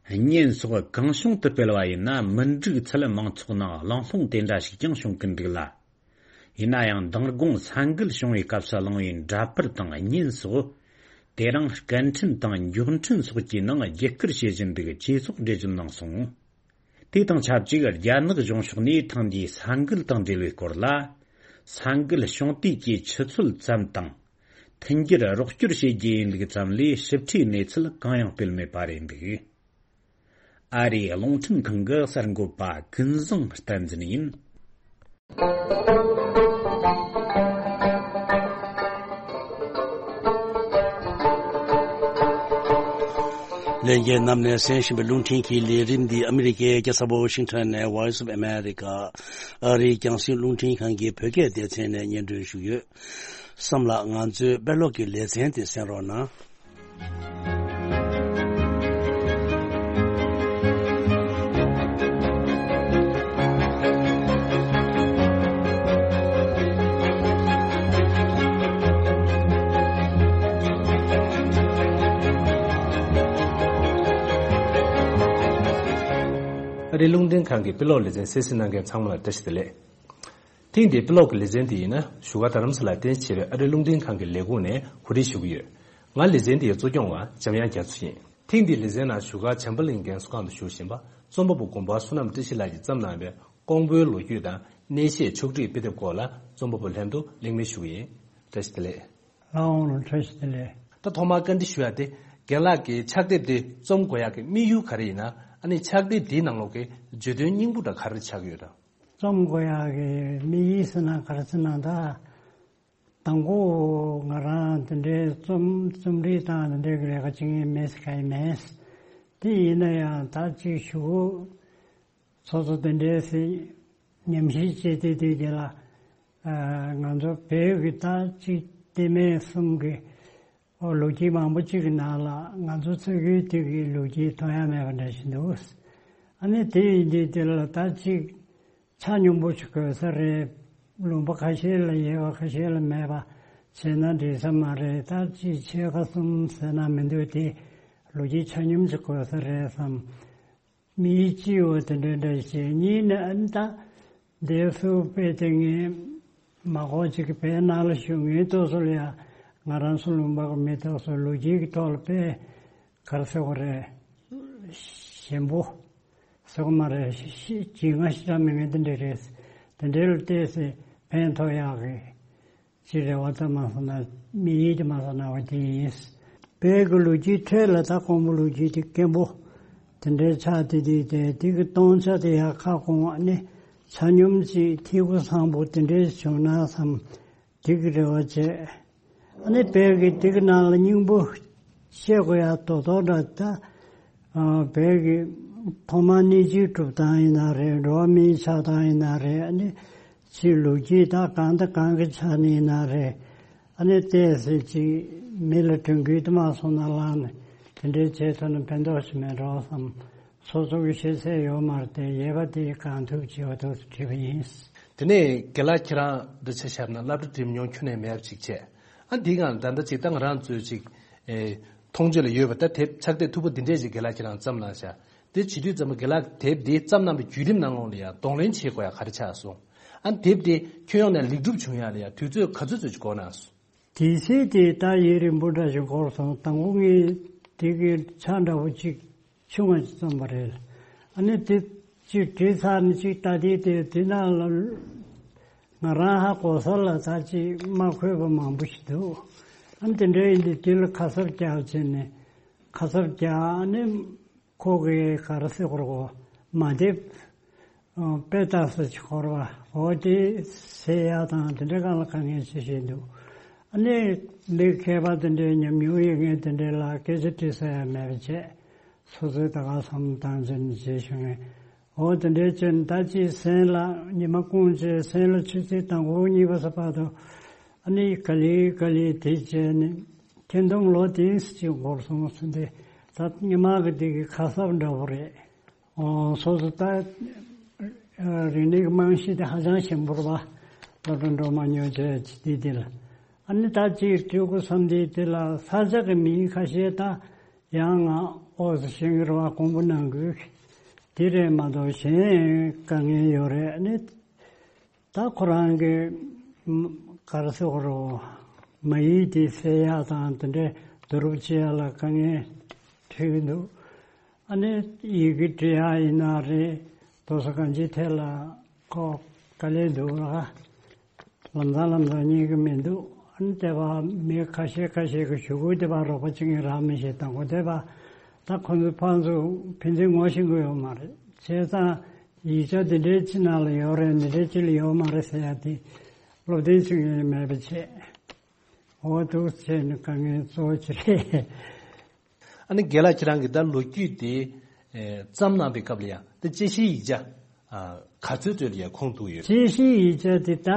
བརྙན་སོགས་གང་བྱུང་དུ་སྤེལ་བ་ཡིན་ན་མི་འགྲིག་ཚུལ་མང་ཚོགས་ནང་གླེང་སློང་དེ་འདྲ་ཞིག་ཀྱང་བྱུང་གི་འདུག་ལ། ཡིན་ན་ཡང་མདང་དགོང་ས་འགུལ་བྱུང་བའི་སྐབས་སུ་བླངས་པའི་འདྲ་པར་དང་བརྙན་སོགས། དེ་རིང་སྐད་འཕྲིན་དང་མགྱོགས་འཕྲིན་སོགས་ཀྱི་ནང་རྒྱུད་སྐུར་བྱེད་བཞིན་འདུག་ཅེས་སོགས་འགྲེལ་བརྗོད་གནང་སོང་། དེ་དང་ཆབས་ཅིག་རྒྱ་ནག་གཞུང་ཕྱོགས་ནས་ཐེངས་འདིའི་ས་འགུལ་དང་འབྲེལ་བའི་སྐོར་ལ། ས་འགུལ་བྱུང་དུས་ཀྱི་ཆུ་ཚོད་ཙམ་དང་། མཐུན་འགྱུར་རོགས་སྐྱོར་བྱེད་རྒྱུ་ཡིན་ལུགས་ཙམ་ལས་ཞིབ་ཕྲའི་གནས་ཚུལ་གང་ཡང་སྤེལ་མེད་པ་རེད་འདུག་ཨ་རིའི་རླུང་འཕྲིན་ཁང་གི་གསར་འགོད་པ་ཀུན་བཟང་བསྟན་འཛིན་ཡིན། ལྷན་རྒྱས་རྣམས་ནས་གསན་བཞིན་པའི་རླུང་འཕྲིན་གྱི་ལས་རིམ་འདི་ཨ་མི་རི་ཀའི་རྒྱལ་ས་ཝ་ཤིང་ཊོན་ནས་Voice of America ཨ་རིའི་རྒྱང་སྲིང་རླུང་འཕྲིན་ཁང་གི་བོད་སྐད་སྡེ་ཚན་ནས་སྙན་སྒྲོན་ཞུས་ཡོད། བསམ་ལགས། ང་ཚོའི་དཔེ་ཀློག་གི་ལེ་ཚན་དེ་གསན་རོགས་གནང་། ཨ་རིའི་རླུང་འཕྲིན་ཁང་གི་དཔེ་ཀློག་ལེ་ཚན་གསན་གཟིགས་གནང་མཁན་ཚང་མ་ལ་བཀྲ་ཤིས་བདེ་ལེགས། ཐེངས་འདིའི་དཔེ་ཀློག་གི་ལེ་ཚན་དེ་ཡིན་ན་བཞུགས་སྒར་རྡ་རམ་ས་ལར་རྟེན་གཞི་བྱས་པའི་ཨ་རིའི་རླུང་འཕྲིན་ཁང་གི་ལས་ཁུངས་ནས་གོ་སྒྲིག་ཞུ་གི་ཡོད། ང་ལེ་ཚན་འདིའི་གཙོ་སྐྱོང་བ་འཇམ་དབྱངས་རྒྱ་མཚོ་ཡིན། ཐེངས་འདིའི་ལེ་ཚན་ནང་བཞུགས་སྒར་བྱམས་པ་གླིང་རྒན་གསོ་ཁང་དུ་བཞུགས་བཞིན་པ་རྩོམ་པ་པོ་དགོན་པ་བསོད་ནམས་བཀྲ་ཤིས་ལགས་ཀྱིས་བརྩམས་གནང་བའི་ཀོང་པོའི་ལོ་རྒྱུས་དང་གནས་བཤད་ཕྱོགས་སྒྲིག་དཔེ་དེབ་སྐོར་ལ་རྩོམ་པ་པོ་ལྷན་དུ་གླེང་མོལ་ཞུ་གི་ཡིན། བཀྲ་ཤིས་བདེ་ལེགས། ལགས་འོང་། བཀྲ་ཤིས་བདེ་ལེགས། ད་ཐོག་མར་བཀའ་འདྲི་ཞུ་ཡ་དེ། རྒན་ལགས་ཀྱིས་ཕྱག་དེབ་འདི་རྩོམ་དགོས་ཡག་གི་དམིགས་ཡུལ་ག་རེ་ཡིན་ན། ཨ་ནི་ཕྱག་དེབ་འདིའི་ནང་ལོགས་ཀྱི་བརྗོད་དོན་སྙིང་པོ་འདྲ་ག་རེ་ཆགས་ཀྱི་ཡོད་དམ། རྩོམ་དགོས་ཡག་གི་དམིགས་ཡུལ་ཟེར་ན་ག་རེ་ཟེར་ན། ད་དང་པོ་ང་རང་དེ་འདྲའི་རྩོམ་རྩོམ་སྒྲིག་དང་དེ་འདྲའི་ལས་ཀ་བྱེད་མཁན་མེད་ཟེར་ག་ཡི་མེད། དེ་ཡིན་ན་ཡང་ད་ཅིག་གཞུག་གུ་སོ་སོ་དེ་འདྲའི་ཟེར་ཉམས་ཞིབ་བྱེད་དུས་དུས་དེ་ལ། ཨ། ང་ཚོ་བོད་ཀྱི་ད་ཅིག་བལྟས་མེད་གསུམ་གྱི་ཨོ་ལོ་རྒྱུས་མང་པོ་ཅིག་གི་ནང་ལ་ང་ཚོ་ཚོ་གི་དུས་ཀྱི་ལོ་རྒྱུས་མཐོང་ཡ་མེད་པ་འདྲ་ཞིག་འདུག་ཨ་ནི་དེ་ཡིན་དུས་དེ་ལ་ད་ཅིག་ཆ་སྙོམས་པོ་ཞིག་དགོས་ས་རེད། ལུང་པ་ཁ་ཤས་ལ་ཡོད་པ་ཁ་ཤས་ལ་མེད་པ་བྱས་ན་འགྲིག་ས་མ་རེད། ད་ཅིག་ཕྱེད་ཀ་གསུམ་ཟེར་ན་མི་འདུག་དེ་ལོ་རྒྱུས་ཆ་སྙོམས་ཅིག་དགོས་ས་རེད་བསམ། མིའི་སྤྱི་བོ་དེ་འདྲ་འདྲ་ཞིག་གཉིས་ནི་ཨ་ནི་ད་འདས་སུ་དཔེ་དེ་ངས་མ་གོ་ཅིག་བོད་ནང་ལ་བཞུགས་མཁན་ཏོག་ཙམ་ལ་ཡ་ང་རང་ཚོ་ལུང་པ་གི་མི་ཏོག་ཙམ་ལོ་རྒྱུས་ཀྱི་ཐོག་ལ་དཔེ་ག་རེ་ཟེར་དགོས་རེད། ཞན་པོ་ཟེར་དགོས་མ་རེད། ཤི་ཤི་ཇི་ང་ཤི་ར་མི་ངན་དེ་འདྲ་རེད། དེ་འདྲའི་ལ་བལྟས་ཚེ་ཕན་ཐོགས་ཡག་གི་ཅི་རེ་བ་ཙམ་མ་སོང་ན་མི་ཡིད་དུ་མ་སོང་ན་བ་དེ་ཡིན། བོད་ཀྱི་ལོ་རྒྱུས་ཁྲོད་ལ་ད་ཀོང་པོ་ལོ་རྒྱུས་དེ་སྐྱེན་པོ་དེ་འདྲའི་ཆགས་དེ་དེ་དེ་དེ་གི་སྟོང་ཆ་དེ་ཡག་ཁ་སྐོང་བ་ནི་ཆ་སྙོམས་ཅིག་ཐིག་གུ་བཟང་པོ་དེ་འདྲའི་བྱུང་ན་བསམ་དེ་གི་རེ་བ་བྱས། ཨ་ནི་བོད་ཀྱི་དེ་གི་ནང་ལ་སྙིང་པོ་བཤད་དགོས་ཡ་དོ་དོ་འདྲ་ད་བོད་ཀྱི་ ཐོག་མར་གནས་ཚུལ་སྒྲུབ་སྟངས་ཡིན་ན་རེད། འགྲོ་བ་མིའི་ཆགས་སྟངས་ཡིན་ན་རེད། ཨ་ནི་ཅིག་ལོ་རྒྱུས་ད་གང་དང་གང་གི་ཆ་ནས་ཡིན་ན་རེད། ཨ་ནི་བལྟས་ཚེ་ཅིག་མི་ལ་དྲན་སྐུལ་དུ་མ་སོང་ན་ལངས་ནས་དེ་འདྲའི་བྱེད་ཐུབ་ན་ཕན་ཐོགས་ཤིག་མེད་འགྲོ་བསམ། སོ་སོ་གི་ཤེས་ཚད་ཡོད་མ་རེད་དེ། ཡོད་པ་དེ་གང་ཐུབ་བྱེད་པ་ཐུབ་བྲིས་པ་ཡིན། དེ་ནས་རྒན་ལགས་ཁྱེད་རང་འདི་ཆ་བཞག་ན་སློབ་གྲྭ་འགྲིམས་མྱོང་ཁྱོན་ནས་མེད་པ་ཅིག་བྱས། ཨ་འདི་གང་ད་ལྟ་ཅིག་ད་ང་རང་ཚོས་ཅིག་ཨེ་མཐོང་ཆོས་ལ་ཡོད་པ་ད་དེབ་ཕྱག་དེབ་མཐུག་པོ་འདི་འདྲས་ཅིག་རྒན་ལགས་ཁྱེད་རང་བརྩམས་གནང་ཤག་དེ་བྱེད་དུས་ཙམ་པ་རྒན་ལགས་དེབ་འདི་བརྩམས་གནང་བའི་བརྒྱུད་རིམ་ནང་ལོགས་ལ་ཡང་གདོང་ལེན་བྱེད་དགོས་ཡ་ག་རེ་ཆགས་སོང་། ཨ་དེབ་འདི་ཁྱོན་ཡོངས་ནས་ལེགས་གྲུབ་བྱུང་ཡ་ལ་ཡང་དུས་ཚོད་ག་ཚོད་ཚོད་ཅིག་འགོར་གནང་སོང་། དེ་ཚེ་དེ་ད་ཡུན་རིང་པོ་འདྲ་ཞིག་འགོར་སོང་། དང་པོ་ངས་དེ་གི་ཆ་འདྲ་པོ་གཅིག་ཆུང་བ་ཅིག་བརྩམས་པ་རེད། ཨ་ནི་དེ་གཅིག་བྲིས་ཚར་ནས་གཅིག་ལྟ་དུས་དེ་དེ་ནང་ལ་ང་རང་ཧ་གོ་ས་ལ་ད་ཅིག་མ་འཁོད་པ་མང་པོ་ཞིག་འདུག་ཨ་ནི་དེ་འདྲ་ཡིན་དུས་དེ་ལ་ཁ་གསབ་རྒྱག་བྱས་ནས་ཁ་གསབ་རྒྱག་ཨ་ནི་ཁོ་གི་ག་རེ་ཟེར་དགོས་རེད། མ་དེབ་དཔེ་ལྟ་ས་ཅིག་ཧོར་བ་འོ་དེ་ཟེར་ཡག་དང་དེ་འདྲ་གང་ལ་དཀའ་ངལ་ཆེ་ཤོས་འདུག་ཨ་ནི་མི་མཁས་པ་དེ་འདྲའི་ཉམས་མྱོང་ཡོད་མཁན་དེ་འདྲའི་ལ་སྐད་ཆ་དྲི་ས་ཡང་མེད་པ་བྱས། སོ་སོའི་ད་ག་བསམ་བཏང་བྱས་ནས་བྱས་བྱུང་ངས། འོ་དེ་འདྲའི་བྱས་ནས་ད་ཅིག་སེམས་ལ་ཉི་མ་སྐུང་བྱས་སེམས་ལ་ཆུ་ཚོད་དང་པོ་གཉིས་པ་ས་བར་དུ་ཨ་ནི་ག་ལེ་ག་ལེ་དེ་བྱས་ནས་ཁྱེད་འདོམ་ལོ་དེ་ཅིག་འགོར་སོང་ཟེར་ཏེ། ད་ཉི་མ་གི་དེ་གི་ཁ་གསབ་འདྲ་པོ་རེད། ཨོ་སོ་སོ་ད་རིག་གནས་ཀྱི་རྨང་གཞི་དེ་ཧ་ཅང་ཞན་པོ་རེད་པ། སློབ་གྲྭ་འགྲོ་མ་མྱོང་བྱས་ཅི་དེ་དེ་ལ། ཨ་ནི་ད་ཅིག་སྤྲུལ་སྐུ་བསམ་དེ་དེ་ལ་ས་ཆ་གི་མིང་ཁ་ཤས་ད་ཡང་ང་ཨོ་ཟི་ཤེང་གི་རེད་པ། དགོངས་པ་གནང་དགོས་དེ་རེད་མ་གཏོགས་གཞན་དཀའ་ངལ་ཡོད་རེད། ཨ་ནི་ད་ཁོ་རང་གི་ག་རེ་ཟེར་དགོས་རེད། མ་ཡིག་དེ་གསལ་ཡག་དང་དེ་འདྲའི་བསྡུ་རུབ་བྱེད་ཡག་ལ་དཀའ་ངལ་འཕྲད་ཀྱི་འདུག་ཨ་ནི་ཡི་གེ་འབྲི་ཡག་ཡིན་ན་རེད། དེ་ཚོ་གང་ཅིའི་ཐད་ལ་ཁོ་དཀའ་ལས་འདུག་ལ། ལམ་སང་ལམ་སང་རྙེད་ཀྱི་མི་འདུག་ཨ་ནི་དེ་བ་མི་ཁ་ཤས་ཁ་ཤས་ཀྱིས་ཞུ་སྐུལ་དེ་བ་རོགས་པ་བྱེད་མཁན་རག་མི་ཤེས། དང་པོ་དེ་བ་ད་ཁོ་ཚོ་ཕར་ཚུར་ཕན་ཚུན་ངོ་ཤེས་ཀྱི་ཡོད་མ་རེད། བྱས་ཙང་ཡིག་ཆ་འདི་འདྲའི་ཅིག་ནང་ལ་ཡོད་རེད། འདི་འདྲའི་ཅིག་ལ་ཡོད་མ་རེད་ཟེར་ཡ་དེ་སློབ་སྟོན་བྱེད་མཁན་མེད་པ་བྱས། འོ་འདུག་བྱས་ནས་དཀའ་ངལ་གཙོ་བོ་ཅིག་རེད། ཨ་ནི་རྒན་ལགས་ཁྱེད་རང་གིས་ད་ལོ་རྒྱུས་དེ་ཨེ་བརྩམས་གནང་པའི་སྐབས་ལ་ཡང་དེ་དཔྱད་གཞིའི་ཡིག་ཆ་ཨ་ག་ཚོད་ཚོད་ལ་ཡང་ཁུངས་གཏུགས་ཡོད། དཔྱད་གཞིའི་ཡིག་ཆ་དེ་ད་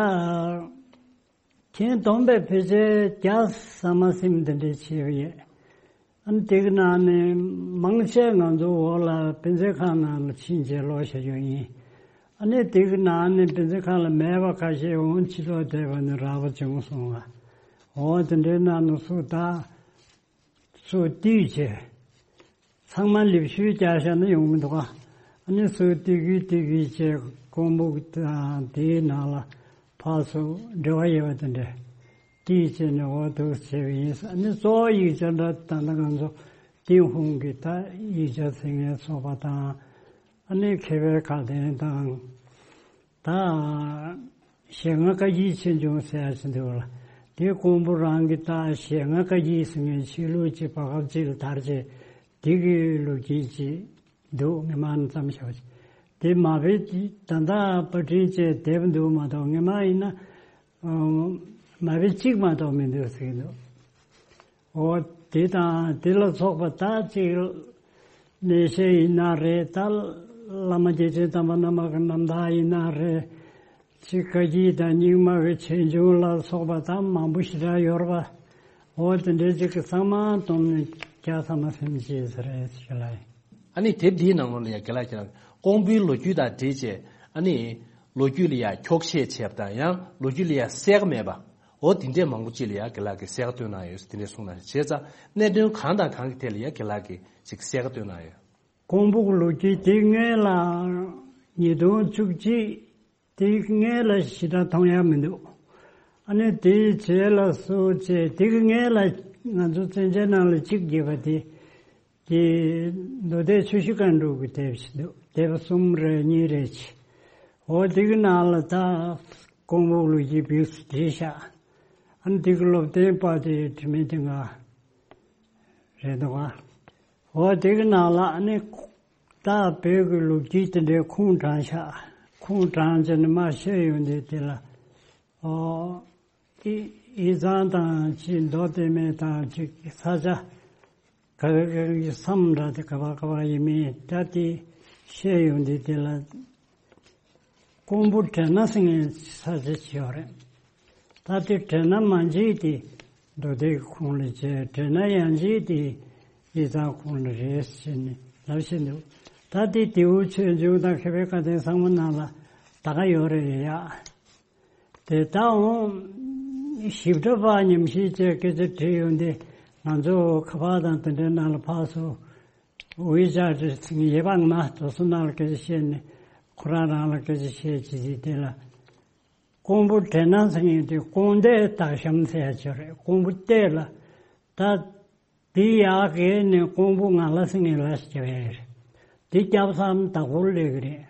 ཁྱེད་བསྡོམས་པས་ཕལ་ཆེར་བརྒྱ་ཟ་མ་ཟིན་འདི་འདྲའི་བྱས་པ་ཡོད། ཨ་ནི་དེ་གི་ནང་ནས་མང་ཆེ་ང་ཚོ་འོག་ལ་དཔེ་མཛོད་ཁང་ནང་ལ་ཕྱིན་བྱས་ཀློག་བྱ་རྒྱུ་ཡིན། ཨ་ནི་དེ་གི་ནང་ནས་དཔེ་མཛོད་ཁང་ལ་མེད་པ་ཁ་ཤས་འོང་ཕྱི་ལོགས་བསྡད་པ་ནི་རག་པ་བྱུང་སོང་བ། འོ་དེ་འདྲའི་ནང་ནས་སུ་ད་སུ་བཏུས་བྱས། ཚང་མ་ལེབ་ཤུལ་རྒྱག་བཞག་ན་ཡོང་མི་འདུག་ག་ཨ་ནི་སུ་བཏུས་གི་བཏུས་གི་བྱས་ཀོང་པོ་དང་དེའི་ནང་ལ་ཕར་ཚུར་འབྲེལ་བ་ཡོད་པ་དེ་འདྲ་བཏུས་བྱས་ནས་འོ་འདུག་བྱས་པ་ཡིན། ཨ་ནི་གཙོ་བོ་ཡིག་ཆ་འདྲ་ད་ལྟ་ང་ཚོ་ཏུན་ཧོང་གི་ད་ཡིག་ཆ་ཟེར་མཁན་ཚོགས་པ་དང་། ཨ་ནི་མཁས་པའི་ཁ་བརྡ་དང་། ད་ཞལ་སྔ་བཀའ་བརྒྱུད་ཆོས་འབྱུང་ཟེར་ཡ་ཅིག་འདུག་ལ། དེ་ཀོང་པོ་རང་གི་ད་ཞལ་སྔ་བཀའ་བརྒྱུད་ཟེར་མཁན་ཆོས་ལུགས་ཅིག་བར་སྐབས་ཅིག་ལ་དར་རྗེས་དེ་གི་ལོ་རྒྱུས་ཅིག་འདུག་ངས་མར་ནས་བརྩམས་བཞག་པ་ཅིག་དེ་མ་དཔེ་ད་ལྟ་པར་སྐྲུན་བྱས་དེབ་འདུག་མ་གཏོགས་ངས་མ་ཡིན་ན་མ་དཔེ་གཅིག་མ་གཏོགས་མི་འདུག་ཟེར་གྱི་འདུག་འོ་དེ་དང་དེ་ལ་སོགས་པ་ད་ཅིག་གནས་བཤད་ཡིན་ན་རེད། ད་བླ་མ་རྗེ་བཙུན་དམ་པ་རྣམ་པ་གི་རྣམ་ཐར་ཡིན་ན་རེད། ཅིག་བཀའ་བརྒྱུད་དང་རྙིང་མ་གི་ཆོས་འབྱུང་ལ་སོགས་པ་ད་མང་པོ་ཞེ་དྲག་ཡོད་རེད་པ། འོ་དེ་འདྲའི་ཅིག་གི་ཚང་མ་བསྡོམས་ནས་བརྒྱ་ཐམ་པ་ཟིན་བྱས་ཟེར་རེད་ཟེར་ལ། ཨ་ནི་དེབ་འདིའི་ནང་ལོགས་ལ་ཡང་རྒན་ལགས་ཀྱིས་ཀོང་པོའི་ལོ་རྒྱུས་དང་འབྲེལ་བྱས་ཨ་ནི་ལོ་རྒྱུས་ལ་ཡང་འཁྱོག་བཤད་བྱས་པ་དང་ཡང་ལོ་རྒྱུས་ལ་ཡང་གསལ་ཁ་མེད་པ། འོ་དེ་འདྲས་མང་པོ་ཅིག་ལ་ཡང་རྒན་ལགས་ཀྱིས་གསལ་ཁ་བཏོན་གནང་ཡོད་ཟེར་དེ་འདྲས་གསུངས་གནང་ཡོད། བྱས་ཙང་གནད་དོན་གང་དང་གང་གི་ཐད་ལ་ཡང་རྒན་ལགས་ཀྱིས་ཅིག་གསལ་ཁ་བཏོན་གནང་ཡོད། ཀོང་པོ་གི་ལོ་རྒྱུས་དེ་སྔོན་ལ་ཉིས་སྟོང་བཅུ་གཅིག་དེ་སྔོན་ལ་ཞེ་དྲག་མཐོང་ཡག་མི་འདུག་ཨ་ནི་དེའི་རྗེས་ལ་སུ་བྱས་དེ་གི་སྔོན་ལ་ང་ཚོ་བཙན་བྱོལ་ནང་ལ་གཅིག་བརྒྱབ་པ་དེ། དེ་མདོ་སྡེ་ཆུ་བཞི་སྒང་དྲུག་གི་དེབ་ཞིག་འདུག་དེབ་གསུམ་རེ་གཉིས་རེ་ཅིག་འོ་དེ་གི་ནང་ལ་ད་ཀོང་པོ་ལོ་རྒྱུས་བེད་སྤྱོད་བྱས་ཤག་ཨ་ནི་དེ་གི་སློབ་སྟོན་པ་དེ་དྲི་མེད་དེ་ང་རེད་འདུག་ག་འོ་དེ་གི་ནང་ལ་ཨ་ནི་ད་བོད་ཀྱི་ལོ་རྒྱུས་དེ་འདྲའི་ཁུངས་དྲངས་ཤག་ཁུངས་དྲངས་བྱས་ནས་མར་བཤད་ཡོང་དུས་དེ་ལ། ཨོ། ཨི་ཨི་ཚང་དང་ཅིག་མདོ་སྟོད་སྨད་དང་ཅིག་ས་ཆ་ག་ག་གི་མཚམས་འདྲ་དེ་ག་པར་ག་པར་ཡིན་མིན་ད་དེ་ བཤད་ཡོང་དུས་དེ་ལ་ཀོང་པོ་དྲེ་ན་ཟེར་མཁན་ས་ཆ་ཅིག་ཡོད་རེད། ད་དེ་དྲེ་ན་མ་མཇལ་དེ་མདོ་སྡེ་གི་ཁོངས་ལ་བྱས། དྲེ་ན་ཡང་མཇལ་དེ་ཡིག་ཚང་ཁོངས་ལ་རེད་ཟེར་ནས་ལབ་བཞིན་འདུག་ད་དེ་དེའུ་ཆོས་འབྱུང་དང་མཁས་པའི་བཀའ་བསྟན་ཚང་མ་ནང་ལ་ད་ག་ཡོད་རེད་ཡ། དེ་ལྟའང་ཞིབ་ཕྲ་པ་ཉམས་ཞིབ་བྱས་སྐད་ཆ་དྲིས་ཡོང་དུས། ང་ཚོ་ཁ་པར་དང་དེ་འདྲའི་ནང་ལ་ཕར་ཚུར་ཝེ་ཆེ་ཊི་ཟེར་མཁན་ཡོད་པ། ང་མ་དེ་ཚོ་ནང་ལ་སྐད་ཆ་བཤད་ནས་ཁོ་རང་རང་ལ་སྐད་ཆ་བཤད་བྱེད་ཀྱི་དེ་ལ། ཀོང་པོ་དྲེ་ན་ཟེར་མཁན་དེ་ཀོང་སྟེ་སྟག་ཤམ་ཟེར་ཡ་ཅིག་རེད། ཀོང་པོ་སྟེ་ལ་ད། དེ་ཡར་བརྒལ་ནས་ཀོང་པོ་ང་ལ་ཟེར་མཁན་ལ་ཞིག་བྱས་རེད། དེ་སྐྱབས་ས་དྭགས་པོར་སླེབས་ཀྱི་རེད།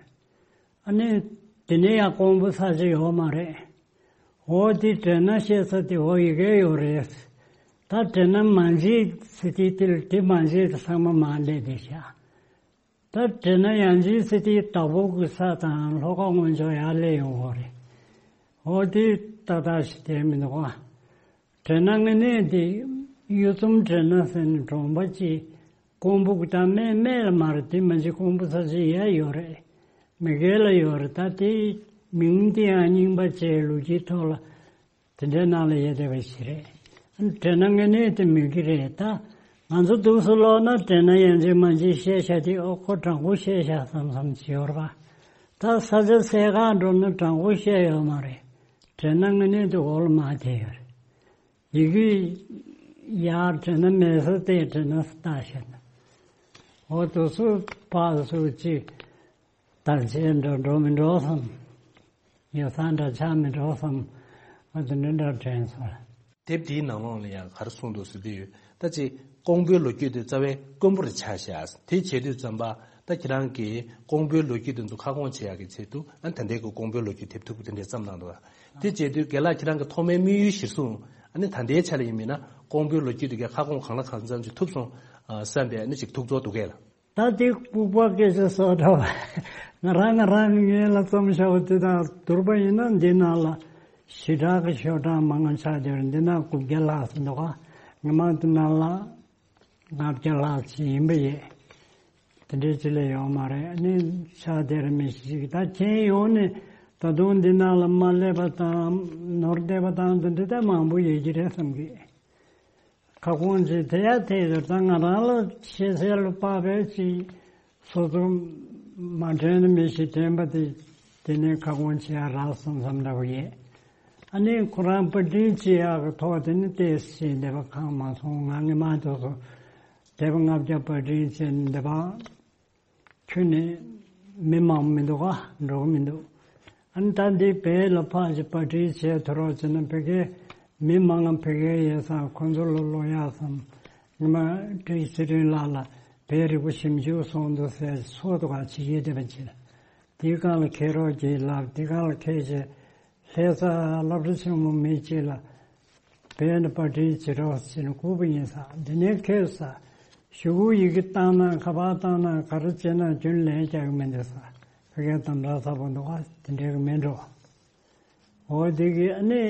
ཨ་ནི་དེ་ནས་ཡང་ཀོང་པོ་ས་ཆ་ཡོད་མ་རེད། འོ་དེ་དྲེ་ན་བཤད་ས་དེ་འོ་ཡ་གི་ཡོད་རེད། ད་དྲེ་ན་མ་མཇལ་ཟེར་དུས་དེ་ལ་དེ་མ་མཇལ་དེ་ཚང་མ་མར་སླེབས་བསྡད་ཤག་ད་དྲེ་ན་ཡང་མཇལ་ཟེར་དུས་དྭགས་པོ་གི་ས་དང་ལྷོ་ཁ་སྔོན་ཕྱོགས་ཡར་སླེབས་ཡོང་གི་རེད། འོ་དེ་ཏག་ཏག་ཞིག་བསྡད་མི་འདུག་ག་དྲེ་ན་དངོས་གནས་དེ་གཡུ་ཚོམ་དྲེ་ན་ཟེར་ནས་གྲོང་པ་ཅིག་ཀོང་པོ་གི་ད་སྨད་སྨད་ལ་མ་རེད། དེ་མ་གཞི་ཀོང་པོ་ས་ཆ་ཡར་ཡོད་རེད། མི་སྒེར་ལ་ཡོད་རེད། ད་དེ་མིང་དེ་ཡང་རྙིང་པ་བྱས། ལོ་རྒྱུས་ཐོག་ལ་དེ་འདྲའི་ནང་ལ་ཡོད་བསྡད་པ་ཞིག་རེད། དྲེ་ན་དངོས་གནས་དེ་མེད་ཀྱི་རེད། ད་ང་ཚོ་འདུག་སེ་ཀློག་ན་དྲེ་ན་ཡང་མཇལ་མ་མཇལ་བཤད་བཞག་དེ། ཨོ་ཁོ་དྲང་པོ་བཤད་བཞག་བསམ་བསམ་བྱེད་ཡོད་རེད་པ། ད་ས་ཆ་གསལ་ཁ་འགྲོ་ན་དྲང་པོ་བཤད་ཡོད་མ་རེད། དྲེ་ན་དངོས་གནས་དེ་འོག་ལ་མར་ཐལ་ཡོད་རེད། ཡ་གི་ཡར་དྲེ་ན་མེད་ས་དེ་དྲེ་ན་ས་བཏགས་བཞག་ན། འོ་དེ་ཚོ་ཕར་ཚུར་ཅིག་དར་ཆེན་འགྲོ་འགྲོ་མི་འགྲོ་བསམ། ཡོ་བསྲང་འདྲ་ཆགས་མི་འགྲོ་བསམ། འོ་དེ་འདྲ་འདྲ་དྲན་སོང་། དེབ་འདིའི་ནང་ལོགས་ལ་ཡང་ག་རེ་གསུངས་འདུག་ཟེར་དུས། ད་ཅིག་ཀོང་པོའི་ལོ་རྒྱུས་དེ་རྩ་བའི་དཀོན་པོ་རེ་ཆགས་ཤག་དེ་བྱེད་དུས་ཙམ་པ་ད་ཁྱེད་རང་གིས་ཀོང་པོའི་ལོ་རྒྱུས་དེ་ཚོ་ཁ་སྐོང་བྱེད་ཡག་གི་ཆེད་དུ། ཨ་ནི་ད་ལྟའི་གི་ཀོང་པོའི་ལོ་རྒྱུས་དེབ་ཐེར་དེ་འདྲ་བརྩམས་གནང་འདུག་དེ་བྱེད་དུས་རྒན་ལགས་ཁྱེད་རང་གི་ཐོག་མའི་དམིགས་ཡུལ་གཞིར་བཟུང་། ཨ་ནི་ད་ལྟའི་ཆ་ལ་ཡིན་མིན་ན་ཀོང་པོའི་ལོ་རྒྱུས་དེ་གའི་ཁ་སྐོང་གང་ལ་གང་འཚམ་ཅིག་ཐུབ་སོང་བསམ་པའི་ཨ་ནི་ཅིག་ཐུགས་ཚོར་འདུག་གས་ལགས། ད་དེ་ལྐུགས་པ་སྐད་ཆ་བཟོ་འདྲ་བ། ང་རང་ང་རང་ངོས་ལ་བརྩམས་བཞག་པ་དེ་དང་བསྡུར་བ་ཡིན་ན། འདི་ནང་ལ་ཞེ་དྲག་གི་ཤོག་གྲངས་མང་ང་ཆགས་བསྡད་རེད། འདི་ན་དགུ་བརྒྱ་ལྷག་ཙམ་འདུག་ག་ངས་མང་དུ་ནང་ལ་ལྔ་བརྒྱ་ལྷག་ཙམ་ཡིན་པ་ཡིན། དེ་འདྲའི་ཅིག་ལས་ཡོད་མ་རེད། ཨ་ནི་ཆགས་བསྡད་རེད་མི་ཞིག་ད་མཁྱེན་ཡོང་ནས་ད་དུང་འདི་ནང་ལ་མ་སླེབས་པ་དང་ནོར་བསྡད་པ་དང་དེ་འདྲ་ད་མང་པོ་ཡོད་ཀྱི་རེད་བསམ་གི། ཁ་སྐོང་བྱེད་དེ་ཡ་དེ་ད་ང་རང་ལ་ཤེས་གསལ་ལ་དཔག་པའི་ཅིག་སོ་སོ་མ་དྲན་མི་ཞིག་དྲན་པ་དེ། དེ་ནས་ཁ་སྐོང་བྱེད་ཡ་རག་སོང་བསམ་འདྲ་བོ་ཡོད། ཨ་ནི་ཁོ་རང་པར་སྐྲུན་བྱེད་ཡག་གི་ཐོག་དེ་ནི་ཏོག་ཙམ་འདི་པ་གང་མ་སོང་། ང་ངས་མ་ཐུབ་སོང་། དེབ་ལྔ་བརྒྱ་པར་སྐྲུན་བྱས་ནས་འདི་པ་ཁྱོན་ནས་མི་མང་མི་འདུག་ག་འགྲོ་གི་མི་འདུག་ཨ་ནི་ད་འདི་བོད་ལ་ཕར་ཅིག་པར་སྐྲུན་བྱས་ཐུབ་རོགས་བྱས་ན། ཕ་གིའི་མི་མང་ང་ཕ་གིའི་ཡོད་ཙང་ཁོ་ཚོ་ལ་ཀློག་ཡག་བསམ། ངས་མ་བཀྲ་ཤིས་ཚེ་རིང་ལགས་ལ་བོད་རིག་པ་ཞིབ་འཇུག་སོང་འདུག་ཟེར་ཚོགས་འདུ་ཁག་ཅིག་ཡོད་བསྡད་པ་ཅིག་ལ། དེའི་སྒང་ལ་འཁྱེར་རོགས་གྱིས་ལབ། དེའི་སྒང་ལ་འཁྱེར་བྱས་ལྷ་ས་སློབ་གྲྭ་ཆེན་མོ་མི་གཅིག་ལ་བོད་ནས་པར་སྐྲུན་བྱེད་རོགས་ཟེར་ནས་བསྐུར་བ་ཡིན་ས། འདི་ནས་ཁྱོད་ས་ཞུ་སྒོ་ཡི་གེ་བཏང་ན། ཁ་པར་བཏང་ན། ག་རེ་བྱས་ན་རྒྱུན་ལས་རྒྱག་གི་མི་འདུག་ས། ཕ་གིའི་དམ་དྲག་ཚ་པོ་འདུག་ག་དེ་འདྲའི་གི་མི་འགྲོ། འོ་དེ་གི་ཨ་ནི་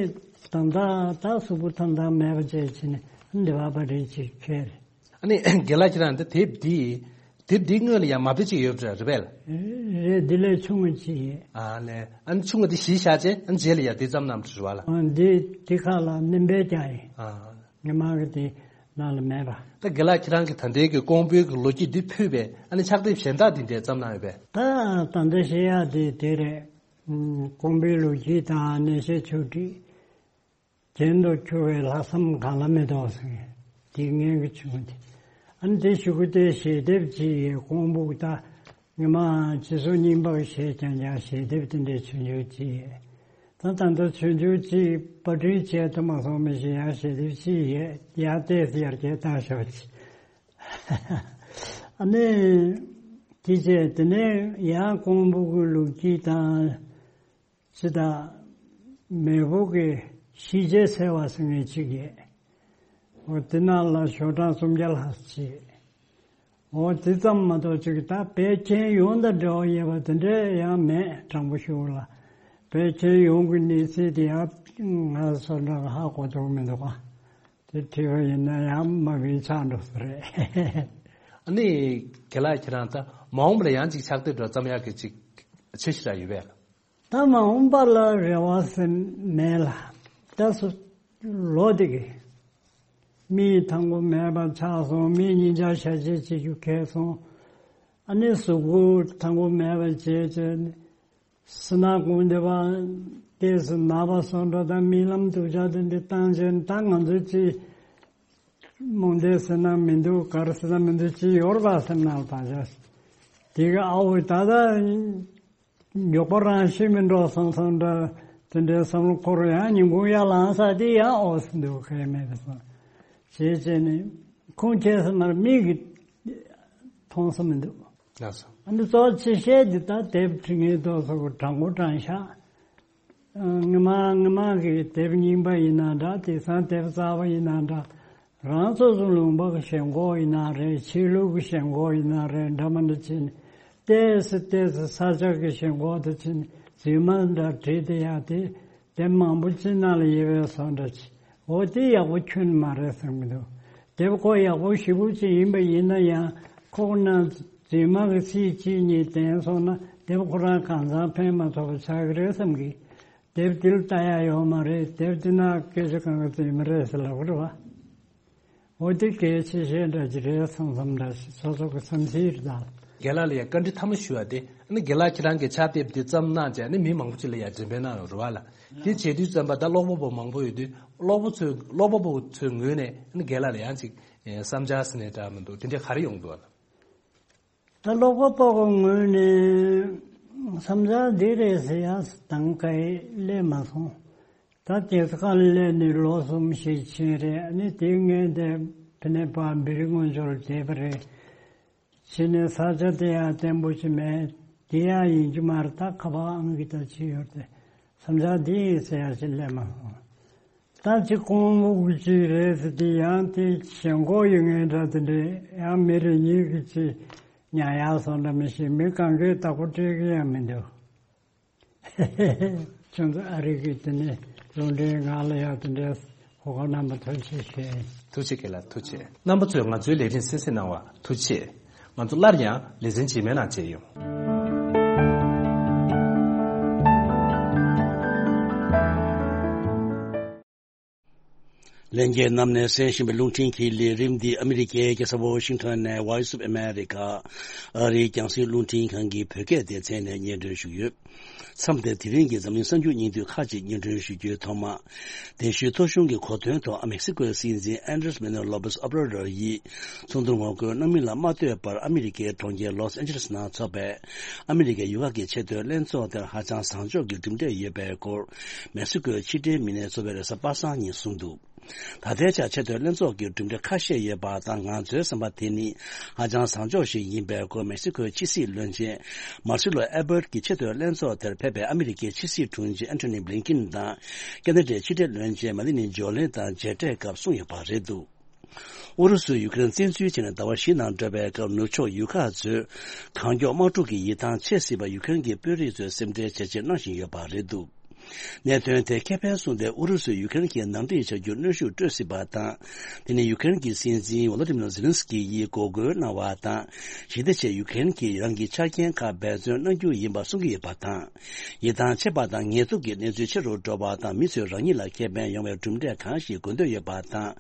དམ་དྲག་ད་གཟུགས་པོ་ཐང་ཐང་མེད་པ་བྱས་བྱས་ནས་འདི་པར་པར་སྐྲུན་བྱེད་ཁྱེར། ཨ་ནི་རྒན་ལགས་ཁྱེད་རང་འདི་དེབ་འདི། དེབ་འདི་སྔོན་ལ་ཡང་མ་དཔེ་ཅིག་ཡོད་པ་རེད་པས། རེད། འདི་ལས་ཆུང་ངུ་ཅིག་ཡོད། ཨ་ལས། ཨ་ནི་ཆུང་ངུ་འདི་གཞི་བཞག་བྱས་ཨ་ནི་རྗེས་ལ་ཡང་འདི་བརྩམས་གནང་བ་རེད་པ་ལགས། ཨ་འདི་འདི་ཁ་ལ་ནིམ་པའི་རྒྱ་ཡིན། ཨ་ངས་མ་གི་དེ་ནང་ལ་མེད་པ། ད་རྒན་ལགས་ཁྱེད་རང་གིས་ད་ལྟའི་གི་ཀོང་པོའི་གི་ལོ་རྒྱུས་འདི་ཕུད་པའི་ཨ་ནི་ཕྱག་དེབ་གཞན་དག་འདི་འདྲས་བརྩམས་གནང་ཡོད་པས། ད་ད་ལྟ་བཤད་ཡག་དེ་དེ་རེད། ཀོང་པོའི་ལོ་རྒྱུས་དང་གནས་བཤད་ཆོས་ཁྲིད། རྒྱན་དུ་འཁྱོལ་བའི་ལྷག་བསམ་གང་ལ་མེད་དོ་ཟེར། དེ་ངའི་གི་བྱུང་སྟེ། ཨ་ནི་དེ་གཞུག་གུ་དེ་ཞལ་འདེབས་ཅིག་ཡོད། ཀོང་པོ་ད་ངས་མ་སྤྱི་ཚོགས་རྙིང་པ་གི་བཤད་ཀྱང་ཀྱང་ཞལ་འདེབས་དེ་འདྲའི་ཆུང་ཆུང་ཅིག་ཡོད། ད་ད་ལྟ་ཆུང་ཆུང་ཅིག་པར་སྐྲུན་བྱས་ཐུབ་མ་སོང་མི་ཞིག་ཡང་ཞལ་འདེབས་ཅིག་ཡོད། ཡང་ཏོག་ཙམ་ཡར་རྒྱས་བཏང་ཤོག་ཅིག་ཨ་ནི་དེ་བྱས་དེ་ནས་ཡང་ཀོང་པོ་གི་ལོ་རྒྱུས་དང་། ཅི་ད། མེས་པོ་གི་ཤེས་བྱའི་ཚེས་པ་ཟེར་མཁན་ཅིག་ཡོད། འོ་དེ་ནང་ལ་ཤོག་གྲངས་སུམ་བརྒྱ་ལྷག་ཅིག་འོ་དེ་ཙམ་མ་གཏོགས་ཅིག་ད་བོད་ཁྱོན་ཡོངས་དང་འབྲེལ་བ་ཡོད་པ་དེ་འདྲ་ཡང་མེད། དྲང་པོ་ཞུ་ལ། བོད་ཁྱོན་ཡོངས་ཀྱི་གནས་ཚུལ་དེ་ཡང་ང་ཚོ་འདྲ་ཧ་གོ་ཐུབ་མི་འདུག་ག་དེ་བྲིས་པ་ཡིན་ན་ཡང་མ་བིན་ཆགས་འགྲོ་ས་རེད། ཨ་ནི་རྒན་ལགས་ཁྱེད་རང་ད་མ་འོངས་པ་ལ་ཡང་ཅིག་ཕྱག་དེབ་འདྲ་བརྩམ་ཡག་གི་ཅིག་འཆར་གཞི་ར་ཡོད་པས། ད་མ་འོངས་པ་ལ་རེ་བ་ཟེར་མེད་ལ། ད་སུ་ལོ་དེ་གི་མིག་ཐང་པོ་མེད་པ་ཆགས་སོང་། མིག་གཉིས་ཆ་ཤ་ཆེ་བྱེད་རྒྱུ་ཁེལ་སོང་། ཨ་ནི་གཟུགས་པོ་ཐང་པོ་མེད་པ་བྱས་བྱས་ནས། སུན་ན་གུང་དེ་བ་ཏེས་ན་བ་སོང་འགྲོ་དང་རྨི་ལམ་སྡུག་ཅག་དེ་འདི་བཏང་བྱས་ད་ང་ཚོ་ཅི་རྨོངས་དད་ཟེར་ན་མི་འདུག་ག་རེ་ཟེར་ན་མི་འདུག་ཅི་ཡོར་བ་ཟེར་ན་བ་ཅག་དེ་ག་ཨ་འོ་ད་ད་མགྱོགས་པོ་རང་ཤི་མི་འགྲོ་སོང་སོང་འདྲ་དེ་འདྲའི་བསམ་བློ་འཁོར་ཡང་ཉིན་གུང་ཡར་ལངས་ས་དེ་ཡང་ཨོ་ཟེར་འདུག་ག་ཡེ་མེད་པ་སོང་བྱས་བྱས་ནས་ཁུངས་སྐྱེལ་ས་མར་མིག་གིས་མཐོང་ས་མི་འདུག་ལགས་སོ། ཨ་ནི་གཙོ་ཆེ་ཤོས་འདི་ལྟར་དེབ་འབྲི་མཁན་དེ་ཚོ་གི་དྲང་པོ་དྲང་བཞག་ཨ། སྔ་མ་སྔ་མ་གི་དེབ་རྙིང་པ་ཡིན་ན་འདྲ། དེང་སང་དེབ་གསར་པ་ཡིན་ན་འདྲ། རང་སོ་སོ་ལུང་པ་གི་ཞེན་ཁོག་ཡིན་ན་རེད། ཆོས་ལུགས་ཀྱི་ཞེན་ཁོག་ཡིན་ན་རེད། འདྲ་མི་འདྲ་བྱས་ནས་ཏོག་ཙམ་ཏོག་ཙམ་ས་ཆ་གི་ཞེན་ཁོག་དེ་བྱས་ནས་རྫུན་མ་འདྲ་བྲིས་བསྡད་ཡག་དེ། དེབ་མང་པོ་ཅིག་ནང་ལ་ཡོད་པའི་བཟོ་འདྲ་ཅིག་འོ་དེ་ཡག་པོ་ཁྱོན་མ་རེད་བསམ་གྱི་འདུག་དེབ་ཁོ་ཡག་པོ་ཞེ་པོ་ཅིག་ཡིན་པ་ཡིན་ན་ཡང་ཁོ་ན་རྫུན་མ་གི་ཚིག་གཅིག་གཉིས་བསྟན་སོང་ན་དེབ་ཁོ་རང་གང་ཚང་ཕན་མ་ཐོགས་པ་ཆགས་ཀྱི་རེད་བསམ་གི་དེབ་དེ་ལ་ལྟ་ཡག་ཡོད་མ་རེད། དེབ་དེ་ན་སྐད་ཆ་གང་ག་རྫུན་མ་རེད་ཟེར་ལབ་ཀྱི་རེད་བ། འོ་དེ་གལ་ཆེ་ཤོས་འདྲ་ཅིག་རེད་བསམ་བསམ་འདྲ་ཞིག་སོ་སོ་གི་བསམ་ཚུལ་རེད་ད། རྒན་ལགས་ལ་ཡང་བཀའ་འདྲི་ཐ་མ་ཞུ་བ་དེ་ཨ་ནི་རྒན་ལགས་ཁྱེད་རང་གི་ཕྱག་དེབ་འདི་བརྩམས་གནང་བྱས་ཨ་ནི་མི་མང་པོ་ཅིག་ལ་ཡང་འགྲེམས་སྤེལ་གནང་ཡོད་རེད་བ་ལ། དེ་བྱེད་དུས་ཙམ་པ་ད་ཀློག་པ་པོ་མང་པོ་ཡོད་དུས་ཀློག་པ་ཚོས་ཀློག་པ་པོ་ཚོའི་ངོས་ནས་ཨ་ནི་རྒན་ལགས་ལ་ཡང་ཅིག་བསམ་འཆར་ཟེར་ནས་འདྲ་མི་འདུག་དེ་འདྲ་ག་རེ་ཡོང་འདུག་བ་ལ། ད་ཀློག་པ་པོ་གི་ངོས་ནས་བསམ་འཆར་འདི་རེད་ཟེར་ཡག་དང་ག་ཡེ་སླེབས་མ་སོང་། ད་དེ་ཁ་སླེབས་ནས་ལོ་གསུམ་ཞིག་ཕྱིན་རེད། ཨ་ནི་དེ་སྔོན་དེ་ཕི་ནས་ཕར་བི་རི་སྔོན་ཆོར་བསྡད་པ་རེད། ཕྱིན་ནས་ས་ཆ་དེ་ཡང་བརྟན་པོ་ཞིག་མེད། དེ་ཡང་ཡིན་གྱི་མ་རེད། ད་ཁ་པར་ཨང་ཀི་ད་ཅི་ཡོད་དེ་བསམ་འཆར་འདི་ཡིན་ཟེར་ཡག་ཞིག་སླེབས་མ་སོང་། ད་ཅི་ཁོང་མུག་གི་ཅི་རེད་ཟེར་དེ་ཡང་དེ་ཞེན་ཁོག་ཡོད་ངེས་འདྲ་དེ་འདྲས་ཡང་མི་རེ་གཉིས་ཀྱི་ཅི་ཉར་ཡག་སོང་འདྲ་མི་ཤེས། མི་གང་གས་བདག་པོ་སྤྲད་གི་ཡང་མི་འདུག་ཁྱོད་ཚོ་ཨ་རི་གི་དེ་ནས་རླུང་འཕྲིན་ང་ལ་ཡག་དེ་འདྲས་གོ་སྐབས་གནང་བ་ཐུགས་རྗེ་ཆེ། ཐུགས་རྗེ་ཆེ་རྒན་ལགས། ཐུགས་རྗེ་ཆེ། རྣམ་པ་ཚོས་ང་ཚོའི་ལས་རིམ་གསན་གཟིགས་གནང་བར་ཐུགས་རྗེ་ཆེ། ང་ཚོ་སླར་ཡང་ལེ་ཚན་རྗེས་མའི་ནང་མཇལ་ཡོང་། ལྷན་རྒྱས་རྣམས་ནས་གསན་བཞིན་པའི་རླུང་འཕྲིན་གྱི་ལས་རིམ་འདི་ཨ་མི་རི་ཀའི་རྒྱལ་ས་ཝ་ཤིང་ཊོན་ནས་Voice of America ཨ་རིའི་རྒྱང་སྲིང་རླུང་འཕྲིན་ཁང་གི་བོད་སྐད་སྡེ་ཚན་ནས་སྙན་སྒྲོན་ཞུས་ཡོད། མཚམས་འདིར་དེ་རིང་གི་འཛམ་གླིང་གསར་འགྱུར་སྙིང་བསྡུས་ཁག་ཅིག་སྙན་སྒྲོན་ཞུ་རྒྱུའི་ཐོག་མ། གདན་ཞུའི་ཐོ་གཞུང་གི་གོ་སྟོན་ཐོག་ཨ་མེག་སི་ཀོའི་སྲིད་འཛིན་Andrés Manuel López Obrador ཡིས་ཚོགས་འདུར་ངོ་རྒོལ་གནང་མིན་ལ་མ་ལྟོས་པར་ཨ་མི་རི་ཀའི་གྲོང་ཁྱེར་ལོས་ཨན་ཇེ་ལེས་ནང་འཚོགས་པའི་ཨ་མི་རི་ཀའི་ཡུལ་ཁག་གི་ཆེས་མཐོའི་ལྷན་ཚོགས་དེར་ཧ་ཅང་བཟང་ཕྱོགས་ཀྱི་གྲུབ་འབྲས་ཡོད་པའི་སྐོར་མེག་སི་ཀོའི་ཕྱི་འབྲེལ་མི་སྣས་ཚོགས་པའི་རེས་གཟའ་པ་སངས་ཉིན་གསུངས་འདུག་ད་ལྟའི་ཆར་ཆེས་མཐོའི་ལྷན་ཚོགས་ཀྱི་གྲུབ་འབྲས་ཁ་ཤས་ཡོད་པ་དང་ང་ཚོའི་བསམ་པ་དེ་ནི་ཧ་ཅང་བཟང་ཕྱོགས་ཤིག་ཡིན་པའི་སྐོར་མེག་སི་ཀོའི་ཕྱི་སྲིད་བློན་ཆེན་མར་སི་ལོ་ཨེ་བར་ཀྱིས་ཆེས་མཐོའི་ལྷན་ཚོགས་དེར་ཕེབས་པའི་ཨ་མི་རི་ཀའི་ཕྱི་སྲིད་དྲུང་ཆེ་ཨན་ཐོ་ནི་བྷི་ལིན་ཀིན་དང་ཁ་ན་ཌའི་ཕྱི་འབྲེལ་བློན་ཆེན་མེ་ལ་ནི་ཇོ་ལིན་དང་མཇལ་འཕྲད་སྐབས་གསུངས་ཡོད་པ་རེད་འདུག་ཨུ་རུ་སུས་ཡུ་ཀེ་རེན་བཙན་འཛུལ་བྱས་ནས་ཟླ་བ་བཞི་ནང་འགྲོ་བའི་སྐབས་ནུབ་ཕྱོགས་ཡུལ་ཁག་ཚོས་གང་མགྱོགས་དམག་འཁྲུག་གི་ཡིད་ཐང་ཆད་སྲིད་པར་ཡུ་ཀེ་རེན་གྱི་དཔོན་རིགས་ཚོས་སེམས་ཁྲལ་ཇེ་ཆེར་གནང་བཞིན་ཡོད་པ་རེད་འདུག་གནད་དོན་དེ་ཁེ་ཕན་བཟུང་སྟེ་ཨུ་རུ་སུས་ཡུ་ཀེ་རེན་གྱི་ནང་འདྲེན་བྱ་རྒྱུར་གནོན་ཤུགས་སྤྲོད་སྲིད་པ་དང་། དེ་ནི་ཡུ་ཀེ་རེན་གྱི་སྲིད་འཛིན་ཝོ་ལོ་ཏི་མིར་ཛེ་ལིན་སི་ཀི་ཡིས་འགོག་རྒོལ་གནང་བ་དང་། ཞི་བདེ་ཆེད་ཡུ་ཀེ་རེན་གྱིས་རང་གི་ཆ་རྐྱེན་ཁག་འབད་བརྩོན་གནང་རྒྱུ་ཡིན་པ་གསུང་གི་ཡོད་པ་དང་། ཡིད་ཐང་ཆད་པ་དང་ངལ་དུབ་ཀྱི་གནས་ཚུལ་ཆེ་རུ་འགྲོ་བ་དང་མི་ཚོས་རང་ཉིད་ལ་ཁེ་ཕན་ཡོང་བའི་གྲུབ་འབྲས་གང་ཞིག་དགོས་འདོད་ཡོད་པ་དང་།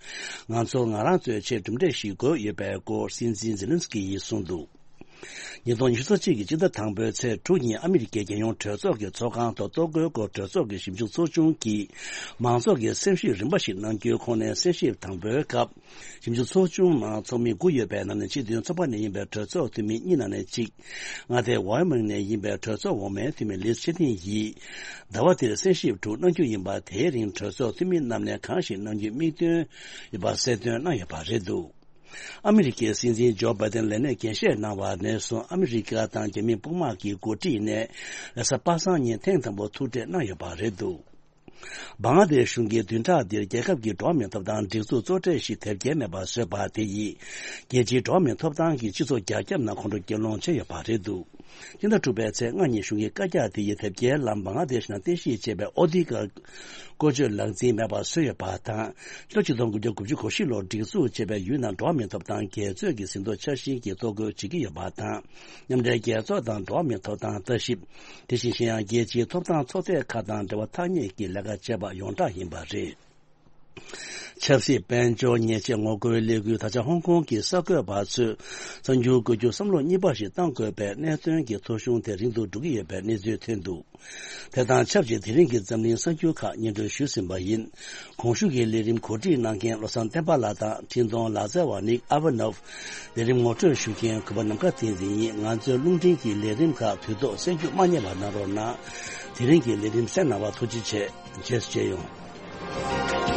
ང་ཚོ་ང་རང་ཚོའི་ཆེད་གྲུབ་འབྲས་ཤིག་དགོས་ཡོད་པའི་སྐོར་སྲིད་འཛིན་ཛེ་ལིན་སི་ཀི་ཡིས་གསུངས་འདུག་ཉིས་སྟོང་ཉི་ཤུ་རྩ་གཅིག་གི་སྤྱི་ཟླ་དང་པོའི་ཚེས་དྲུག་ཉིན་ཨ་མི་རི་ཀའི་རྒྱལ་ཡོངས་གྲོས་ཚོགས་ཀྱི་ཚོགས་ཁང་དུ་གཏོར་རྒོལ་སྐོར་གྲོས་ཚོགས་ཀྱི་ཞིབ་འཇུག་ཚོགས་ཆུང་གིས་མང་ཚོགས་ཀྱི་སེམས་ཤུགས་རིམ་པ་ཞིག་གནང་རྒྱུའི་ཁོངས་ནས་གསན་ཞིབ་དང་པོའི་སྐབས་ཞིབ་འཇུག་ཚོགས་ཆུང་ནང་ཚོགས་མི་དགུ་ཡོད་པའི་ནང་ནས་སྤྱི་མཐུན་ཚོགས་པ་ནས་ཡིན་པའི་གྲོས་ཚོགས་འཐུས་མི་གཉིས་ནང་ནས་གཅིག་མངའ་སྡེ་ཝའི་མིང་ནས་ཡིན་པའི་གྲོས་ཚོགས་འོག་མའི་འཐུས་མི་ལིས་ཆེ་ཐིན་ཡིས་ཟླ་བ་འདིར་གསན་ཞིབ་དྲུག་གནང་རྒྱུ་ཡིན་པ་དེའི་རིང་གྲོས་ཚོགས་འཐུས་མི་རྣམས་ནས་གང་ཞིག་གནང་རྒྱུའི་དམིགས་འདུན་ཡོད་པ་གསལ་སྟོན་གནང་ཡོད་པ་རེད་འདུག་ཨ་མི་རི་ཀའི་སྲིད་འཛིན་ཇོ་བྷའི་ཏན་ལས་གནས་འགན་བཞེས་གནང་བ་ནས་བཟུང་ཨ་མི་རི་ཀ་དང་རྒྱ་མི་དཔུང་དམག་གི་འགོ་ཁྲིད་ནས་རེས་གཟའ་པ་སངས་ཉིན་ཐེངས་དང་པོ་ཐུག་འཕྲད་གནང་ཡོད་པ་རེད་འདུག་བང་ལ་དེཤ་གཞུང་གིས་བདུན་ཕྲག་འདིར་རྒྱལ་ཁབ་ཀྱི་འགྲོ་བ་མིའི་ཐོབ་ཐང་སྒྲིག་འཛུགས་གཙོ་གྲས་ཤིག་དེབ་སྐྱེལ་མེད་པར་བཟོས་པ་དེ་ཡིས་རྒྱལ་སྤྱིའི་འགྲོ་བ་མིའི་ཐོབ་ཐང་གི་སྤྱི་ཚོགས་རྒྱ་ཁྱབ་ནང་ཁོང་ཁྲོ་སྐྱེད་སློང་བྱས་ཡོད་པ་རེད་འདུག་སྤྱི་ཟླ་དྲུག་པའི་ཚེས་ལྔ་ཉིན་གཞུང་གི་བཀའ་རྒྱ་དེ་ཡིས་དེབ་སྐྱེལ་ལམ་བང་ལ་དེཤ་ནང་རྟེན་གཞི་བྱས་པའི་ཨོ་ཐི་ཀར་བཀོལ་སྤྱོད་ལག་འཛིན་མེད་པར་བཟོས་ཡོད་པ་དང་། སྤྱི་ལོ་ཆིག་སྟོང་དགུ་བརྒྱ་དགུ་བཅུ་གོ་བཞི་ལོར་སྒྲིག་འཛུགས་བྱས་པའི་ཡུན་ནན་འགྲོ་བ་མིའི་ཐོབ་ཐང་རྒྱལ་ཚོགས་ཀྱི་ཟིན་ཐོ་འཆར་ཟིན་གྱི་ཐོ་འགོད་བྱེད་ཀྱི་ཡོད་པ་དང་། མཉམ་འབྲེལ་རྒྱལ་ཚོགས་དང་འགྲོ་བ་མིའི་ཐོབ་ཐང་ལྟ་ཞིབ། དེ་བཞིན་གཞན་ཡང་རྒྱལ་སྤྱིའི་ཐོབ་ཐང་ཚོགས་སྡེ་ཁག་དང་འབྲེལ་བ་ཐག་ཉེ་གི་ལས་ཀ་བྱས་པ་ཡོངས་གྲགས་ཡིན་པ་རེད། ཆབ་སྲིད་དཔལ་འབྱོར་ཉེས་ཆད་ངོ་རྒོལ་ལས་འགུལ་ད་ཆ་ཧོང་ཀོང་གི་གསར་འགོད་པ་ཚོས་གསར་འགྱུར་འགོད་རྒྱུ་བསམ་བློ་གཉིས་པ་ཞིག་གཏང་དགོས་པའི་གནད་དོན་གྱི་ཐོ་གཞུང་དེ་རིང་དུ་འགྲོ་གི་ཡོད་པའི་གནས་ཚུལ་ཐོན་འདུག་དེ་དང་ཆབས་ཅིག་དེ་རིང་གི་འཛམ་གླིང་གསར་འགྱུར་ཁག་སྙན་སྒྲོན་ཞུས་ཟིན་པ་ཡིན། གོང་ཞུས་ཀྱི་ལས་རིམ་གོ་སྒྲིག་གནང་མཁན་བློ་བཟང་བསྟན་པ་ལགས་དང་འཕྲིན་གཏོང་ལག་རྩལ་བ་ནིག་ཨ་ཝ་ནོབ། ལས་རིམ་ངོ་སྤྲོད་ཞུ་མཁན་གུས་པ་ནམ་མཁའ་བསྟན་འཛིན་ཡིན། ང་ཚོའི་རླུང་འཕྲིན་གྱི་ལས་རིམ་ཁག་དུས་ཐོག་གསན་རྒྱུ་མ་བསྙེལ་བ་གནང་རོགས་གནང་། དེ་རིང་གི་ལས་རིམ་གསན་གནང་བར་ཐུགས་རྗེ་ཆེ། རྗེས་སུ་མཇལ་ཡོང་།